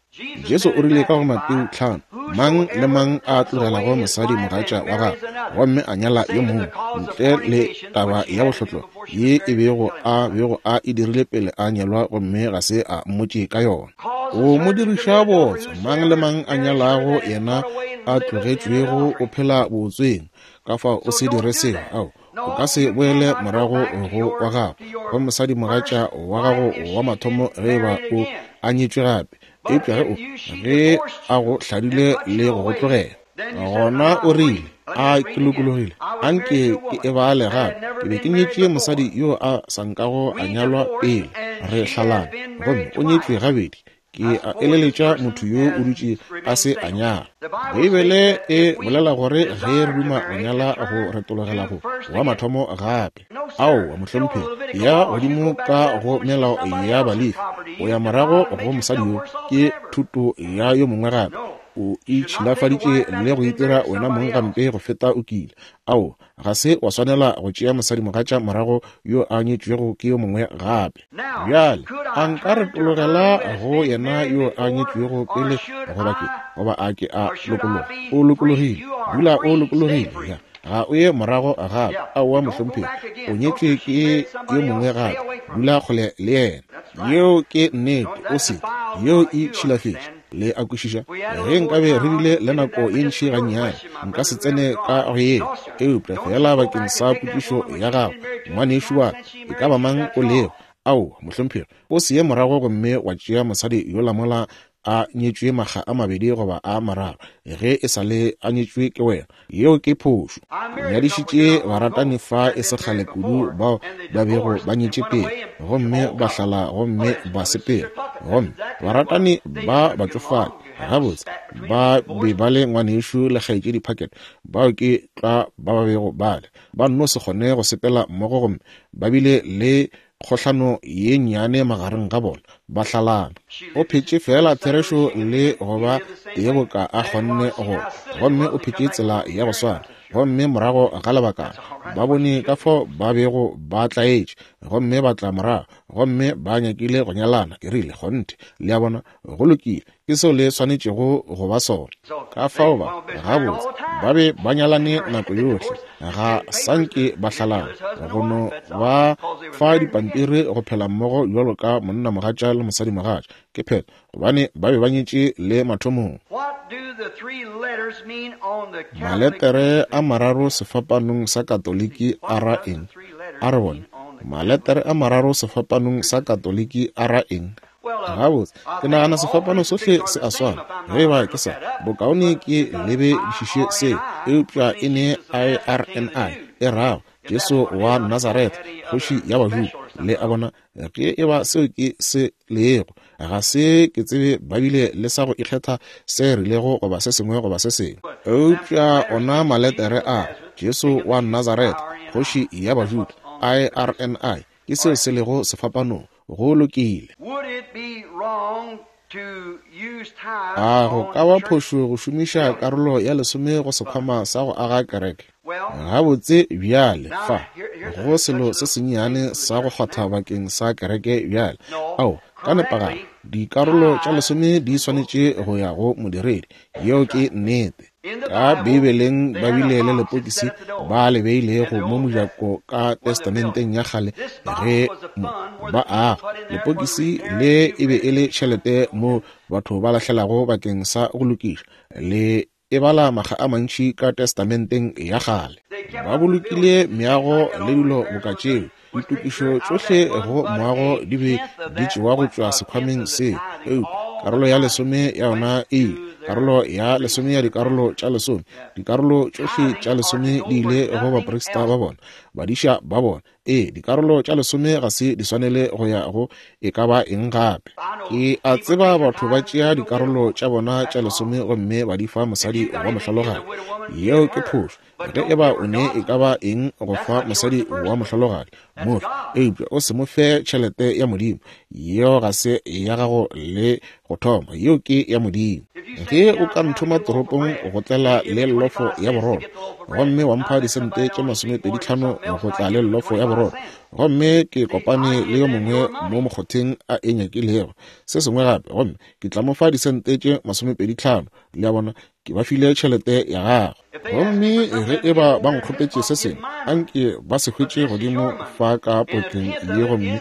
Jesu o rile ka go Mateo 5, Mang le mang a tlogelago mosadi mogatša wa gagwe gomme a nyala yo mongwe, ntle le taba ya bohlotlo ye e bego a bego a e dirile pele a nyalwa gomme ga se a mmotše ka yona, o mo diriša bootswa. Mang le mang a nyalago yena a tlogetšwego o phela bootsweng. Ka fao o se dire seo. Ao, o ka se boele morago go wa gago go mosadimogatša wa gago wa mathomo ge e ba o a nyetšwe gape. Eupša ge o, ge a go hladile le go go tlogela, gona o rile, A ke lokologile, a nke ke e bale gape. Ke be ke nyetše mosadi yo a sa nkago a nyalwa pele re hlalana, gomme o nyetšwe gabedi. Ke a eleletša motho yo o dutše a se a nyala. Beibele e bolela gore ge re duma go nyala go retologela go wa mathomo gape. Aowa, mohlomphegi, ya godimo ka go melao ya Balefi, o ya morago go mosadi yo, ke thuto ya yo mongwe gape. O itšhilafaditše le go itira wena mong gampe go feta o kile. Aowa, ga se wa swanela go tšea mosadimogatša morago yo a nyetšwego ke yo mongwe gape. Bjale, a nka retologela go yena yo a nyetšwego pele goba ke, goba a ke a lokologa? O lokologile. Dula o lokologile. Ya. Ga o ye morago gape. Aowa, mohlomphegi. O nyetšwe ke yo mongwe gape. Dula kgole le yena. Yeo ke nnete. O se. Yeo e tšhilafetše. Le a kwešiša? Ge nkabe re bile le nako ye ntši gannyane, nka se tsene ka go yeo. Eupša feela bakeng sa potšišo ya gago, ngwanešu wa ka, e ka ba mang o lego, aowa, mohlomphegi, o se ye morago gomme wa tšea mosadi yola mola a nyetšwe makga a mabedi goba a mararo, ge e sa le a nyetšwe ke wena. Yeo ke phošo. Ke nyadišitše baratani fa e se kgale kudu bao ba bego ba nyetše pele, gomme ba hlala gomme ba sepela. Gomme baratani ba batšofadi, gabotse, ba be ba le ngwanešu le kgaetšedi Packard, bao ke tlwa ba ba bego ba le. Ba nno se kgone go sepela mmogo gomme ba bile le kgohlano ye nnyane magareng ga bona, ba hlalana. O phetše feela therešo le go ba tee boka a kgonne go, gomme o phetše tsela ya go swana. Gomme morago ga lebakana, ba bone ka fao ba bego ba tlaetše. Gomme ba tla morago, gomme ba nyakile go nyalana. Ke rile, Kgonthe. Le a bona? Go lokile. Ke seo le swanetšego go ba sona. Ka fao ba, gabotse, ba be ba nyalane nako yohle, ga sa nke ba hlalana, go no ba fa dipampiri go phela mmogo bjalo ka monnamogatša le mosadimogatša. Ke phetho, gobane ba be ba nyetše le mathomong. Maletere a mararo sefapanong sa Katoliki a ra eng? A re bone. Maletere a mararo sefapanong sa Katoliki a ra eng? Gabotse, ke nagana sefapano sohle se a swana. Ge e ba ke sa, bokaone ke lebedišiše seo. Eupša e ne I-R-N-I, e rago, Jesu wa Nazaretha, Kgoši ya Bajuda. Le a bona, ge e ba seo ke se lego, ga se ke tsebe ba bile le sa go ikgetha se rilego goba se sengwe goba se sengwe. Eupša ona maletere a, Jesu wa Nazaretha, Kgoši ya Bajuda, I-R-N-I, ke seo se lego sefapanong. Go lokile. A go ka ba phošo go šomiša karolo ya lesome go sekhwama sa go aga kereke? Gabotse bjale, fa go selo se sennyane sa go kgwatha bakeng sa kereke bjale. Ao, ka nepagalo, dikarolo tša lesome di swanetše go ya go modiredi. Yeo ke nnete. Ka Beibeleng ba bile le lepokisi ba le beilego mo mojako ka Testamenteng ya Kgale ge mo ba aga. Lepokisi le e be e le tšhelete moo batho ba lahlelago bakeng sa go lokiša. Le e bala makga a mantši ka Testamenteng ya Kgale. Ba bolokile meago le dilo boka tšeo. Ditokišo tšohle go moago di be di tšewa go tšwa sekhwameng seo, eupša karolo ya lesome ya yona e ile, karolo ya lesome ya dikarolo tša lesome, dikarolo tšohle tša lesome di ile go baprista ba bona, badiša ba bona. Ee, dikarolo tša lesome ga se di swanele go ya go e ka ba eng gape. Ke a tseba batho ba tšea dikarolo tša bona tša lesome gomme ba di fa mosadi wa mohlologadi. Yeo ke phošo. Ge e ba o ne e ka ba eng go fa mosadi wa mohlologadi, mo fe, eupša o se mo fe tšhelete ya Modimo. Yeo ga se ya gago le go thoma, yeo ke ya Modimo. Ge o ka nthoma toropong go tlela le llofo ya borotho, gomme wa mpha disente tše masomepeditlhano go tla le llofo ya borotho, gomme ke kopane le yo mongwe mo mokgotheng a e nyakilego se sengwe gape, gomme ke tla mo fa disente tše masomepeditlhano, le a bona, ke ba file tšhelete ya gagwe. Gomme ge e ba ba nkgopetše se sengwe, anke ba se hwetše godimo fa ka potleng ye gomme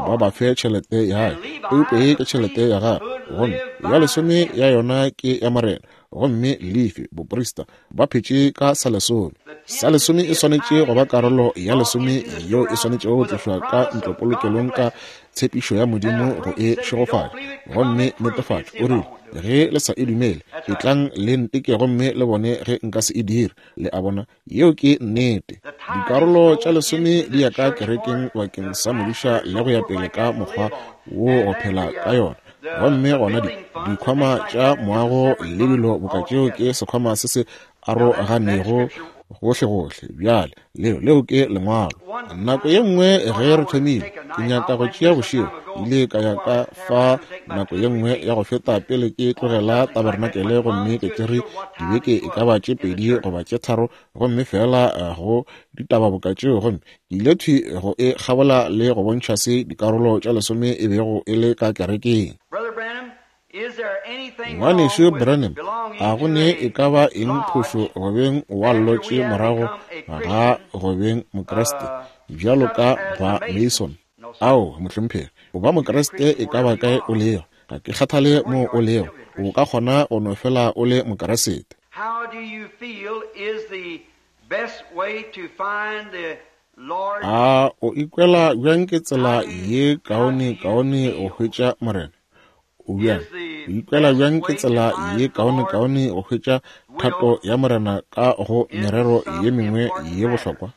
ba ba fe tšhelete ya ka. Eupša ye ke tšhelete ya gagwe, gomme ya lesome ya yona ke ya Morena. Gomme Lefi, boprista, ba phetše ka sa lesome. Sa lesome e swanetše go ba karolo ya lesome yeo e swanetšego go tlošwa ka ntlopolokelong ka tshepišo ya Modimo go e šegofatša. Gomme netefatšo, o rile, Ge le sa e dumele, etlang le nteke gomme le bone ge nka se e dire. Le a bona? Yeo ke nnete. Dikarolo tša lesome di ya ka kerekeng bakeng sa modiša le go ya pele ka mokgwa wo go phela ka yona. Gomme gona di, dikhwama tša moago le dilo boka tšeo ke sekhwama se se aroganego gohlegohle. Bjale, leo, leo ke Lengwalo. Nako ye nngwe ge re thomile, ke nyaka go tšea bošego, ile ka ya ka fa nako ye nngwe ya go feta pele ke tlogela tabarenakele, gomme ke tšere dibeke e ka ba tše pedi goba tše tharo, gomme feela eh, go ditaba boka tšeo, gomme ke ile thwi go e kgabola le go bontšha se dikarolo tša lesome e bego e le ka kerekeng. Ngwanešu Branham, a go ne e ka ba eng phošo go beng wa llotše morago ga go beng Mokriste, bjalo ka ba Mason? Ao, mohlomphegi, o ba Mokriste e ka ba kae o lego. Ga ke kgathale moo o lego, o ka kgona go no fela o le Mokriste. A o ikwela bjang ke tsela ye kaonekaone go hwetša Morena? O bjang? O ikwela bjang ke tsela ye kaonekaone go hwetša thato ya Morena ka go merero ye mengwe ye bohlokwa?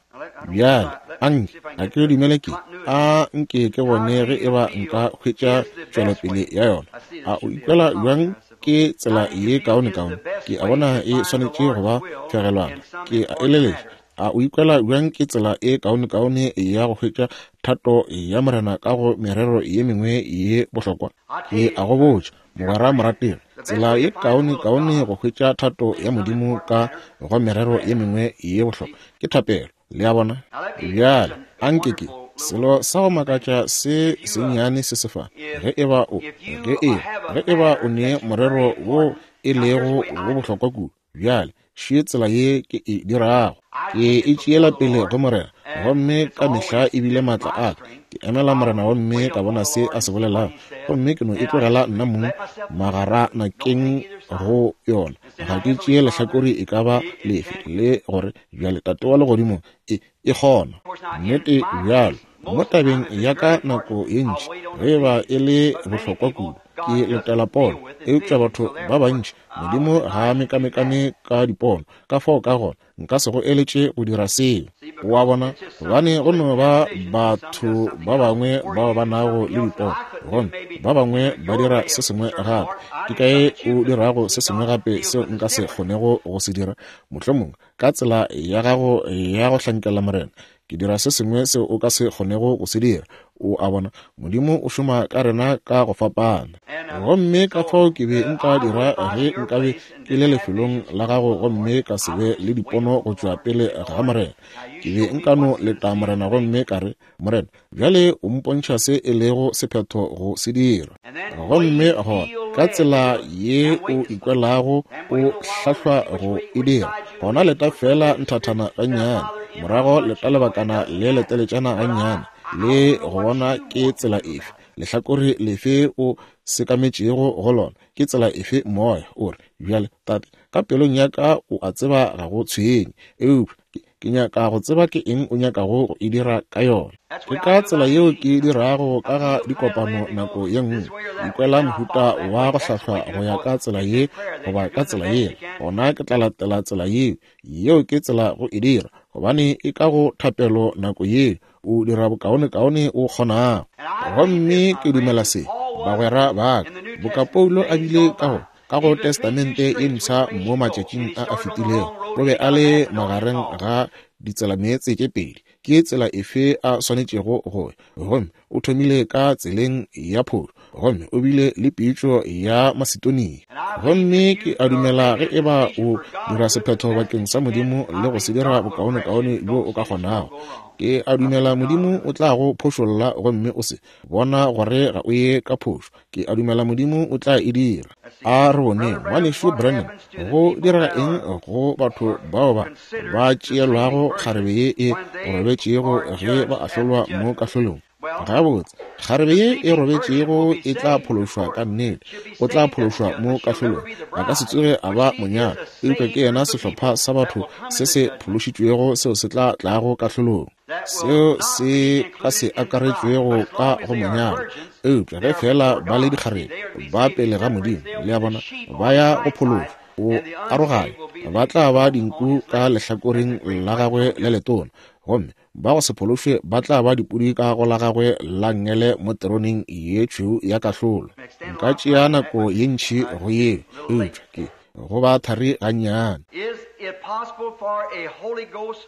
Bjale, a nke, ga ke dumele ke, a nke ke bone ge e ba nka hwetša tšwelopele ya yona. A o ikwela bjang ke tsela ye kaonekaone? Ke a bona e swanetše go ba fegelwana. Ke a eleletša. A o ikwela bjang ke tsela e kaonekaone ya go hwetša thato ya Morena ka go merero ye mengwe ye bohlokwa? Ke a go botša, mogwera morategi, tsela ye kaonekaone go hwetša thato ya Modimo ka go merero ye mengwe ye bohlokwa ke thapelo. Le a bona? Bjale, a nke ke, Selo sa go makatša se sennyane se se fa, ge eba o, ge e, ge eba o ne morero wo e lego wo bohlokwa kudu, bjale, še tsela ye ke e dirago. Ke e tšeela pele go Morena, gomme ka mehla e bile maatla a ka. Ke emela Morena gomme ka bona se a se bolelago, gomme ke no e tlogela nna mong magaranakeng go yona. Ga ke tšee lehlakore e ka ba lefe, le gore bjale Tate wa Legodimo e, e kgona. Nnete bjalo. Mo tabeng ya ka nako ye ntši, ge e ba e le bohlokwa kudu, ke letela pono. Eupša batho ba bantši, Modimo ga a mekamekane ka dipono, ka fao ka gona nka se go eletše go dira seo. O a bona? Gobane go no ba batho ba bangwe bao ba nago le dipono, gomme ba bangwe ba dira se sengwe gape. Ke kae o dirago se sengwe gape seo nka se kgonego go se dira? Mohlomongwe ka tsela ya gago ya go hlankela Morena, ke dira se sengwe seo o ka se kgonego go se dira. O a bona, Modimo o šoma ka rena ka go fapana. Gomme ka fao ke be nka dira ge nkabe ke le lefelong la gago gomme ka se be le dipono go tšwa pele ga Morena. Ke be nka no leta Morena gomme ka re, Morena, bjale o mpontšha se e lego sephetho go se dira. Gomme gona, ka tsela ye o ikwelago o hlahlwa go e dira, gona leta feela nthathana gannyane, morago leta lebakana le leteletšana gannyane, le go bona ke tsela efe, lehlakore lefe o sekametšego go lona, ke tsela efe moya o re, Bjale, Tate, ka pelong ya ka o a tseba ga go tshwenye, eupša ke nyaka go tseba ke eng o nyakago go e dira ka yona. Ke ka tsela yeo ke dirago ka ga dikopano nako ye nngwe. Ikwela mohuta wa go hlahlwa go ya ka tsela ye goba ka tsela yela, gona ke tla latela tsela yeo. Yeo ke tsela go e dira, gobane e ka go thapelo nako yeo, o dira bokaonekaone o kgonago. Gomme ke dumela se, bagwera ba ka, boka Paulo a bile ka go Ka go Testamente ye Mpsha mo matšatšing a a fetilego, o be a le magareng ga ditselameetse tše pedi, ke tsela efe a swanetšego go ya. Gomme o thomile ka tseleng ya phošo, gomme o bile le pitšo ya Masedonia. Gomme ke a dumela ge e ba o dira sephetho bakeng sa Modimo le go se dira bokaonekaone bjo o ka kgonago, ke a dumela Modimo o tla go phošolla gomme o se bona gore ga o ye ka phošo. Ke a dumela Modimo o tla e dira. A re boneng, Ngwanešu Branham, go direga eng go batho bao ba ba tšeelwago kgarebe ye e robetšego ge ba ahlolwa mo kahlolong? Gabotse, kgarebe ye e robetšego e tla phološwa ka nnete. O tla phološwa mo kahlolong. A ka se tsoge a ba monyalwa, eupša ke yena sehlopha sa batho se se phološitšwego seo se tla tlago kahlolong. Seo se ka se akaretšwego ka go monyalwa, eupša ge feela ba le dikgarebe ba pele ga Modimo, le a bona, ba ya go phološwa, o aroganya, ba tla ba dinku ka lehlakoreng la gagwe le letona, gomme ba go se phološwe ba tla ba dipudi ka go la gagwe la nngele mo teroneng ye tšhweu ya kahlolo. Nka tšea nako ye ntši go yeo, eupša ke go ba thari gannyane.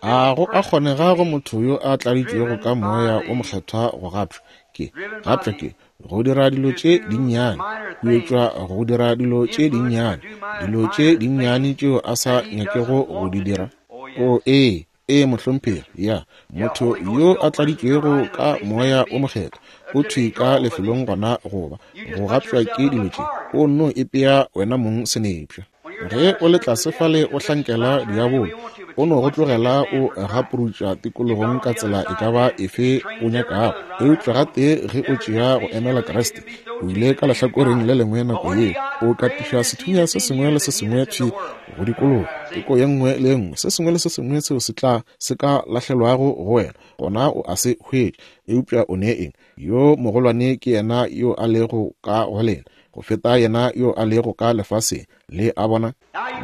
A go a kgonega go motho yo a tladitšwego ka Moya wo Mokgethwa go gapšwa ke, gapšwa ke, go dira dilo tše dinnyane, huetšwa go dira dilo tše dinnyane, dilo tše dinnyane tšeo a sa nyakego go di dira? O ee, Ee, mohlomphegi. Ya, motho yo a tladitšwego ka Moya wo Mokgethwa o thwi ka lefelong gona goba go gapšwa ke dilo tše, o nno ipea wena mong senepša. Ge o le tlase fale o hlankela diabolo, o no go tlogela o gaprutša tikologong ka tsela e ka ba efe o nyakago. Eupša gatee ge o tšea go emela Kriste, o ile ka lehlakoreng le lengwe nako yeo, o katiša sethunya se sengwe le se sengwe thwi go dikologa teko ye nngwe le ye nngwe, se sengwe le se sengwe seo se tla se ka lahlelwago go wena, gona o a se hwetša. Eupša o ne eng? Yo mogolwane ke yena yo a lego ka go lena go feta yena yo a lego ka lefaseng. Le a bona?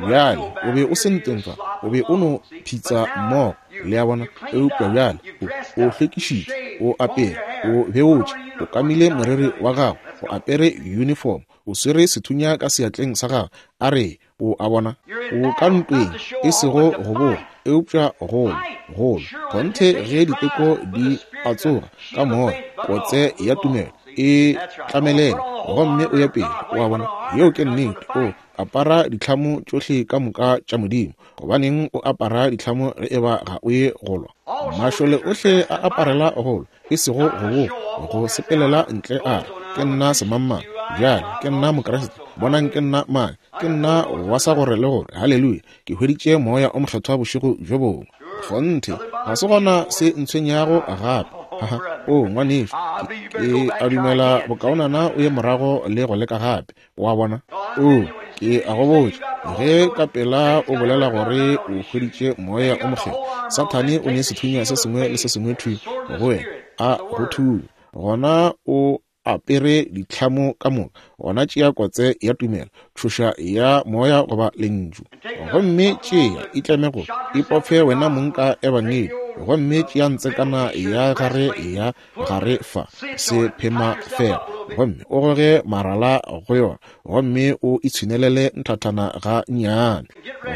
Bjale, o be o se ntweng fa, o be o no phitsa mmogo, le a bona, eupša bjale o, o hlwekišitšwe, o apere, o beotše, o kamile moriri wa gago, o apere uniform, o swere sethunya ka seatleng sa gago, a re, O a bona, o ka ntweng, e sego go boa, eupša go lwa, go lwa. Kgonthe ge diteko di a tsoga ka moya, kotse ya tumelo e tlamelele gomme o ye pele. O a bona, yeo ke nnete. O. Apara ditlhamo tšohle ka moka tša Modimo. Gobaneng o apara ditlhamo ge eba ga o ye go lwa? Mašole ohle a aparela go lwa, e sego go boa, go sepelela ntle a re, Ke nna semangmang. Bjale, ke nna Mokriste. Bonang ke nna mang. Ke nna wa sa gore le gore. Haleluya! Ke hweditše Moya o Mokgethwa bošego bjo bongwe. Kgonthe, ga se gona se ntshwenyago gape. Ha, o, ngwanešu, ke, ke a dumela bokaonana o ye morago le go leka gape. Wa bona? O, ke a go botša, ge ka pela o bolela gore o hweditše Moya o Mokgethwa, Sathane o ne sethunya se sengwe le se sengwe thwi go wena, a go thunya. Gona o apere ditlhamo ka moka, gona tšea kotse ya tumelo, tšhoša ya Moya goba Lentšu. Gomme tšea, itleme go ipophe wena mong ka Ebangedi, gomme tšea ntsekana ya gare ya gare fa, se phema fela, gomme o goge marala go yona, gomme o itshwinelele nthathana ga nnyane,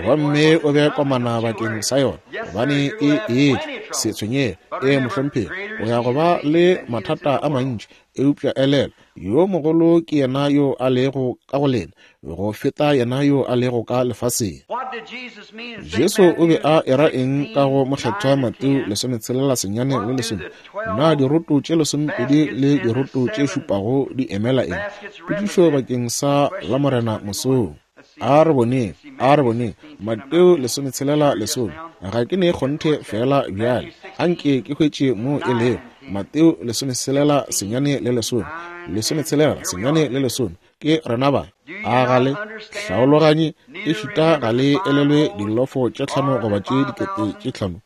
gomme o be komana bakeng sa yona, gobane e etšwa. Se tshwenyege, ee, mohlomphegi, o ya go ba le mathata a mantši, eupša elelwa, yo mogolo ke yena yo a lego ka go lena go feta yena yo a lego ka lefaseng. Jesu o be a era eng ka go Mokgethwa Mateo 16 le 10? Na diroto tše 12 le diroto tše šupago di emela eng? Potšišo bakeng sa Lamorena mosong. A re boneng, a re boneng. Mateo 16 lesome. Ga ke ne kgonthe feela bjale. Anke ke hwetše mo e lego. Mateo 16 senyane le lesome. 16 senyane le lesome. Ke rena ba. A ga le hlaologanye ešita ga le elelwe dilofo tše tlhano goba tše dikete tše tlhano,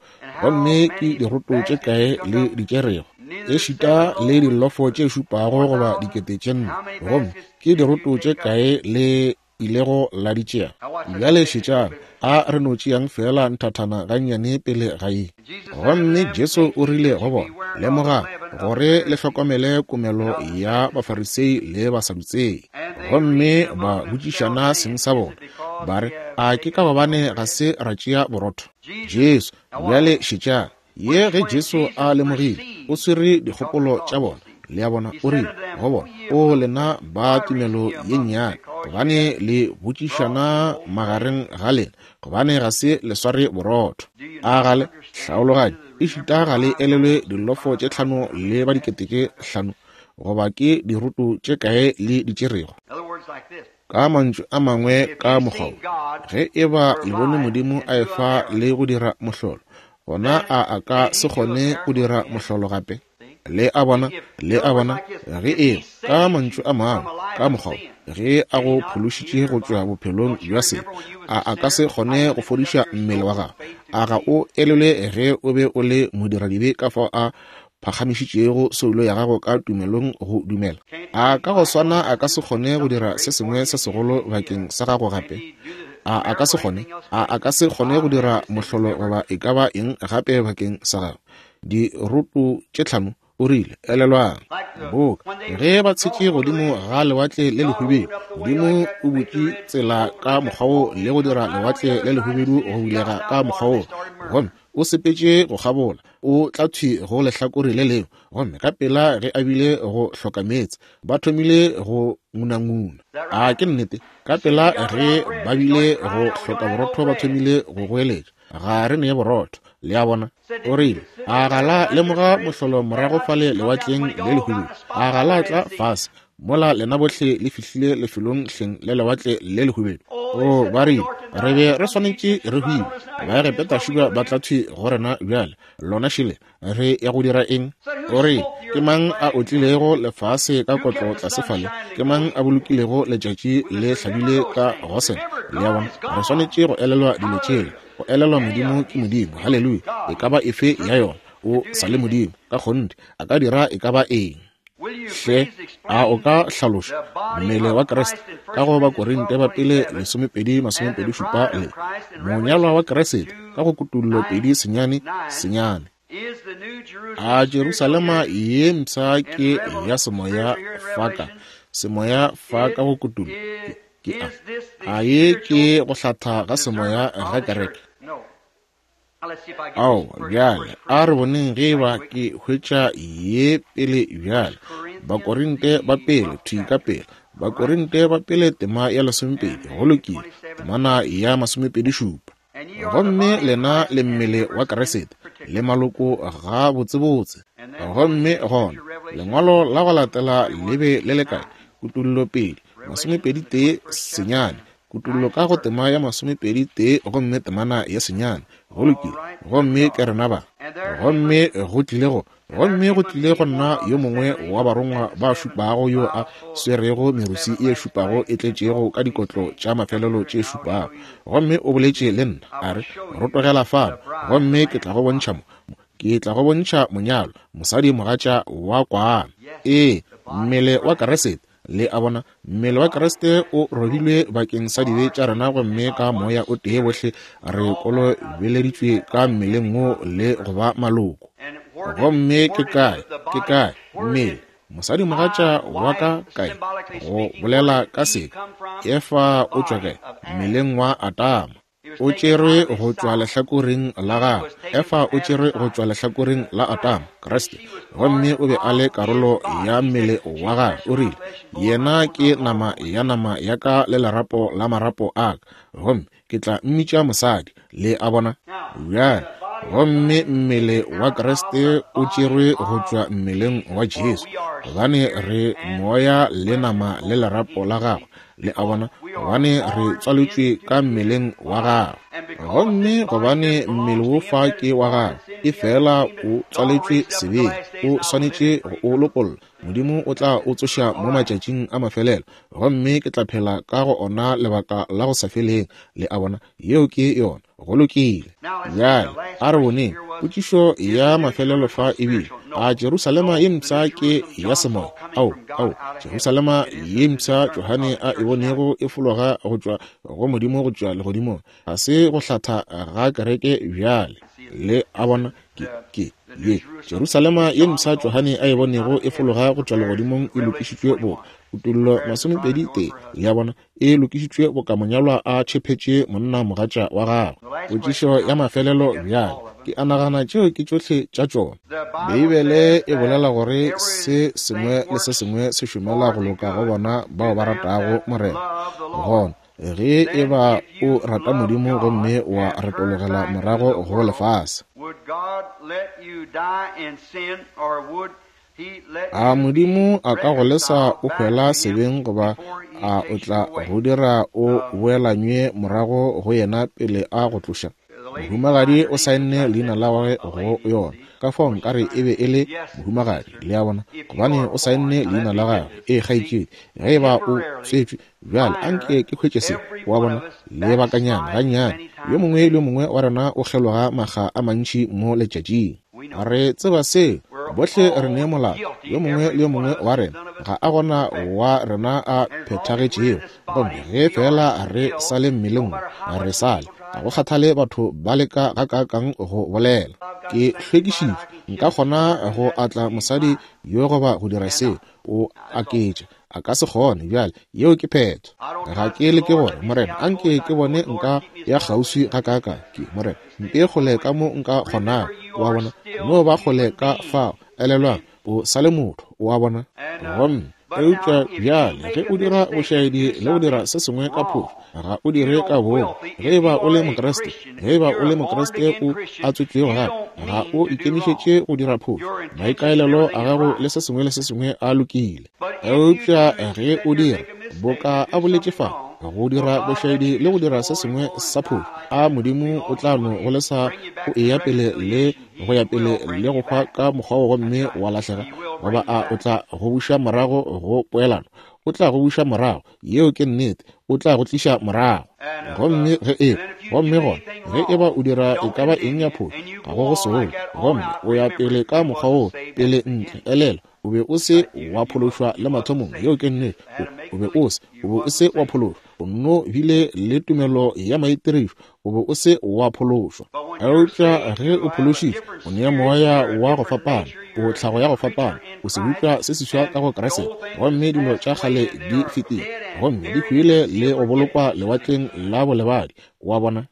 gomme ke diroto tše kae le di tšerego, ešita le dilofo tše šupago goba dikete tše nne, gomme ke diroto tše kae le ilego la di tšea? Bjale šetšang, a re no tšeang feela nthathana gannyane pele ga ye. Gomme Jesu o rile go bona, Lemogang gore le hlokomele komelo ya Bafarisei le Basadutsei. Gomme ba botšišana seng sa bona, ba re, A ke ka gobane ga se ra tšea borotho? Jesu, bjale šetšang, ye ge Jesu a lemogile, o swere dikgopolo tša bona. Le a bona, o rile go bona, O lena ba tumelo ye nnyane, gobane le botšišana magareng ga lena, gobane ga se le sware borotho. A ga le hlaologanye, ešita ga le elelwe dilofo tše tlhano le ba dikete tše hlano, goba ke diroto tše kae le di tšerego? Ka mantšu a mangwe, ka mokgwa wo, ge e ba le bone Modimo a efa le go dira mohlolo, gona a a ka se kgone go dira mohlolo gape? Le a bona? Le a bona? Ge e, ka mantšu a mangwe, ka mokgwa wo, ge a go phološitše go tšwa bophelong bja sebe, a a ka se kgone go fodiša mmele wa gago? A ga o elelwe ge o be o le modiradibe ka fao a phagamišitšego soulo ya gago ka tumelong go dumela? A ka go swana a ka se kgone go dira se sengwe se segolo bakeng sa gago gape? A a ka se kgone? A a ka se kgone go dira mohlolo goba e ka ba eng gape bakeng sa gago? Diroto tše tlhano, o rile, elelwang, boka ge ba tshetše godimo ga Lewatle le Lehubedu, Modimo o butše tsela ka mokgwa wo le go dira Lewatle le Lehubedu go bulega ka mokgwa wo, gomme o sepetše go kgabola, o tla thwi go lehlakore le lengwe, gomme ka pela ge a bile go hloka meetse, ba thomile go ngunanguna. A ke nnete? Ka pela ge ba bile go hloka borotho, ba thomile go goeletša, Ga re ne borotho. Le a bona? O rile, A ga la lemoga mohlolo morago fale Lewatleng le Lehubedu? A ga la tla fase mola lena bohle le fihlile lefelong hleng le Lewatle le Lehubedu? O, ba rile, re be re swanetše re hwile. Baegepeta šuba ba tla thwi go rena bjale. Lona šele, re ya go dira eng? O rile, Ke mang a otlilego lefase ka kotlo tlase fale? Ke mang a bolokilego letšatši le hlabile ka Gosene? Le a bona, re swanetše go elelwa dilo tšela. Go elelwa Modimo ke Modimo. Haleluya! E ka ba efe ya yona, O sa le Modimo. Ka kgonthe, A ka dira e ka ba eng. Hle, a o ka hlaloša mmele wa Kriste ka go Bakorinte ba pele 12:27 le monyalwa wa Kriste ka go Kutullo 2:9, 9? A Jerusalema ye mpsha ke ya semoya fa ka semoya fa ka go Kutullo ke a a ye ke go hlatha ga semoya ga kereke? Ao, bjale, a re boneng ge eba ke hwetša ye pele bjale. Bakorinte ba pele, thwi ka pele. Bakorinte ba pele tema ya 12, go lokile, temana ya 27. Gomme lena le mmele wa Kriste, le maloko ga botsebotse. Gomme gona, lengwalo la go latela le be le le kae? Kutullo 2, 21 senyane. Kutullo ka go tema ya 21 gomme temana ya senyane. Go lokile. Gomme ke rena ba. Gomme go tlile go, gomme go tlile go nna yo mongwe wa barongwa ba šupago yo a swerego merusi e šupago e tletšego ka dikotlo tša mafelelo tše šupago. Gomme o boletše le nna, a re, Rotogela fano, gomme ke tla go bontšha mo, ke tla go bontšha monyalo, mosadi mogatša wa kwana. Ee, mmele wa Kriste. Le a bona, mmele wa Kriste o robilwe bakeng sa dibe tša rena, gomme ka moya o tee bohle re kolobeleditšwe ka mmeleng wo le go ba maloko. Gomme ke kae, ke kae mmele, mosadi mogatša wa ka kae? Go bolela ka seka, Efa o tšwa kae? Mmeleng wa Adama. O tšerwe go tšwa lehlakoreng la gagwe. Efa o tšerwe go tšwa lehlakoreng la Adama, Kriste. Gomme o be a le karolo ya mmele wa gagwe. O rile, Yena ke nama ya nama ya ka le lerapo la marapo a ka, gomme ke tla mmitša mosadi. Le a bona? Bjale, gomme mmele wa Kriste o tšerwe go tšwa mmeleng wa Jesu, gobane re moya le nama le lerapo la gagwe. Le a bona? Gobane re tswaletšwe ka mmeleng wa gagwe. Gomme gobane mmele wo fa ke wa gagwe, efela o tswaletšwe sebeng, o swanetše go o lopolla. Modimo o tla o tsoša mo matšatšing a mafelelo, gomme ke tla phela ka go ona lebaka la go sa feleng. Le a bona? Yeo ke yona. Go lokile. Bjale a re boneng potšišo ya mafelelo fa e bile, a Jerusalema ye mpsha ke ya semoya? Ao, ao, Jerusalema ye mpsha Johane a e bonego e fologa go tšwa go Modimo go tšwa legodimong, ga se go hlatha ga kereke bjale. Le a bona? Ke, ke, ye Jerusalema ye mpsha Johane a e bonego e fologa go tšwa legodimong e lokišitšwe boka Kutollo 21. Le a bona? E lokišitšwe boka monyalwa a tšhephetše monna mogatša wa gagwe. Potšišo ya mafelelo bjale, ke a nagana tšeo ke tšohle tša tšona. Beibele e bolela gore se sengwe le se sengwe se šomela go loka go bona bao ba ratago Morena. Gona, ge e ba o rata Modimo gomme wa retologela morago go lefase, a Modimo a ka go lesa o hwela sebeng goba a o tla go dira o boelanywe morago go yena pele a go tloša? Mohumagadi o saenne leina la gagwe go yona. Ka fao nkare e be e le mohumagadi, le a bona, gobane o saenne leina la gagwe. Ee, kgaetšedi, ge e ba o tswetšwe bjale, anke ke hwetše se, wa bona, lebakanyana gannyane. Yo mongwe le yo mongwe wa rena o kgeloga makga a mantši mo letšatšing. Re tseba seo. Bohle re ne molato, yo mongwe le yo mongwe wa rena. Ga a gona wa rena a phethagetšego. Gomme ge feela re sa le mmeleng wo, re sa le. Ga go kgathale batho ba leka gakaakang go bolela, Ke hlwekišitšwe, nka kgona go atla mosadi yo goba go dira seo. O aketša. A ka se kgone. Bjale, yeo ke phetho. Ga ke leke gore, Morena, anke ke bone nka ya kgauswi gakaakang. Ke, Morena, mpee kgole ka mo nka kgonago. O a bona? No ba kgole ka fao. Elelwang, o sa le motho. O a bona? Gomme, eupša bjale, ge o dira bošaedi le go dira se sengwe ka phošo, ga o dire ka boomo. Ge e ba o le Mokriste, ge e ba o le Mokriste o a tswetšwego gape, ga o ikemišetše go dira phošo. Maikaelelo a gago le se sengwe le se sengwe a lokile. Eupša ge o dira, boka a boletše fa, go dira bošaedi le go dira se sengwe sa phošo, a Modimo o tla no go lesa o eya pele le go ya pele le go hwa ka mokgwa wo gomme wa lahlega? Goba a o tla go buša morago go poelano? O tla go buša morago. Yeo ke nnete. O tla go tliša morago. Gomme ge e, gomme gona, ge e ba o dira e ka ba eng ya phošo, ga go go sole, gomme o ya pele ka mokgwa wo, pele ntle, elelwa, o be o se wa phološwa le mathomong. Yeo ke nnete. O, o be o se, o be o se wa phološwa. O nno bile le tumelo ya maitirišo. O be o se wa phološwa. Eupša ge o phološitšwe, o nea moya wa go fapana, o tlhago ya go fapana, o sebopša se seswa ka go Kriste, gomme dilo tša kgale di fetile, gomme di hwile le go bolokwa lewatleng la bolebadi. Wa bona?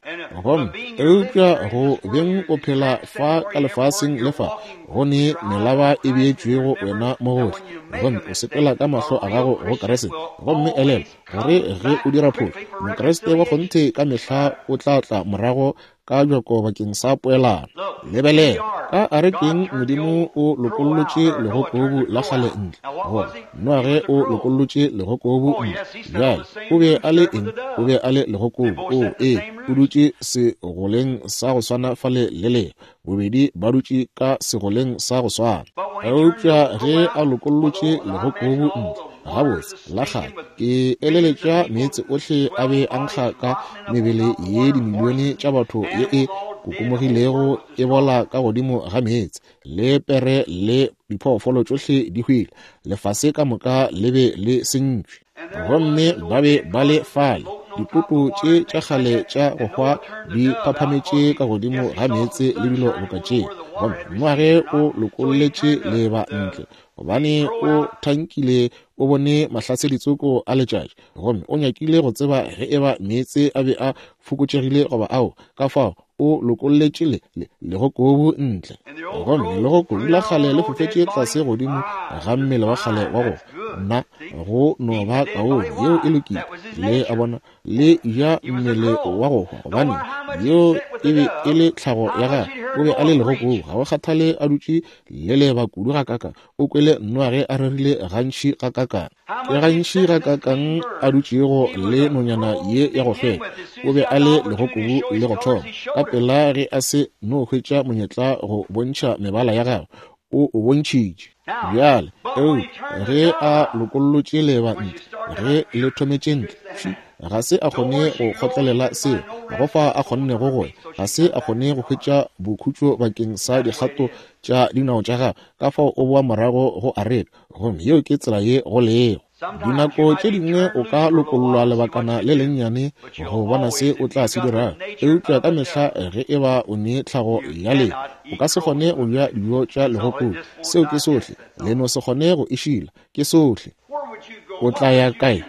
Gomme eupša go beng o phela fa ka lefaseng le fa, go ne melaba e beetšwego wena mo gohle, gomme o sepela ka mahlo a gago go Kriste. Gomme elelwa gore ge o dira phošo, Mokriste wa kgonthe ka mehla o tla tla morago ka bjako bakeng sa poelano. Lebelela, ka arekeng Modimo o lokollotše legokobu la kgale ntle, goba Noage o lokollotše legokobu ntle. Bjale, o be a le eng? O be a le legokobu. O, ee, o dutše segoleng sa go swana fale le leba. Bobedi ba dutše ka segoleng sa go swana. Eupša ge a lokollotše legokobu ntle, gabotse, la kgale, ke eleletša meetse ohle a be a nkga ka mebele ye dimilione tša batho ye e kokomogilego e bola ka godimo ga meetse, le pere le diphoofolo tšohle di hwile, lefase ka moka le be le sentšwe. Gomme ba be ba le fale, ditopo tše tša kgale tša go hwa di phaphametše ka godimo ga meetse le dilo boka tše. Gomme Noage o lokolletše leeba ntle, gobane o thankile o bone mahlaseditsoko a letšatši, gomme o nyakile go tseba ge eba meetse a be a fokotšegile goba ao. Ka fao o lokolletše le, le, legokobu ntle, gomme legokobu la kgale le fofetše tlase godimo ga mmele wa kgale wa go nna go no ba kaone. Yeo e lokile. Le a bona, le ja mmele wa go hwa, gobane yeo e be e le tlhago ya gagwe. O be a le legokobu, ga go kgathale a dutše le leba kudu gakakang, o kwele Noage a rerile gantši gakakang, ke gantši gakakang a dutšego le nonyana ye ya go hlweka. O be a le legokobu le go thoma. Ka pela ge a se no hwetša monyetla go bontšha mebala ya gagwe, o o bontšhitše. Bjale, eupša ge a lokollotše leeba ntle, ge le thometše ntle, fši, ga se a kgone go kgotlelela seo, ga go fa a kgonnego go ya, ga se a kgone go hwetša bokhutšo bakeng sa dikgato tša dinao tša gagwe, ka fao o boa morago go areka. Gomme yeo ke tsela ye go lego. Dinako tše dingwe o ka lokollwa lebakana le lennyane go bona se o tla se dirago, eupša ka mehla ge e ba o ne tlhago ya leo, o ka se kgone go ja dijo tša legokobu. Seo ke sohle. Le no se kgone go e šila. Ke sohle. O tla ya kae?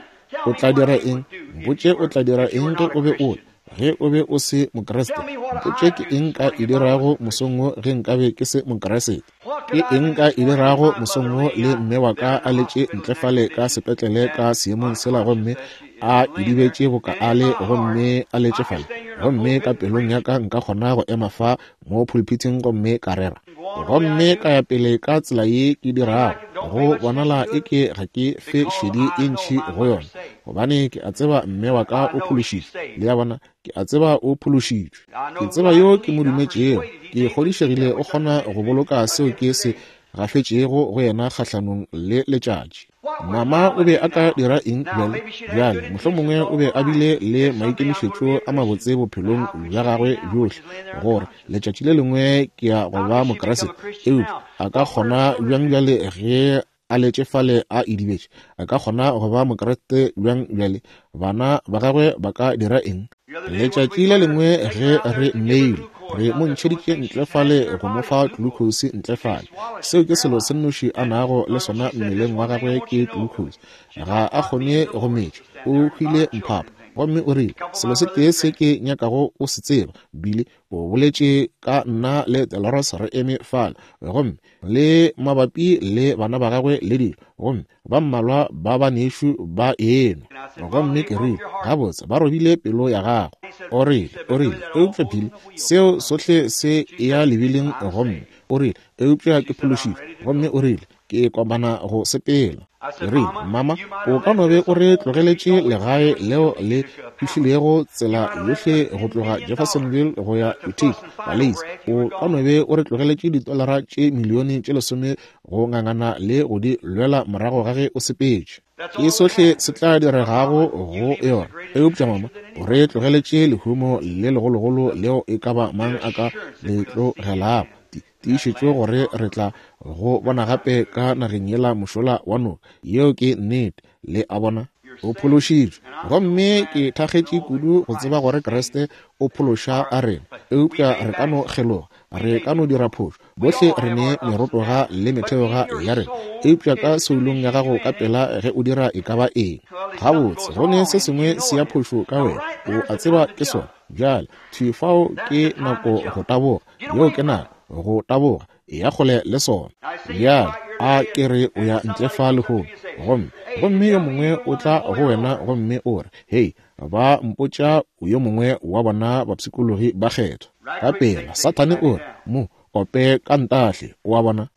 O tla dira eng? Mpotše o tla dira eng ge o be o ge o be o se Mokriste. Mpotše ke eng nka e dirago mosong wo ge nkabe ke se Mokriste. Ke eng nka e dirago mosong wo le mme wa ka a letše ntle fale ka sepetlele ka seemong sela gomme a idibetše boka a le gomme a letše fale, gomme ka pelong ya ka nka kgona go ema fa mo pulpithing gomme ka rera gomme ka ya pele ka tsela ye ke dirago, go bonala eke ga ke fe šedi e ntši go yona, gobane ke a tseba mme wa ka o phološitšwe. Le a bona, ke a tseba o phološitšwe. Ke tseba yo ke mo dumetšego. Ke kgodišegile o kgona go boloka seo ke se gafetšego go yena kgahlanong le letšatši. Mama o be a ka dira eng bjale? Bjale, mohlomongwe o be a bile le maikemišetšo a mabotse bophelong bja gagwe bjohle, gore letšatši le lengwe ke ya go ba Mokriste. Eupša a ka kgona bjang bjale ge a letše fale a idibetše? A ka kgona go ba Mokriste bjang bjale? Bana ba gagwe ba ka dira eng? Letšatši le lengwe ge re mmeile, re mo ntšheditše ntle fale go mo fa glucose ntle fale. Seo ke selo se nnoši a nago le sona mmeleng wa gagwe ke glucose. Ga a kgone go metša. O hwile mphapha. Gomme o rile, Selo se tee se ke nyakago o se tseba, Billy, o boletše ka nna le Dolores re eme fale, gomme le mabapi le bana ba gagwe le dilo, gomme ba mmalwa ba banešu ba enwa. Gomme ke rile, Gabotse, ba robile pelo ya gago. O rile, o rile, Eupša Billy, seo sohle se ya lebiling, gomme o rile, eupša ke phološitšwe. Gomme o rile, Ke komana go sepela. Ke rile, Mama, o ka no be o re tlogeletše legae leo le fihlilego tsela yohle go tloga Jeffersonville go ya Utica, Paleis. O ka no be o re tlogeletše ditolara tše milione tše lesome go ngangana le go di lwela morago ga ge o sepetše. Ke sohle se tla diregago go yona. Eupša, mama, o re tlogeletše lehumo le legologolo leo e ka ba mang a ka le tlogelago. Tiišetšo gore re tla go bona gape ka nageng yela mošola wa noka. Yeo ke nnete. Le a bona? O phološitšwe. Gomme ke thakgetše kudu go tseba gore Kriste o phološa a rena. Eupša re ka no kgeloga. Re ka no dira phošo. Bohle re ne merotoga le metheoga ya rena. Eupša ka soulong ya gago ka pela ge o dira e ka ba eng, gabotse, go ne se sengwe se ya phošo ka wena. O a tseba ke sona. Bjale, thwi fao ke nako go taboga. Yeo ke nako go taboga. Eya kgole le sona. Bjale, a ke re o ya ntle fa lehono, gomme, gomme yo mongwe o tla go wena gomme o re, Hei, ba mpotša o yo mongwe wa bona bapshikologi ba kgethwa. Ka pela, Sathane o re, Mo ope ka ntahle. O a bona?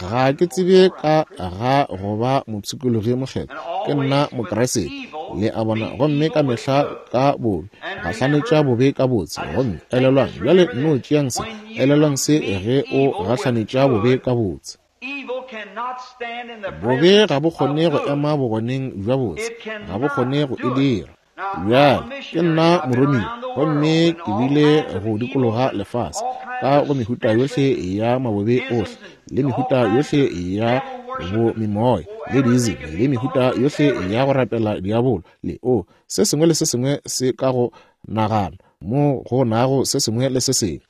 Ga ke tsebe ka ga go ba mopshikologi mokgethwa. Ke nna Mokriste. Le a bona? Gomme ka mehla ka bobe, gahlanetša bobe ka botse. Gomme elelwang, bjale nno tšeang se, elelwang se ge o gahlanetša bobe ka botse. Bobe ga bo kgone go ema bogoneng bja botse. Ga bo kgone go e dira. Bjale, ke nna moromiwa, gomme ke bile go dikologa lefase, ka go mehuta yohle ya mabobe ohle, le mehuta yohle ya bomimoya, le diizimi, le mehuta yohle ya go rapela diabolo, le, o, se sengwe le se sengwe se ka go nagana, mo go nago se sengwe le se sengwe.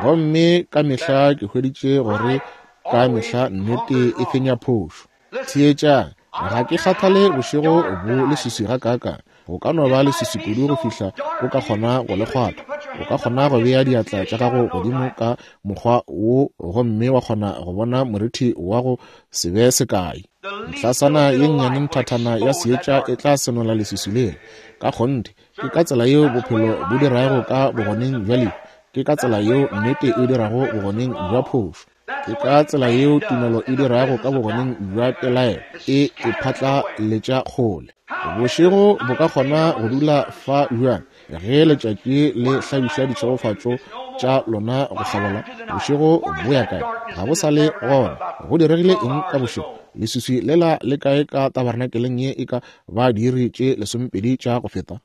Gomme ka mehla ke hweditše gore ka mehla nnete e fenya phošo. Theetšang, ga ke kgathale bošego bo leswiswi gakaakang. Go ka no ba leswiswi kudu go fihla o ka kgona go le kgwatha. O ka kgona go bea diatla tša gago godimo ka mokgwa wo gomme wa kgona go bona morithi wa go se be sekai. Ntlasana ye nnyane nthathana ya seetša e tla senola leswiswi lela. Ka kgonthe, ke ka tsela yeo bophelo bo dirago ka bogoneng bja lehu. Ke ka tsela yeo nnete e dirago bogoneng bja phošo. Ke ka tsela yeo tumelo e dirago ka bogoneng bja pelaelo, e e phatlaletša kgole. Bošego bo ka kgona go dula fa bjang ge letšatši le hlabiša ditšhegofatšo tša lona go hlabola? Bošego bo ya kae? Ga bo sa le gona. Go diregile eng ka bošego? Leswiswi lela le kae ka tabernakeleng ye e ka ba diiri tše lesomepedi tša go feta?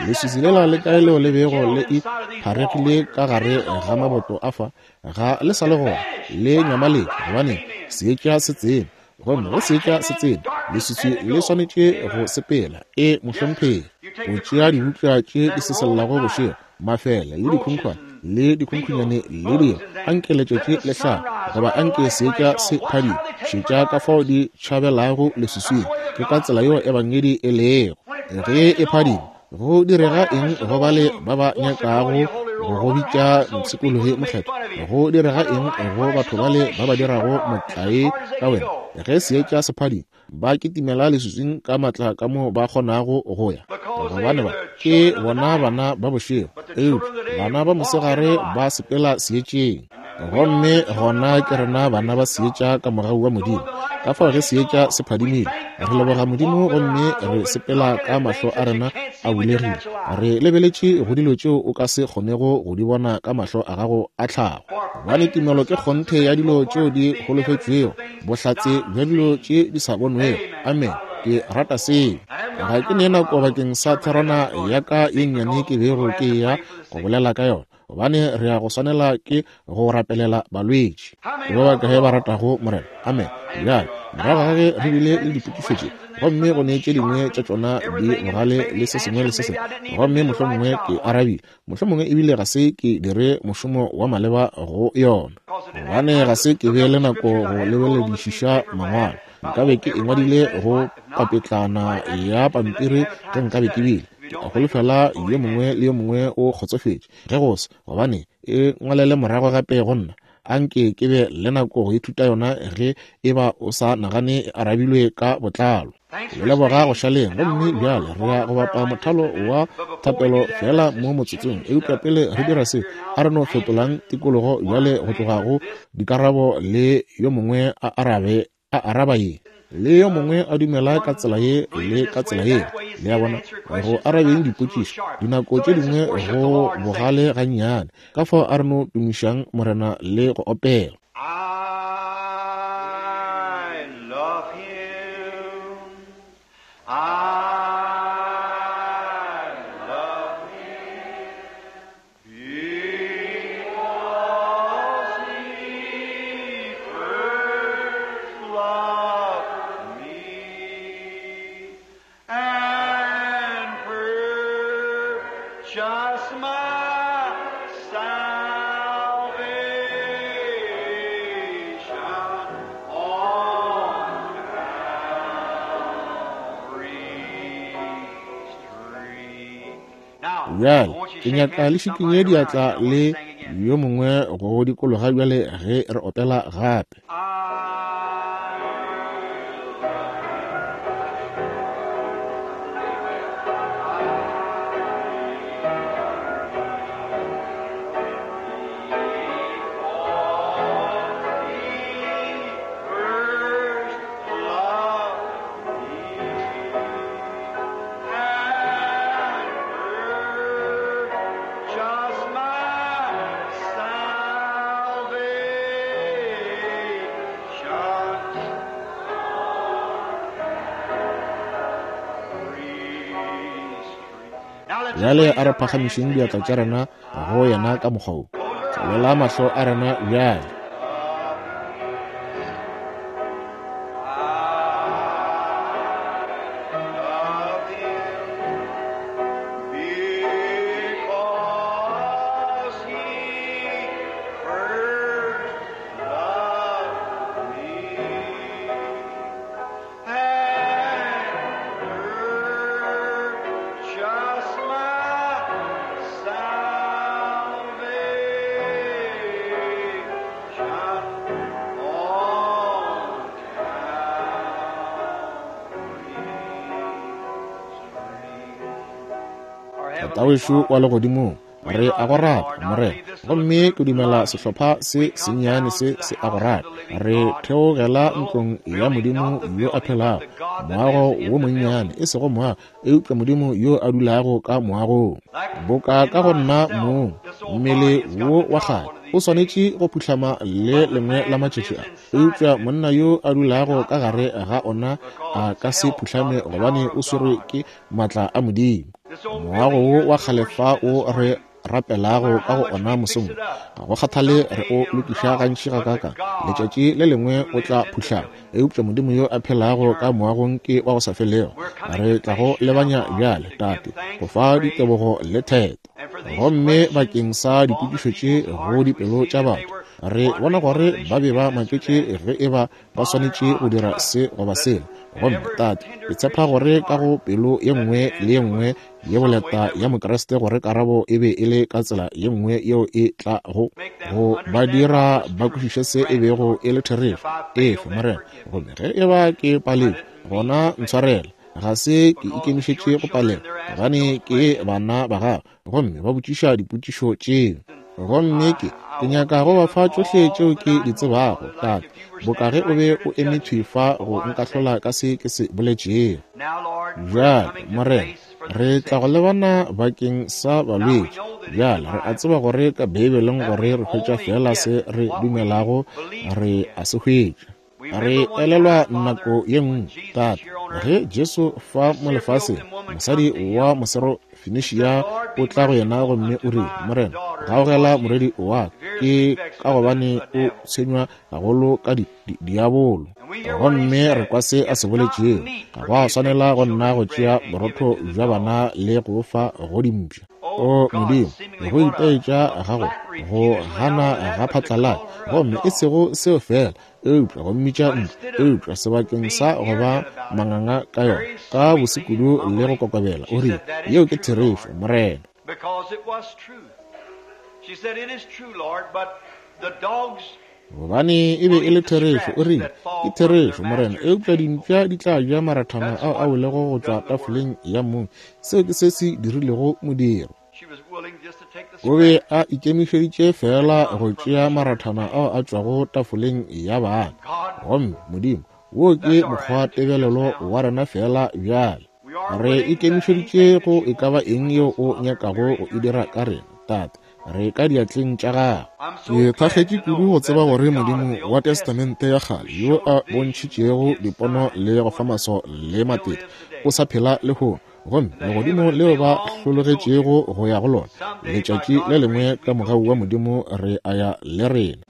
Leswiswi lela le kae leo le bego le ipharegile ka gare ga maboto a fa? Ga le sa le gona, le nyamaletše, gobane seetša se tsene. Gomme ge seetša se tsene, leswiswi le swanetše go sepela. E, mohlomphegi. O tšea dibuka tše di sesellago bošego, mafele le dikhunkhwane le dikhunkhwanyane le dilo, anke letšatši le hlabe goba anke seetša se phadime. Šetša ka fao di tšhabelago leswiswing. Ke ka tsela yeo Ebangedi e lego. Ge e phadima, go direga eng go bale ba ba nyakago go go bitša mpshikologi mokgethwa? Go direga eng go batho bale ba ba dirago motlae ka wena? Ge seetša se phadima, ba kitimela leswiswing ka matla ka mo ba kgonago go ya, gobane ba ke bona bana ba bošego, eupša bana ba mosegare ba sepela seetšeng. Gomme gona ke rena bana ba seetša ka mogau wa Modimo. Ka fao ge seetša se phadimile, re leboga Modimo gomme re sepela ka mahlo a rena a bulegile, re lebeletše go dilo tšeo o ka se kgonego go di bona ka mahlo a gago a tlhago. Gobane tumelo ke kgonthe ya dilo tšeo di holofetšwego, bohlatse bja dilo tše di sa bonwego. Amen. Ke rata seo. Ga ke ne nako bakeng sa therwana ya ka ye nnyane ke bego ke eya go bolela ka yona, gobane re ya go swanela ke go rapelela balwetši. Ke ba bakae ba ratago Morena? Amen. Bjale, morago ga ge re bile le dipotšišo tše, gomme go ne tše dingwe tša tšona di bogale le se sengwe le se sengwe, gomme mohlomongwe ke arabile, mohlomongwe ebile ga se ke dire mošomo wa maleba go yona, gobane ga se ke be le nako go lebeledišiša mangwalo. Nkabe ke e ngwadile go papetlana ya pampiri ge nkabe ke bile. Ke a holofela yo mongwe le yo mongwe o kgotsofetše. Ge go se, gobane e ngwalele morago gape go nna, a nke ke be le nako go ithuta yona ge e ba o sa nagane e arabilwe ka botlalo. Le leboga go šaleng. Gomme bjale re ya go bapa mothalo wa thapelo feela mo motsotsong. Eupša pele re dira se, a re no fetolang tikologo bjale go tloga go dikarabo le yo mongwe a arabe, a araba ye, le yo mongwe a dumela ka tsela ye le ka tsela ye. Le a bona, go arabeng dipotšišo, dinako tše dingwe go bogale gannyane. Ka fao a re no tumišang Morena le go opela. I love him. I love him. Because he first loved me and purchased my salvation on Calvary's tree. Now, Bjale ke nyaka le šikinye diatla le yo mongwe go dikologa bjale ge re opela gape. Bjale a re phagamišeng diatla tša rena go yena ka mokgwa wo. Tswalela mahlo a rena bjale. Tatawešo wa legodimong, re a go rata, Morena, gomme ke dumela sehlopha se sennyane se se a go rata. Re theogela ntlong ya Modimo yo a phelago, moago wo monnyane, e sego moago, eupša Modimo yo a dulago ka moagong. Boka ka go nna mong, mmele wo wa kgale o swanetše go phuhlama le lengwe la matšatši a, eupša monna yo a dulago ka gare ga ona a ka se phuhlame gobane o swerwe ke maatla a Modimo. Moago wo wa kgale fa o re rapelago ka go ona mosong, ga go kgathale re o lokiša gantši gakaakang, letšatši le lengwe o tla phuhlama, eupša Modimo yo a phelago ka moagong ke wa go sa felego. Re tla go lebanya bjale, Tate, go fa ditebogo le theto. Gomme bakeng sa dipotšišo tše go dipelo tša batho, re bona gore ba be ba maketše ge e ba ba swanetše go dira se goba sela. Gomme Tate, ke tshepa gore ka go pelo ye nngwe le ye nngwe ye boleta ya Mokriste gore karabo e be e le ka tsela ye nngwe yeo e tla go go ba dira ba kwešiše se e bego e le therešo. Efe, Morena. Gomme ge e ba ke paletšwe, gona ntshwarele. Ga se ke ikemišetše go palela, gobane ke bana ba gago, gomme ba botšiša dipotšišo tšeo. Gomme ke nyaka go ba fa tšohle tšeo ke di tsebago, Tate, boka ge o be o eme thwi fa go nkahlola ka se ke se boletšego. Bjale, Morena, re tla go lebana bakeng sa balwetši. Bjale, re a tseba gore ka Beibeleng gore re hwetša feela se re dumelago re a se hwetša. Re elelwa nako ye nngwe, Tate, ge Jesu fa mo lefaseng, mosadi wa Moserofenisia o tla go yena gomme o rile, Morena, gaogela morwedi wa ka, ke ka gobane o tshwenywa gagolo ka diabolo. Gomme re kwa se a se boletšego, ga go a swanela go nna go tšea borotho bja bana le go fa go dimpša. O Modimo, go itaetša gago go gana ga phatlalatša, gomme e sego seo fela, eupša go mmitša ntlo, eupša sebakeng sa go ba manganga ka yona, ka bosekudu le go kokobela, o rile, yeo ke therešo, Morena. Gobane e be e le therešo, o rile, ke therešo, Morena, eupša dimpša di tla ja marathana ao a welego go tšwa tafoleng ya mong. Seo ke se se dirilego modiro. O be a ikemišeditše feela go tšea marathana ao a tšwago tafoleng ya bana. Gomme Modimo, wo ke mokgwa tebelelo wa rena feela bjale. Re ikemišeditše go e ka ba eng yeo o nyakago go e dira ka rena, Tate. Re ka diatleng tša gago. Ke thakgetše kudu go tseba gore Modimo wa Testamente ya kgale yo a bontšhitšego dipono le go fa maswao le matete o sa phela lehono, gomme legodimo leo ba hlologetšego go ya go lona letšatši le lengwe ka mogau wa Modimo re a ya le rena.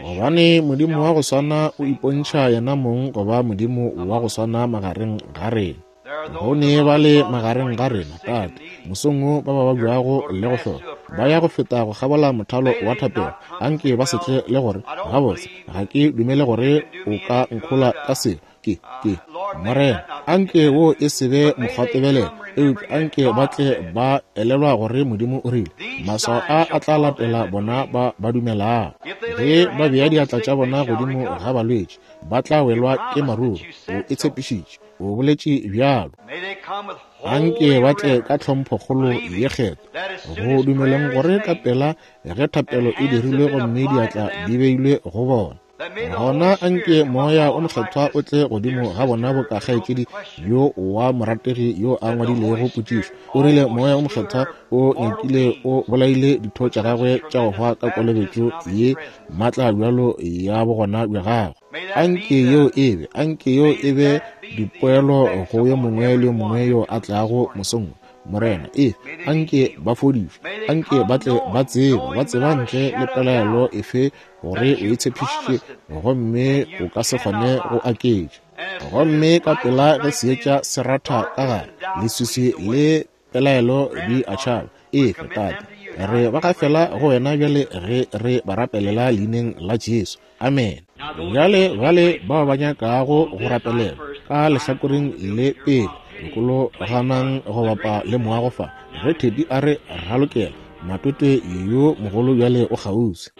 Gobane Modimo wa go swana o ipontšha yena mong go ba Modimo wa go swana magareng ga rena. Go ne ba le magareng ga rena, Tate, mosong wo ba ba babjago le go hloka, ba ya go feta go kgabola mothalo wa thapelo, anke ba se tle le gore, gabotse, ga ke dumele gore o ka nkhola ka selo. Ke, ke. Morena, anke wo e se be mokgwatebelelo, eupša anke ba tle ba elelwa gore Modimo o rile, maswao a a tla latela bona ba ba dumelago. Ge ba bea diatla tša bona godimo ga balwetši, ba tla welwa ke maruru. O e tshepišitše, o boletše bjalo. Anke ba tle ka tlhomphokgolo ye kgethwa, go dumeleng gore ka pela ge thapelo e dirilwe gomme diatla di beilwe go bona, gona anke Moya o Mokgethwa o tle godimo ga bona boka kgaetšedi yo wa morategi yo a ngwadilego potšišo. O rile Moya o Mokgethwa o nyakile o bolaile ditho tša gagwe tša go hwa ka kolobetšo ye maatla bjalo ya bogona bja gagwe. Anke yeo e be, anke yeo e be dipoelo go yo mongwe le yo mongwe yo a tlago mosong wo. Morena, e anke ba fodišwe, anke ba tle ba tsebe, ba tseba ntle le pelaelo efe gore o e tshepišitše gomme o ka se kgone go aketša. Gomme ka pela ge seetša se ratha ka gare, leswiswi le pelaelo di a tšhaba. Efe, Tate, re ba gafela go wena bjale ge re ba rapelela leineng la Jesu. Amen. Bjale bale bao ba nyakago go rapelela ka lehlakoreng le pele, lokologanang go bapa le moago fa. Ge Teddy a re ralokela, matwetwe yo mogolo bjale o kgauswi.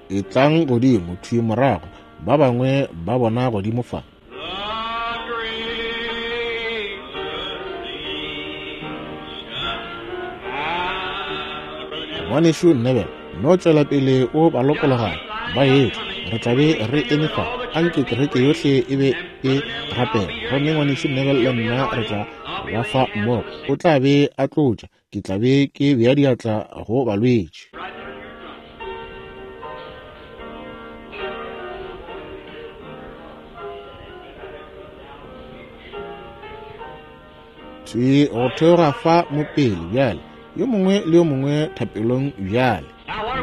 Etlang godimo thwi morago, ba bangwe ba bona godimo fa. Ngwanešu Neville, no tšwela pele o ba lokologana ba etla. Re tla be re eme fa. Anke kereke yohle e be e rapela. Gomme Ngwanešu Neville le nna re tla ba fa mmogo. O tla be a tlotša, ke tla be ke bea diatla go balwetši. Thwi go theoga fa mo pele bjale, yo mongwe le yo mongwe thapelong bjale.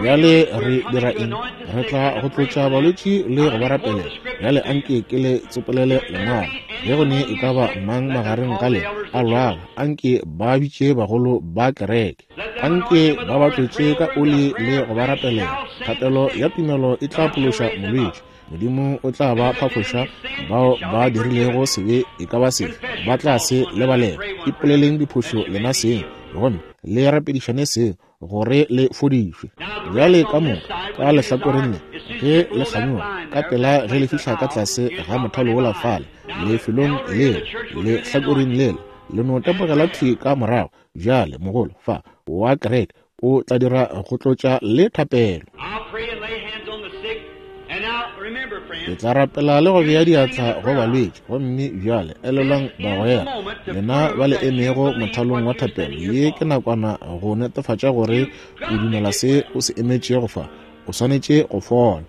Bjale re dira eng? Re tla go tlotša balwetši le go ba rapelela. Bjale anke ke le tsopolele lengwalo. Ge go ne e ka ba mang magareng ga lena a lwala, anke ba bitše bagolo ba kereke. Anke ba ba tlotše ka oli le go ba rapelela. Thapelo ya tumelo e tla phološa molwetši. Modimo o tla ba phaphoša bao ba dirilego sebe e ka ba sefe, ba tla se lebalela. Ipoleleng diphošo lena seng, gomme le rapedišane seng gore le fodišwe. Bjale ka moka ka lehlakoreng le, ge le kganyoga ka pela ge le fihla ka tlase ga mothalo wola fale, lefelong leo, lehlakoreng lela, le no tepogela thwi ka morago. Bjale mogolo fa wa kereke o tla dira go tlotša le thapelo. Ke tla rapela le go bea diatla go balwetši. Gomme bjale elelwang bagwera, lena ba le emego mothalong wa thapelo, ye ke nakwana go netefatša gore o dumela se o se emetšego fa. O swanetše go fola.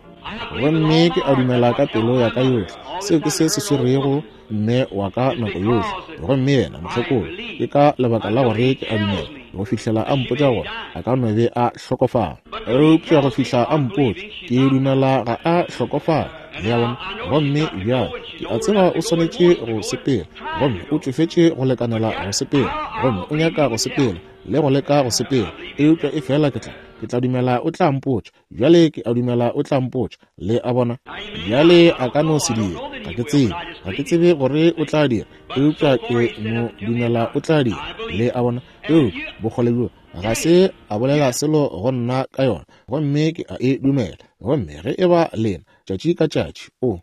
Gomme ke a dumela ka pelo ya ka yohle, seo ke se se swerego mme wa ka nako yohle. Gomme yena mohlokolo, ke ka lebaka la gore ke a dumela go fihlela a mpotša gore a ka no be a hlokofala. Eupša go fihla a mpotša, ke dumela ga a hlokofala. Le a bona? Gomme bjale ke a tseba o swanetše go sepela, gomme o tšofetše go lekanela go sepela, gomme o nyaka go sepela le go leka go sepela. Eupša e fela ke tla dumela o tla mpotša. Bjale ke a dumela o tla mpotša. Le a bona? Bjale a ka no se dira, ga ke tsebe, ga ke tsebe gore o tla dira, eupša ke no dumela o tla dira. Le a bona? Eupša bokgole bjo ga se a bolela selo go nna ka yona, gomme ke a e dumela. Gomme ge e ba lena tšatši ka tšatši, o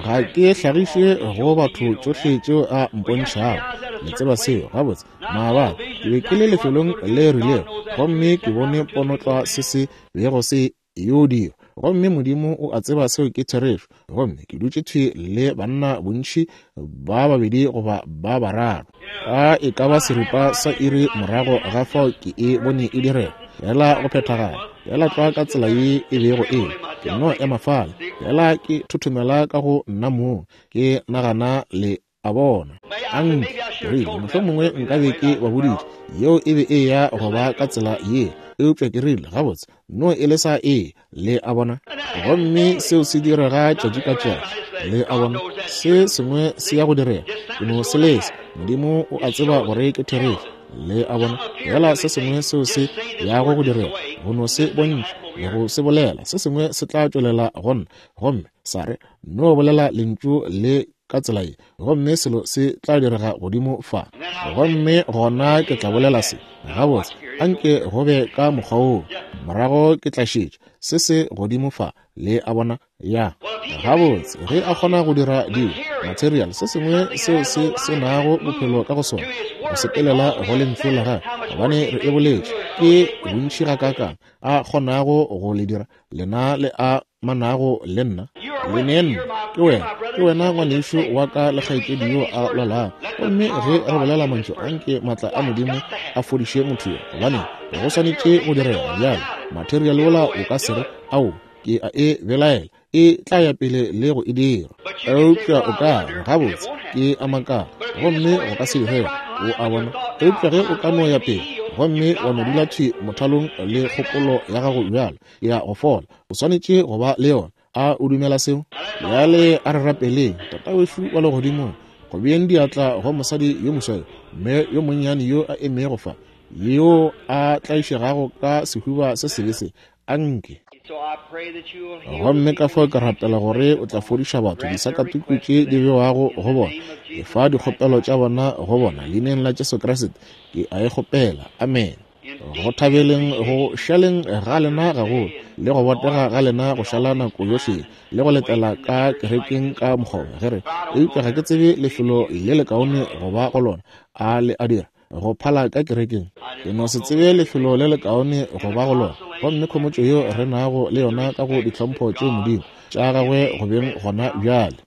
ga ke hlagiše go batho tšohle tšeo a mpontšhago. Le tseba seo gabotse. Maabane ke be ke le lefelong le rilego, gomme ke bone ponotlwa se se bego se yo dira, gomme Modimo o a tseba seo ke therešo. Gomme ke dutše thwi le banna bontši ba babedi goba ba bararo, ka e ka ba seripa sa iri morago ga fao ke e bone e direga, fela go phethagala, fela tlwa ka tsela ye e bego e le. Ke no ema fale, fela ke thothomela ka go nna mong, ke nagana le a bona. Anke ke rile, mohlomongwe nka be ke ba boditše yeo e be e ya go ba ka tsela ye, eupša ke rile, gabotse, no e le sa e, le a bona. Gomme seo se direga tšatši ka tšatši, le a bona, se sengwe se ya go direga, ke no se lesa. Modimo o a tseba gore ke therešo, le a bona, fela se sengwe seo se yago go direga. go no se bontšha le go se bolela, se sengwe se tla tšwelela go nna gomme sa re, No bolela lentšu le ka tsela ye, gomme selo se tla direga godimo fa. Gomme gona ke tla bolela se, Gabotse, anke go be ka mokgwa woo. Morago ke tla šetša se se godimo fa, le a bona. Ya, gabotse, ge a kgona go dira dilo, material, se sengwe seo se se nago bophelo ka go sona, go sepelela go lentšu la gagwe, gobane re e boletše, ke bontši gakaakang a kgonago go le dira lena le a manago le nna, le ne nna. Ke wena, ke wena ngwanešu wa ka le kgaetšedi yo a lwalago. Gomme ge re bolela mantšu a, nke maatla a Modimo a fodiše motho yo, gobane go swanetše go direga bjalo. Material wola o ka se re, Ao, ke a e belaela, e tla ya pele le go e dira. Eupša o ka re, Gabotse, ke a makala, gomme go ka se direge, o a bona. Eupša ge o ka no ya pele gomme wa no dula thwi mothalong le kgopolo ya gago bjalo, ya go fola, o swanetše go ba le yona. A o dumela seo? Bjale a re rapeleng. Tatawešu wa Legodimong, go beeng diatla go mosadi yo moswa yo, mme yo monnyane yo a emego fa, yo a tlaišegago ka sehuba se sebe se, a nke. Gomme ka fao ke rapela gore o tla fodiša batho disakatuku tše di bewago go bona. Efa dikgopelo tša bona go bona, Leineng la Jesu Kriste ke a e kgopela. Amene. Go thabeleng go šaleng ga lena gagolo, le go botega ga lena go šala nako yohle, le go letela ka kerekeng ka mokgwa ge re, eupša ga ke tsebe lefelo le lekaone go ba go lona, a le a dira, go phala ka kerekeng. Ke no se tsebe lefelo le lekaone go ba go lona. Gomme khomotšo yeo re nago le yona ka go ditlhompho tšeo Modimo, tša gagwe go beng gona bjale.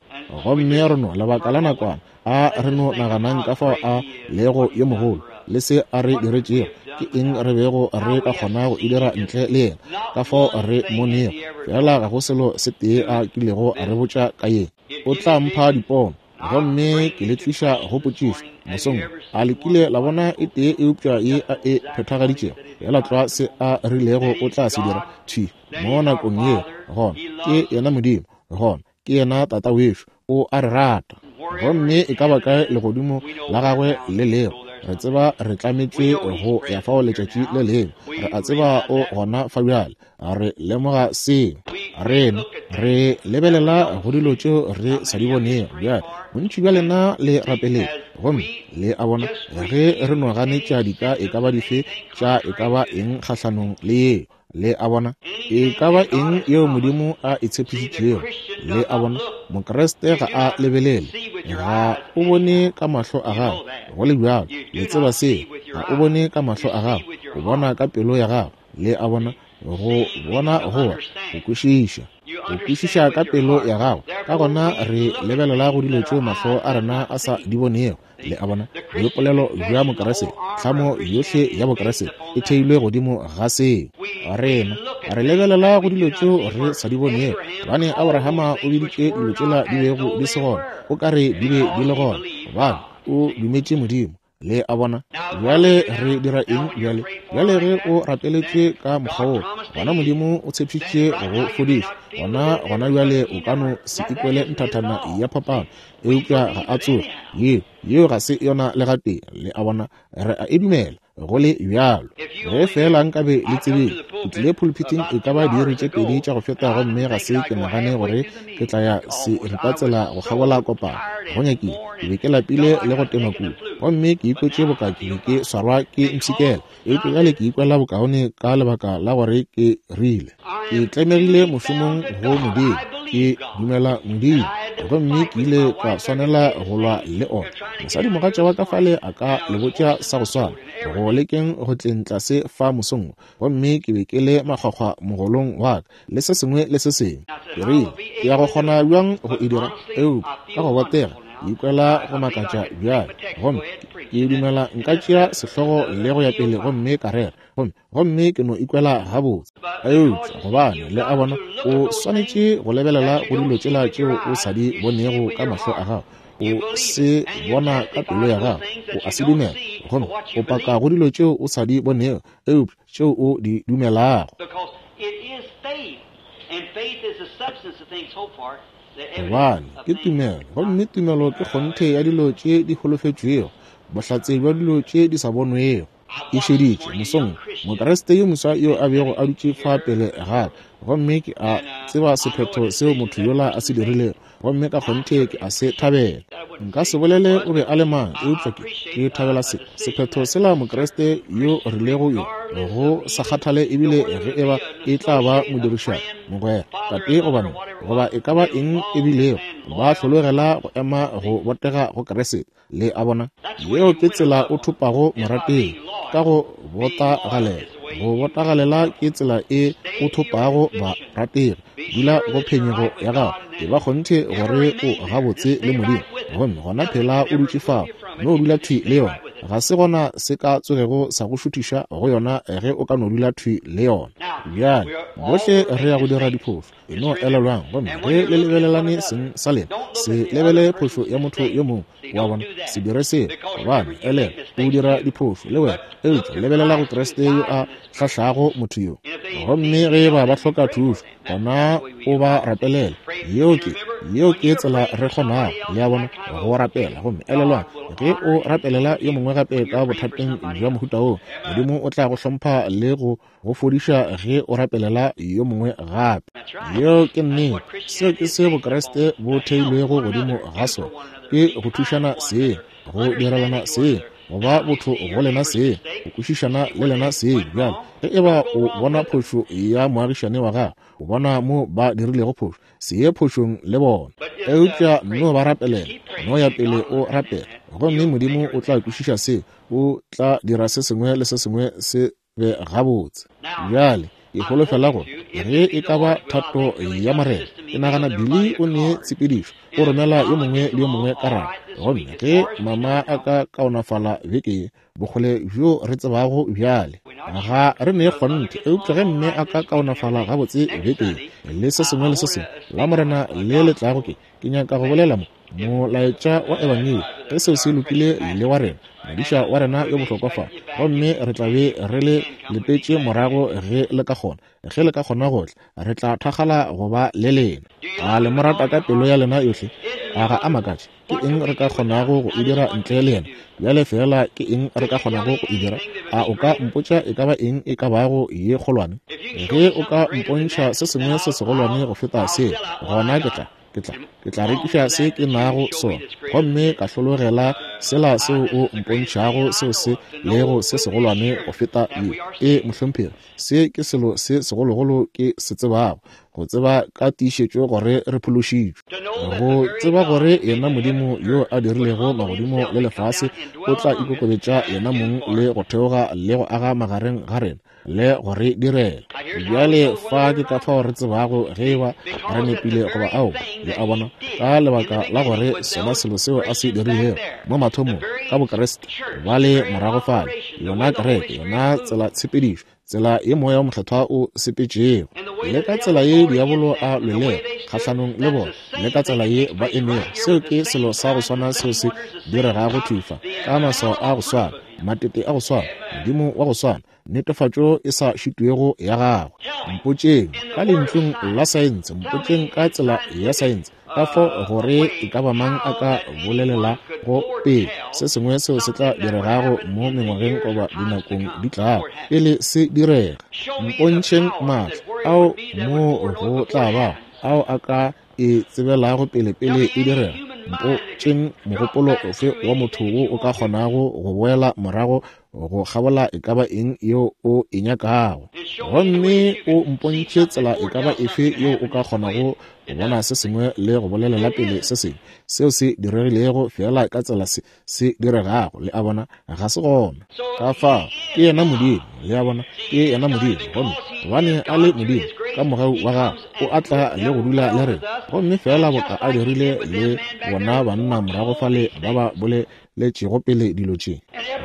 Gomme re no, lebaka la nakwana, a re no naganang ka fao a lego yo mogolo le se a re diretšego, ke eng re bego re ka kgona go e dira ntle le yena, ka fao re mo nego. Fela ga go selo se tee a kilego a re botša ka ye. O tla mpha dipono, gomme ke le tliša go potšišo mosong wo. A le kile la bona e tee eupša ye a e phethagaditšego? Feela tlwa se a rilego o tla se dira thwi mo nakong yeo, gona ke yena Modimo, gona ke yena Tata wešo, o a re rata. Gomme e ka ba kae legodimo la gagwe le lego, re tseba re tlametšwe go ya fao letšatši le lengwe. Re a tseba o gona fa bjale, re lemoga seo. Rena re lebelela go dilo tšeo re sa di bonego bjale. Bontši bja lena le rapeleng, gomme le a bona ge re no ganetša dika e ka ba dife tša e ka ba eng kgahlanong le yeo. Le a bona? E ka ba eng yeo Modimo a e tshepišitšego. Le a bona? Mokriste ga a lebelele, ga o bone ka mahlo a gago, go le bjalo. Le tseba seo. Ga o bone ka mahlo a gago, o bona ka pelo ya gago. Le a bona? Go bona goba go kwešiša, go kwešiša ka pelo ya gago. Ka gona re lebelela go dilo tšeo mahlo a rena a sa di bonego. Le a bona? Boipolelo bja Mokriste, tlhamo yohle ya Bokriste e theilwe godimo ga seo. Rena re lebelela go dilo tšeo re sa di bonego, gobane Abrahama o biditše dilo tšela di bego di se gona, o ka re di be di le gona, gobane o dumetše Modimo. Le a bona? Bjale re dira eng bjale? Bjale ge o rapeletšwe ka mokgwa woo, gona Modimo o tshepišitše go go fodiša. Gona, gona bjale o ka no se ikwele nthathana ya phapano, eupša ga a tsoge. Yeo, yeo ga se yona le gatee. Le a bona? Re a e dumela, go le bjalo. Ge feela nkabe le tsebile! Ke tlile phulphithing e ka ba diiri tše pedi tša go feta gomme ga se ke nagane gore ke tla ya seripatsela go kgabola kopano. Go nyakile, ke be ke lapile le go tenwa kudu, gomme ke ikwetše boka ke be ke swarwa ke mpshikela. Eupša bjale ke ikwela bokaone ka lebaka la gore ke rile ke tlemegile mošomong go Modimo. Ke dumela Modimo, gomme ke ile ka swanela go lwa le ona. Mosadimogatša wa ka fale a ka le botša sa go swana, go lekeng go tleng tlase fa mosong wo, gomme ke be ke le makgwakgwa mogolong wa ka, le se sengwe le se sengwe. Ke rile, Ke ya go kgona bjang go e dira? Eupša ka go botega, ke ikwela go makatša bjale. Gomme ke dumela nka tšea sehlogo le go ya pele gomme ka rera, gomme, gomme ke no ikwela gabotse. Eupša, gobane, le a bona, o swanetše go lebelela go dilo tšela tšeo o sa di bonego ka mahlo a gago. O se bona ka pelo ya gago, o a se dumela, gomme o paka go dilo tšeo o sa di bonego, eupša tšeo o di dumelago. Gobane ke tumelo, gomme tumelo ke kgonthe ya dilo tše di holofetšwego, bohlatse bja dilo tše di sa bonwego. Ke šeditše mosong Mokriste yo moswa yo a bego a dutše fa pele ga ka, gomme ke a tseba sephetho seo motho yola a se dirilego, gomme ka kgonthe ke a se thabela. Nka se bolele o be a le mang, eupša ke, ke thabela se, sephetho sela Mokriste yo rilego yo, go sa kgathale ebile ge eba e tla ba modirišani, mogwera, tate goba mme, goba e ka ba eng e bilego, ba hlologela go ema go botega go Kriste. Le a bona? Yeo ke tsela o thopago morategi, ka go botagalela. Go botagalela ke tsela e o thopago barategi. Dula go phenyego ya gago, e ba kgonthe gore o gabotse le Modimo, gomme gona phela o dutše fao, no dula thwi le yona. Ga se gona se ka tsogego sa go šuthiša go yona ge o ka no dula thwi le yona. Bjale, bohle re ya go dira diphošo. E no elelwang, gomme ge le lebelelane seng sa lena, se lebele phošo ya motho yo mongwe, wa bona, se dire seo, gobane elelwa, o dira diphošo le wena, eupša lebelela go Kriste yo a hlahlago motho yo. Gomme ge eba ba hloka thušo, gona o ba rapelele. Yeo ke, yeo ke tsela re kgonago, le a bona, go rapela. Gomme elelwang, ge o rapelela yo mongwe gape ka bothateng bja mohuta woo, Modimo o tla go hlompha le go go fodiša ge o rapelela yo mongwe gape. Yeo ke nnete. Seo ke se Bokriste bo theilwego godimo ga sona, ke go thušana seng, go direlana seng, go ba botho go lena seng, go kwešišana le lena seng. Bjale, ge e ba o bona phošo ya moagišane wa gago, o bona mo ba dirilego phošo, se ye phošong le bona, eupša no ba rapelela, no ya pele o rapela, gomme Modimo o tla kwešiša seo, o tla dira se sengwe le se sengwe se be gabotse. Bjale, ke holofela gore ge e ka ba thato ya Morena, ke nagana Billy o ne tshepedišo, o romela yo mongwe le yo mongwe karabo. Gomme ge mama a ka kaonafala beke ye, bokgole bjo re tsebago bjale, ga re ne kgonthe, eupša ge mme a ka kaonafala gabotse beke ye, le se sengwe le se sengwe, Lamorena le le tlago ke, ke nyaka go bolela mo, molaetša wa Ebangedi, ge seo se lokile le wa rena, modiša wa rena yo bohlokwa fa, gomme re tla be re le letetše morago ge le ka kgona, ge le ka kgona go tla, re tla thakgala go ba le lena. A le mo rata ka pelo ya lena yohle? A ga a makatše? Ke eng re ka kgonago go e dira ntle le yena? Bjale feela ke eng re ka kgonago go e dira? A o ka mpotša e ka ba eng e ka bago ye kgolwane? Ge o ka mpontšha se sengwe se segolwane go feta seo, gona ke tla, ke tla, ke tla rekiša se ke nago sona, gomme ka hlologela sela seo o mpontšhago seo se lego se segolwane go feta ye. Ee, mohlomphegi, se ke selo se segologolo ke se tsebago, go tseba ka tiišetšo gore re phološitšwe, go tseba gore yena Modimo yo a dirilego magodimo le lefase o tla ikokobetša yena mong le go theoga le go aga magareng ga rena le go re direla. Bjale fa ke ka fao re tsebago ge eba re nepile goba aowa, le a bona, ka lebaka la gore sona selo seo a se dirilego mo mathomong ka Bokriste ba le morago fale, yona kereke, yona tsela tshepedišo, tsela ye Moya wo Mokgethwa o sepetšego, le ka tsela ye diabolo a lwelego kgahlanong le bona, le ka tsela ye ba emego, seo ke selo sa go swana seo se diregago thwi fa, ka maswao a go swana, matete a go swana, Modimo wa go swana, netefatšo e sa šitwego ya gagwe. Mpotšeng ka lentšung la saense, mpotšeng ka tsela ya saense, ka fo gore e ka ba mang a ka bolelela go pele se sengwe seo se tla diregago mo mengwageng goba dinakong di tlago pele se direga. Mpontšheng maatla ao mo go tla bago ao a ka e tsebelago pele pele e direga. Mpotšeng mogopolo ofe wa motho wo o ka kgonago go boela morago go kgabola e ka ba eng yeo o e nyakago, gomme o mpontšhe tsela e ka ba efe yeo o ka kgonago go bona se sengwe le go bolelela pele se sengwe seo se diregilego feela ka tsela se se diregago. Le a bona, ga se gona. Ka fao, ke yena Modimo. Le a bona, ke yena Modimo. Gomme gobane a le Modimo, ka mogau wa gagwe o a tla le go dula le rena, gomme feela boka a dirile le bona banna morago fale ba ba boleletšego pele dilo tše.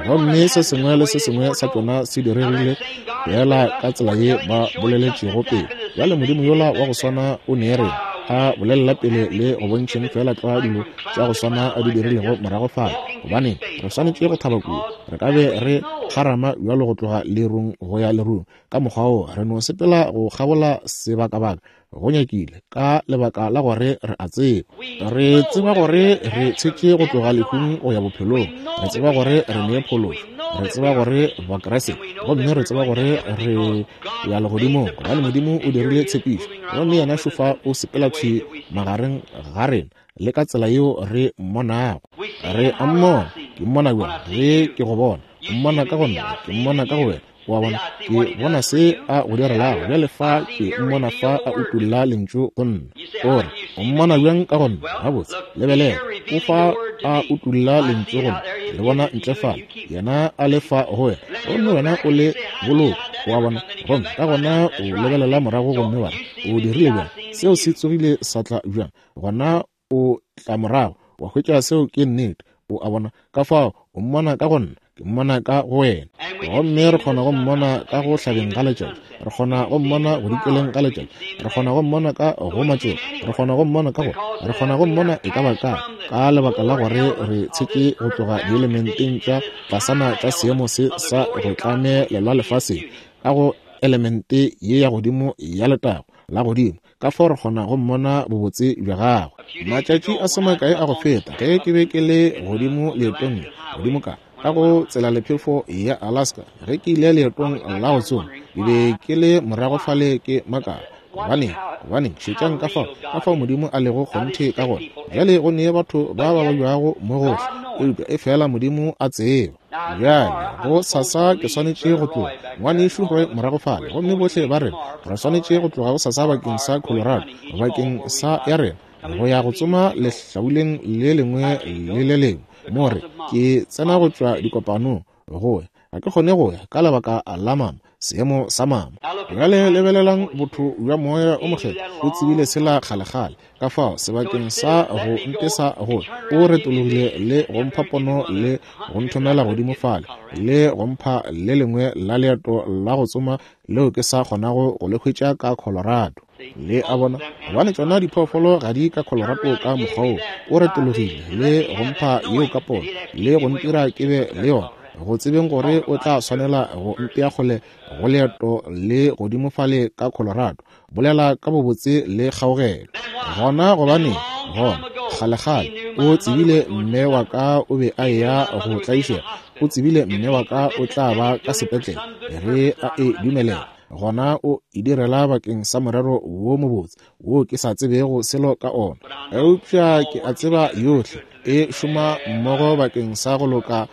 Gomme se sengwe le se sengwe sa tšona se diregile feela ka tsela ye ba boleletšego pele. Bjale Modimo yola wa go swana o ne rena, a bolelela pele le go bontšheng feela tlwa dilo tša go swana a di dirilego morago fale. Gobaneng, re swanetše go thaba kudu. Re ka be re kgarama bjalo go tloga lerung go ya lerung, ka mokgwa wo re no sepela go kgabola sebakabaka, go nyakile, ka lebaka la gore re a tseba. Re tseba gore re tshetše go tloga lehung go ya bophelong. Re tseba gore re ne phološo. Re tseba gore Bakriste, gomme re tseba gore re ya legodimong, gobane Modimo o dirile tshepišo. Gomme yena šofa o sepela thwi magareng ga rena, le ka tsela yeo re mmonago. Re a mmona. Ke mmona bjang? Ge ke go bona, o mmona ka go nna, ke mmona ka go wena. O a bona? Ke bona se a go direlago. Bjale fa ke mmona fa a utolla Lentšu go nna. O re, o mmona bjang ka go nna? Gabotse, lebelela, o fa a utolla Lentšu go nna. Le bona ntle fale, yena a le fa go wena, gomme wena o le boloka. O a bona? Gomme ka gona o lebelela morago gomme wa re, O dirile bjang? Seo se tsogile sa tla bjang? Gona o tla morago, wa hwetša seo ke nnete. O a bona? Ka fao o mmona ka go nna, ke mmona ka go wena. Gomme re kgona go mmona ka go hlabeng ga letšatši, re kgona go mmona go dikeleng ga letšatši, re kgona go mmona ka go matšoba, re kgona go mmona ka go, re kgona go mmona e ka ba kae, ka lebaka la gore re tshetše go tloga dielementeng tša tlasana tša seemo se sa go tlamelelwa lefaseng, ka go elemente ye ya godimo ya letago la godimo. Ka fao re kgona go mmona bobotse bja gagwe. Matšatši a se makae a go feta, ge ke be ke le godimo leetong le, godimo ka, ka go tselalephefo ya Alaska, ge ke ile leetong la go tsoma, ke be ke le morago fale ke makala, gobaneng, gobaneng, šetšang ka fao, ka fao Modimo a lego kgonthe ka gona. Bjale go ne batho ba ba babjago mo gohle, eupša efela Modimo a tseba. Bjale, go sasa ke swanetše go tloga, Ngwanešu Roy morago fale, gomme bohle ba rena re swanetše go tloga go sasa bakeng sa Colorado, bakeng sa ya rena, go ya go tsoma lehlabuleng le lengwe le le lengwe. Mo re, ke tsena go tšwa dikopanong, go ya. Ga ke kgone go ya ka lebaka la mama, seemo sa mama. Bjale lebelelang botho bja Moya o Mokgethwa, o tsebile sela kgalekgale. Ka fao, sebakeng sa go ntesa go, o retologile le go mpha pono le go nthomela godimo fale, le go mpha le lengwe la leeto la go tsoma leo ke sa kgonago go le hwetša ka Colorado. Le a bona? Gobane tšona diphoofolo ga di ka Colorado ka mokgwa wo. O retologile le go mpha yeo ka pono, le go ntira ke be le yona, go tsebeng gore o tla swanela go mpea kgole go leeto le godimo fale ka Colorado. Bolela ka bobotse le kgaogelo. Gona gobaneng? Gona, kgalekgale, o tsebile mme wa ka o be a eya go tlaišega. O tsebile mme wa ka o tla ba ka sepetlele ge a e dumelela. Gona o e direla bakeng sa morero wo mobotse wo ke sa tsebego selo ka ona. Eupša ke a tseba yohle e šoma mmogo bakeng sa go loka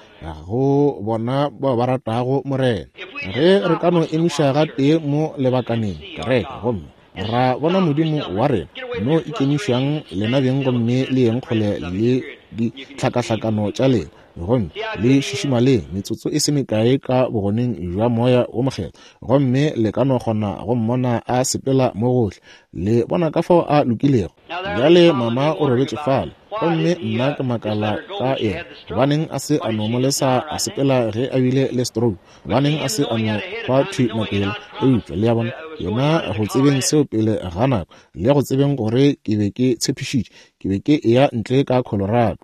go bona bao ba ratago Morena. Ge re ka no emiša gatee mo lebakaneng, kereke, gomme ra bona Modimo wa rena, no ikemišang lena beng gomme le yeng kgole le ditlhakahlakano tša lena, gomme le šišimaleng metsotso e se mekae ka bogoneng bja Moya wo Mokgethwa, gomme le ka no kgona go mmona a sepela mo gohle. Le bona ka fao a lokilego. Bjale mama o robetše fale, gomme nna ke makala ka yena. Gobaneng a se a no mo lesa a sepela ge a bile le stroke? Gobaneng a se a no hwa thwi nako yela? Eupša, le a bona, yena go tsebeng seo pele ga nako, le go tsebeng gore ke be ke tshepišitše, ke be ke eya ntle ka Colorado,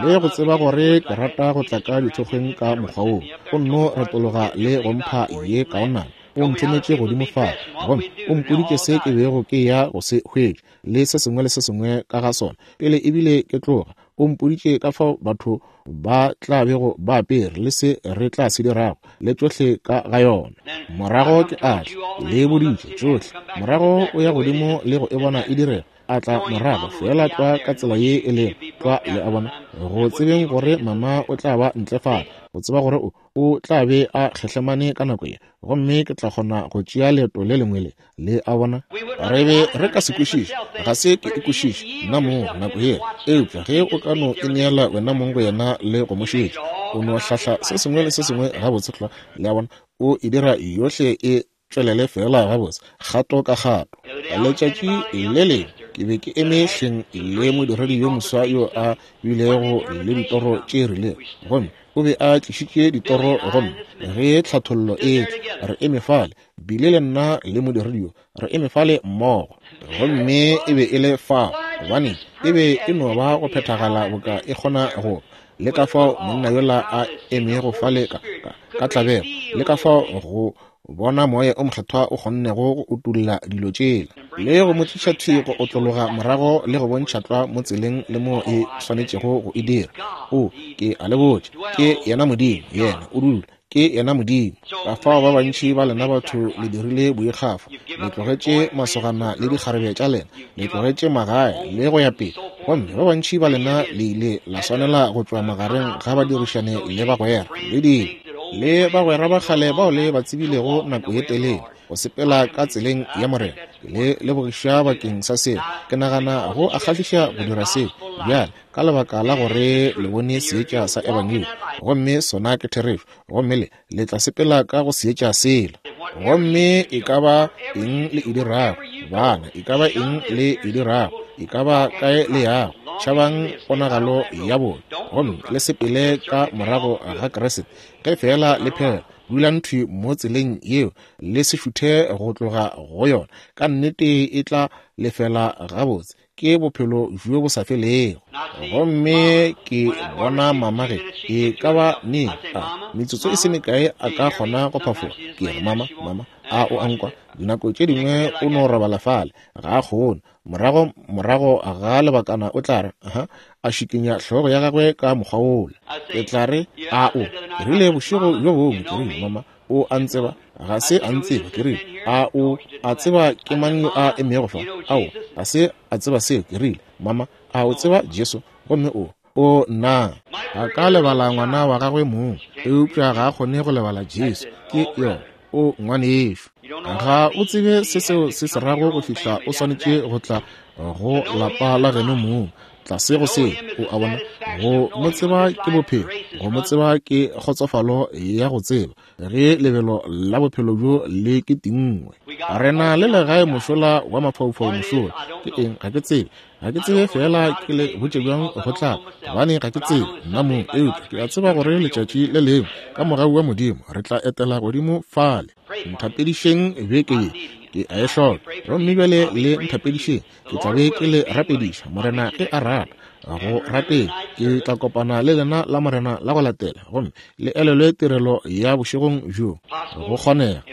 le go tseba gore ke rata go tla ka dithokgweng ka mokgwa woo, o nno retologa le go mpha ye kaonana. O nthometše godimo fale, gomme o mpoditše se ke bego ke eya go se hwetša, le se sengwe le se sengwe ka ga sona, pele ebile ke tloga. O mpoditše ka fao batho ba tla bego ba apere, le se re tla se dirago, le tšohle ka ga yona. Morago ke a tla, le boditše tšohle. Morago o ya godimo le go e bona e direga, a tla morago feela tlwa ka tsela ye e lego tlwa, le a bona, go tsebeng gore mama o tla ba ntle fale, go tseba gore o, o tla be a kgehlemane ka nako ye, gomme ke tla kgona go tšea leeto le lengwe le. Le a bona? Re be re ka se kwešiše, ga se ke e kwešiše nna mong nako yela, eupša ge o ka no ineela wena mong go yena le go mo šetša, o no hlahla se sengwe le se sengwe gabotse tlwa, le a bona, o e dira yohle e tšwelele feela gabotse, kgato ka kgato. Letšatši le lengwe ke be ke eme hleng le modiredi yo moswa yo a bilego le ditoro tše rilego, gomme o be a tlišitše ditoro gomme ge tlhathollo e etla, re eme fale, Bile le nna le modiredi yo re eme fale mmogo, gomme e be e le fao, gobane e be e no ba go phethagala boka e kgona go ba. Le ka fao monna yola a emego fale ka, ka, ka tlabego, le ka fao go bona Moya o Mokgethwa o kgonnego go utolla dilo tšela, le go mo tliša thwi go otlologa morago le go bontšha tlwa mo tseleng le mo e swanetšego go e dira. O, ke a le botša, ke yena Modimo, yena o dula. Ke yena Modimo. Kafao ba bantši ba lena batho le dirile boikgafo, le tlogetše masogana le dikgarebe tša lena, le tlogetše magae, le go ya pele. Gomme ba bantši ba lena le ile la swanela go tšwa magareng ga badirišane le bagwera, le dilo, le bagwera ba kgale bao le ba tsebilego nako ye telele, go sepela ka tseleng ya Morena. Ke le lebogiša bakeng sa seo. Ke nagana go a kgahliša go dira seo bjale, ka lebaka la gore le bone seetša sa Ebangedi, gomme sona ke therešo, gomme le, le tla sepela ka go seetša sela. Gomme e ka ba eng le e dirago, bana, e ka ba eng le e dirago, e ka ba kae le yago, tšhabang ponagalo ya bobe, gomme le sepele ka morago ga Kriste, ge feela le phela. Dulang thwi mo tseleng yeo, le se šuthe go tloga go yona. Ka nnete e tla lefela gabotse. Ke bophelo bjo bo sa felego. Gomme ke bona mama ge e ka ba neng, a metsotso e se mekae a ka kgona go phafoga. Ke re, Mama, mama, a o a nkwa? Dinako tše dingwe o no robala fale, ga a kgone. Morago, morago ga lebakana o tla re, Aha, a šikinya hlogo ya gagwe ka mokgwa wola. Ke tla re, A o? Ke rile bošego bjo bongwe, ke rile, Mama, o a ntseba? Ga se a ntseba. Ke rile, A o a tseba ke mang yo a emego fa? Ao, ga se a tseba seo. Ke rile, Mama, a o tseba Jesu? Gomme o, o, nna. A ka lebala ngwana wa gagwe mong, eupša ga a kgone go lebala Jesu. Ke yona. O ngwanešu. Ga o tsebe se seo se se rago go fihla o swanetše go tla go lapa la geno mong, tlase go seo, o a bona. Go mo tseba ke bophelo, go mo tseba ke kgotsofalo ya go tseba ge lebelo la bophelo bjo le ke tingwe. Re na le legae mošola wa mafaufau mošola. Ke eng? Ga ke tsebe. Ga ke tsebe feela ke le botše bjang go tla, gobane ga ke tsebe nna mong, eupša ke a tseba gore letšatši le lengwe ka mogau wa Modimo re tla etela godimo fale. Nthapedišeng beke ye, ke a e hloka. Gomme bjale le nthapedišeng, ke tla be ke le rapediša, Morena ge a rata. Go rateng, ke tla kopana le lena la Morena la go latela, gomme le elelwe tirelo ya bošegong bjo. Go kgonega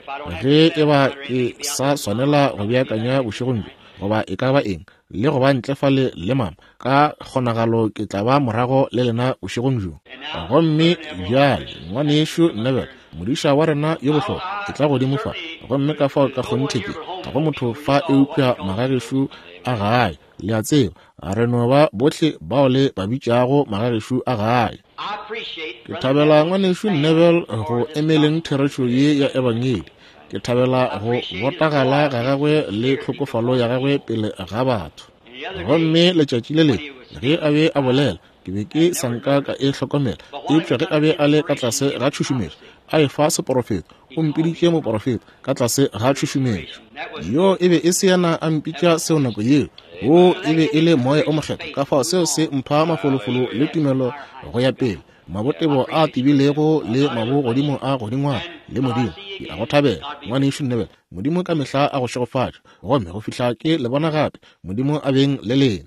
ge e ba ke sa swanela go beakanya bošegong bjo, goba e ka ba eng, le go ba ntle fale le mama, ka kgonagalo ke tla ba morago le lena bošegong bjo. Gomme bjale, ngwanešu Neville, modiša wa rena yo bohlokwa, ke tla godimo fa, gomme ka fao ka kgonthe ke, ga go motho fa eupša magagešo a gae, le a tseba, re no ba bohle bao le ba bitšago magagešo a gae. Ke thabela ngwanešu Neville go emeleng therešo ye ya Ebangedi. Ke thabela go botagala ga gagwe le tlhokofalo ya gagwe pele ga batho. Gomme letšatši le lengwe ge a be a bolela, ke be ke sa nka ka e hlokomela, eupša ge a be a le ka tlase ga tšhušumetšo, a efa seporofeto, o mpiditše moporofeta ka tlase ga tšhušumetšo. Yo e be e se yena a mpitša seo nako yeo, wo e be e le Moya o Mokgethwa. Ka fao seo se mpha mafolofolo le tumelo go ya pele, mabotebo a tebilego le mabogodimo a godingwana le Modimo. Ke a go thabela, Ngwanešu Neville. Modimo ka mehla a go šegofatše. Gomme go fihla ke le bona gape, Modimo a beng le lena.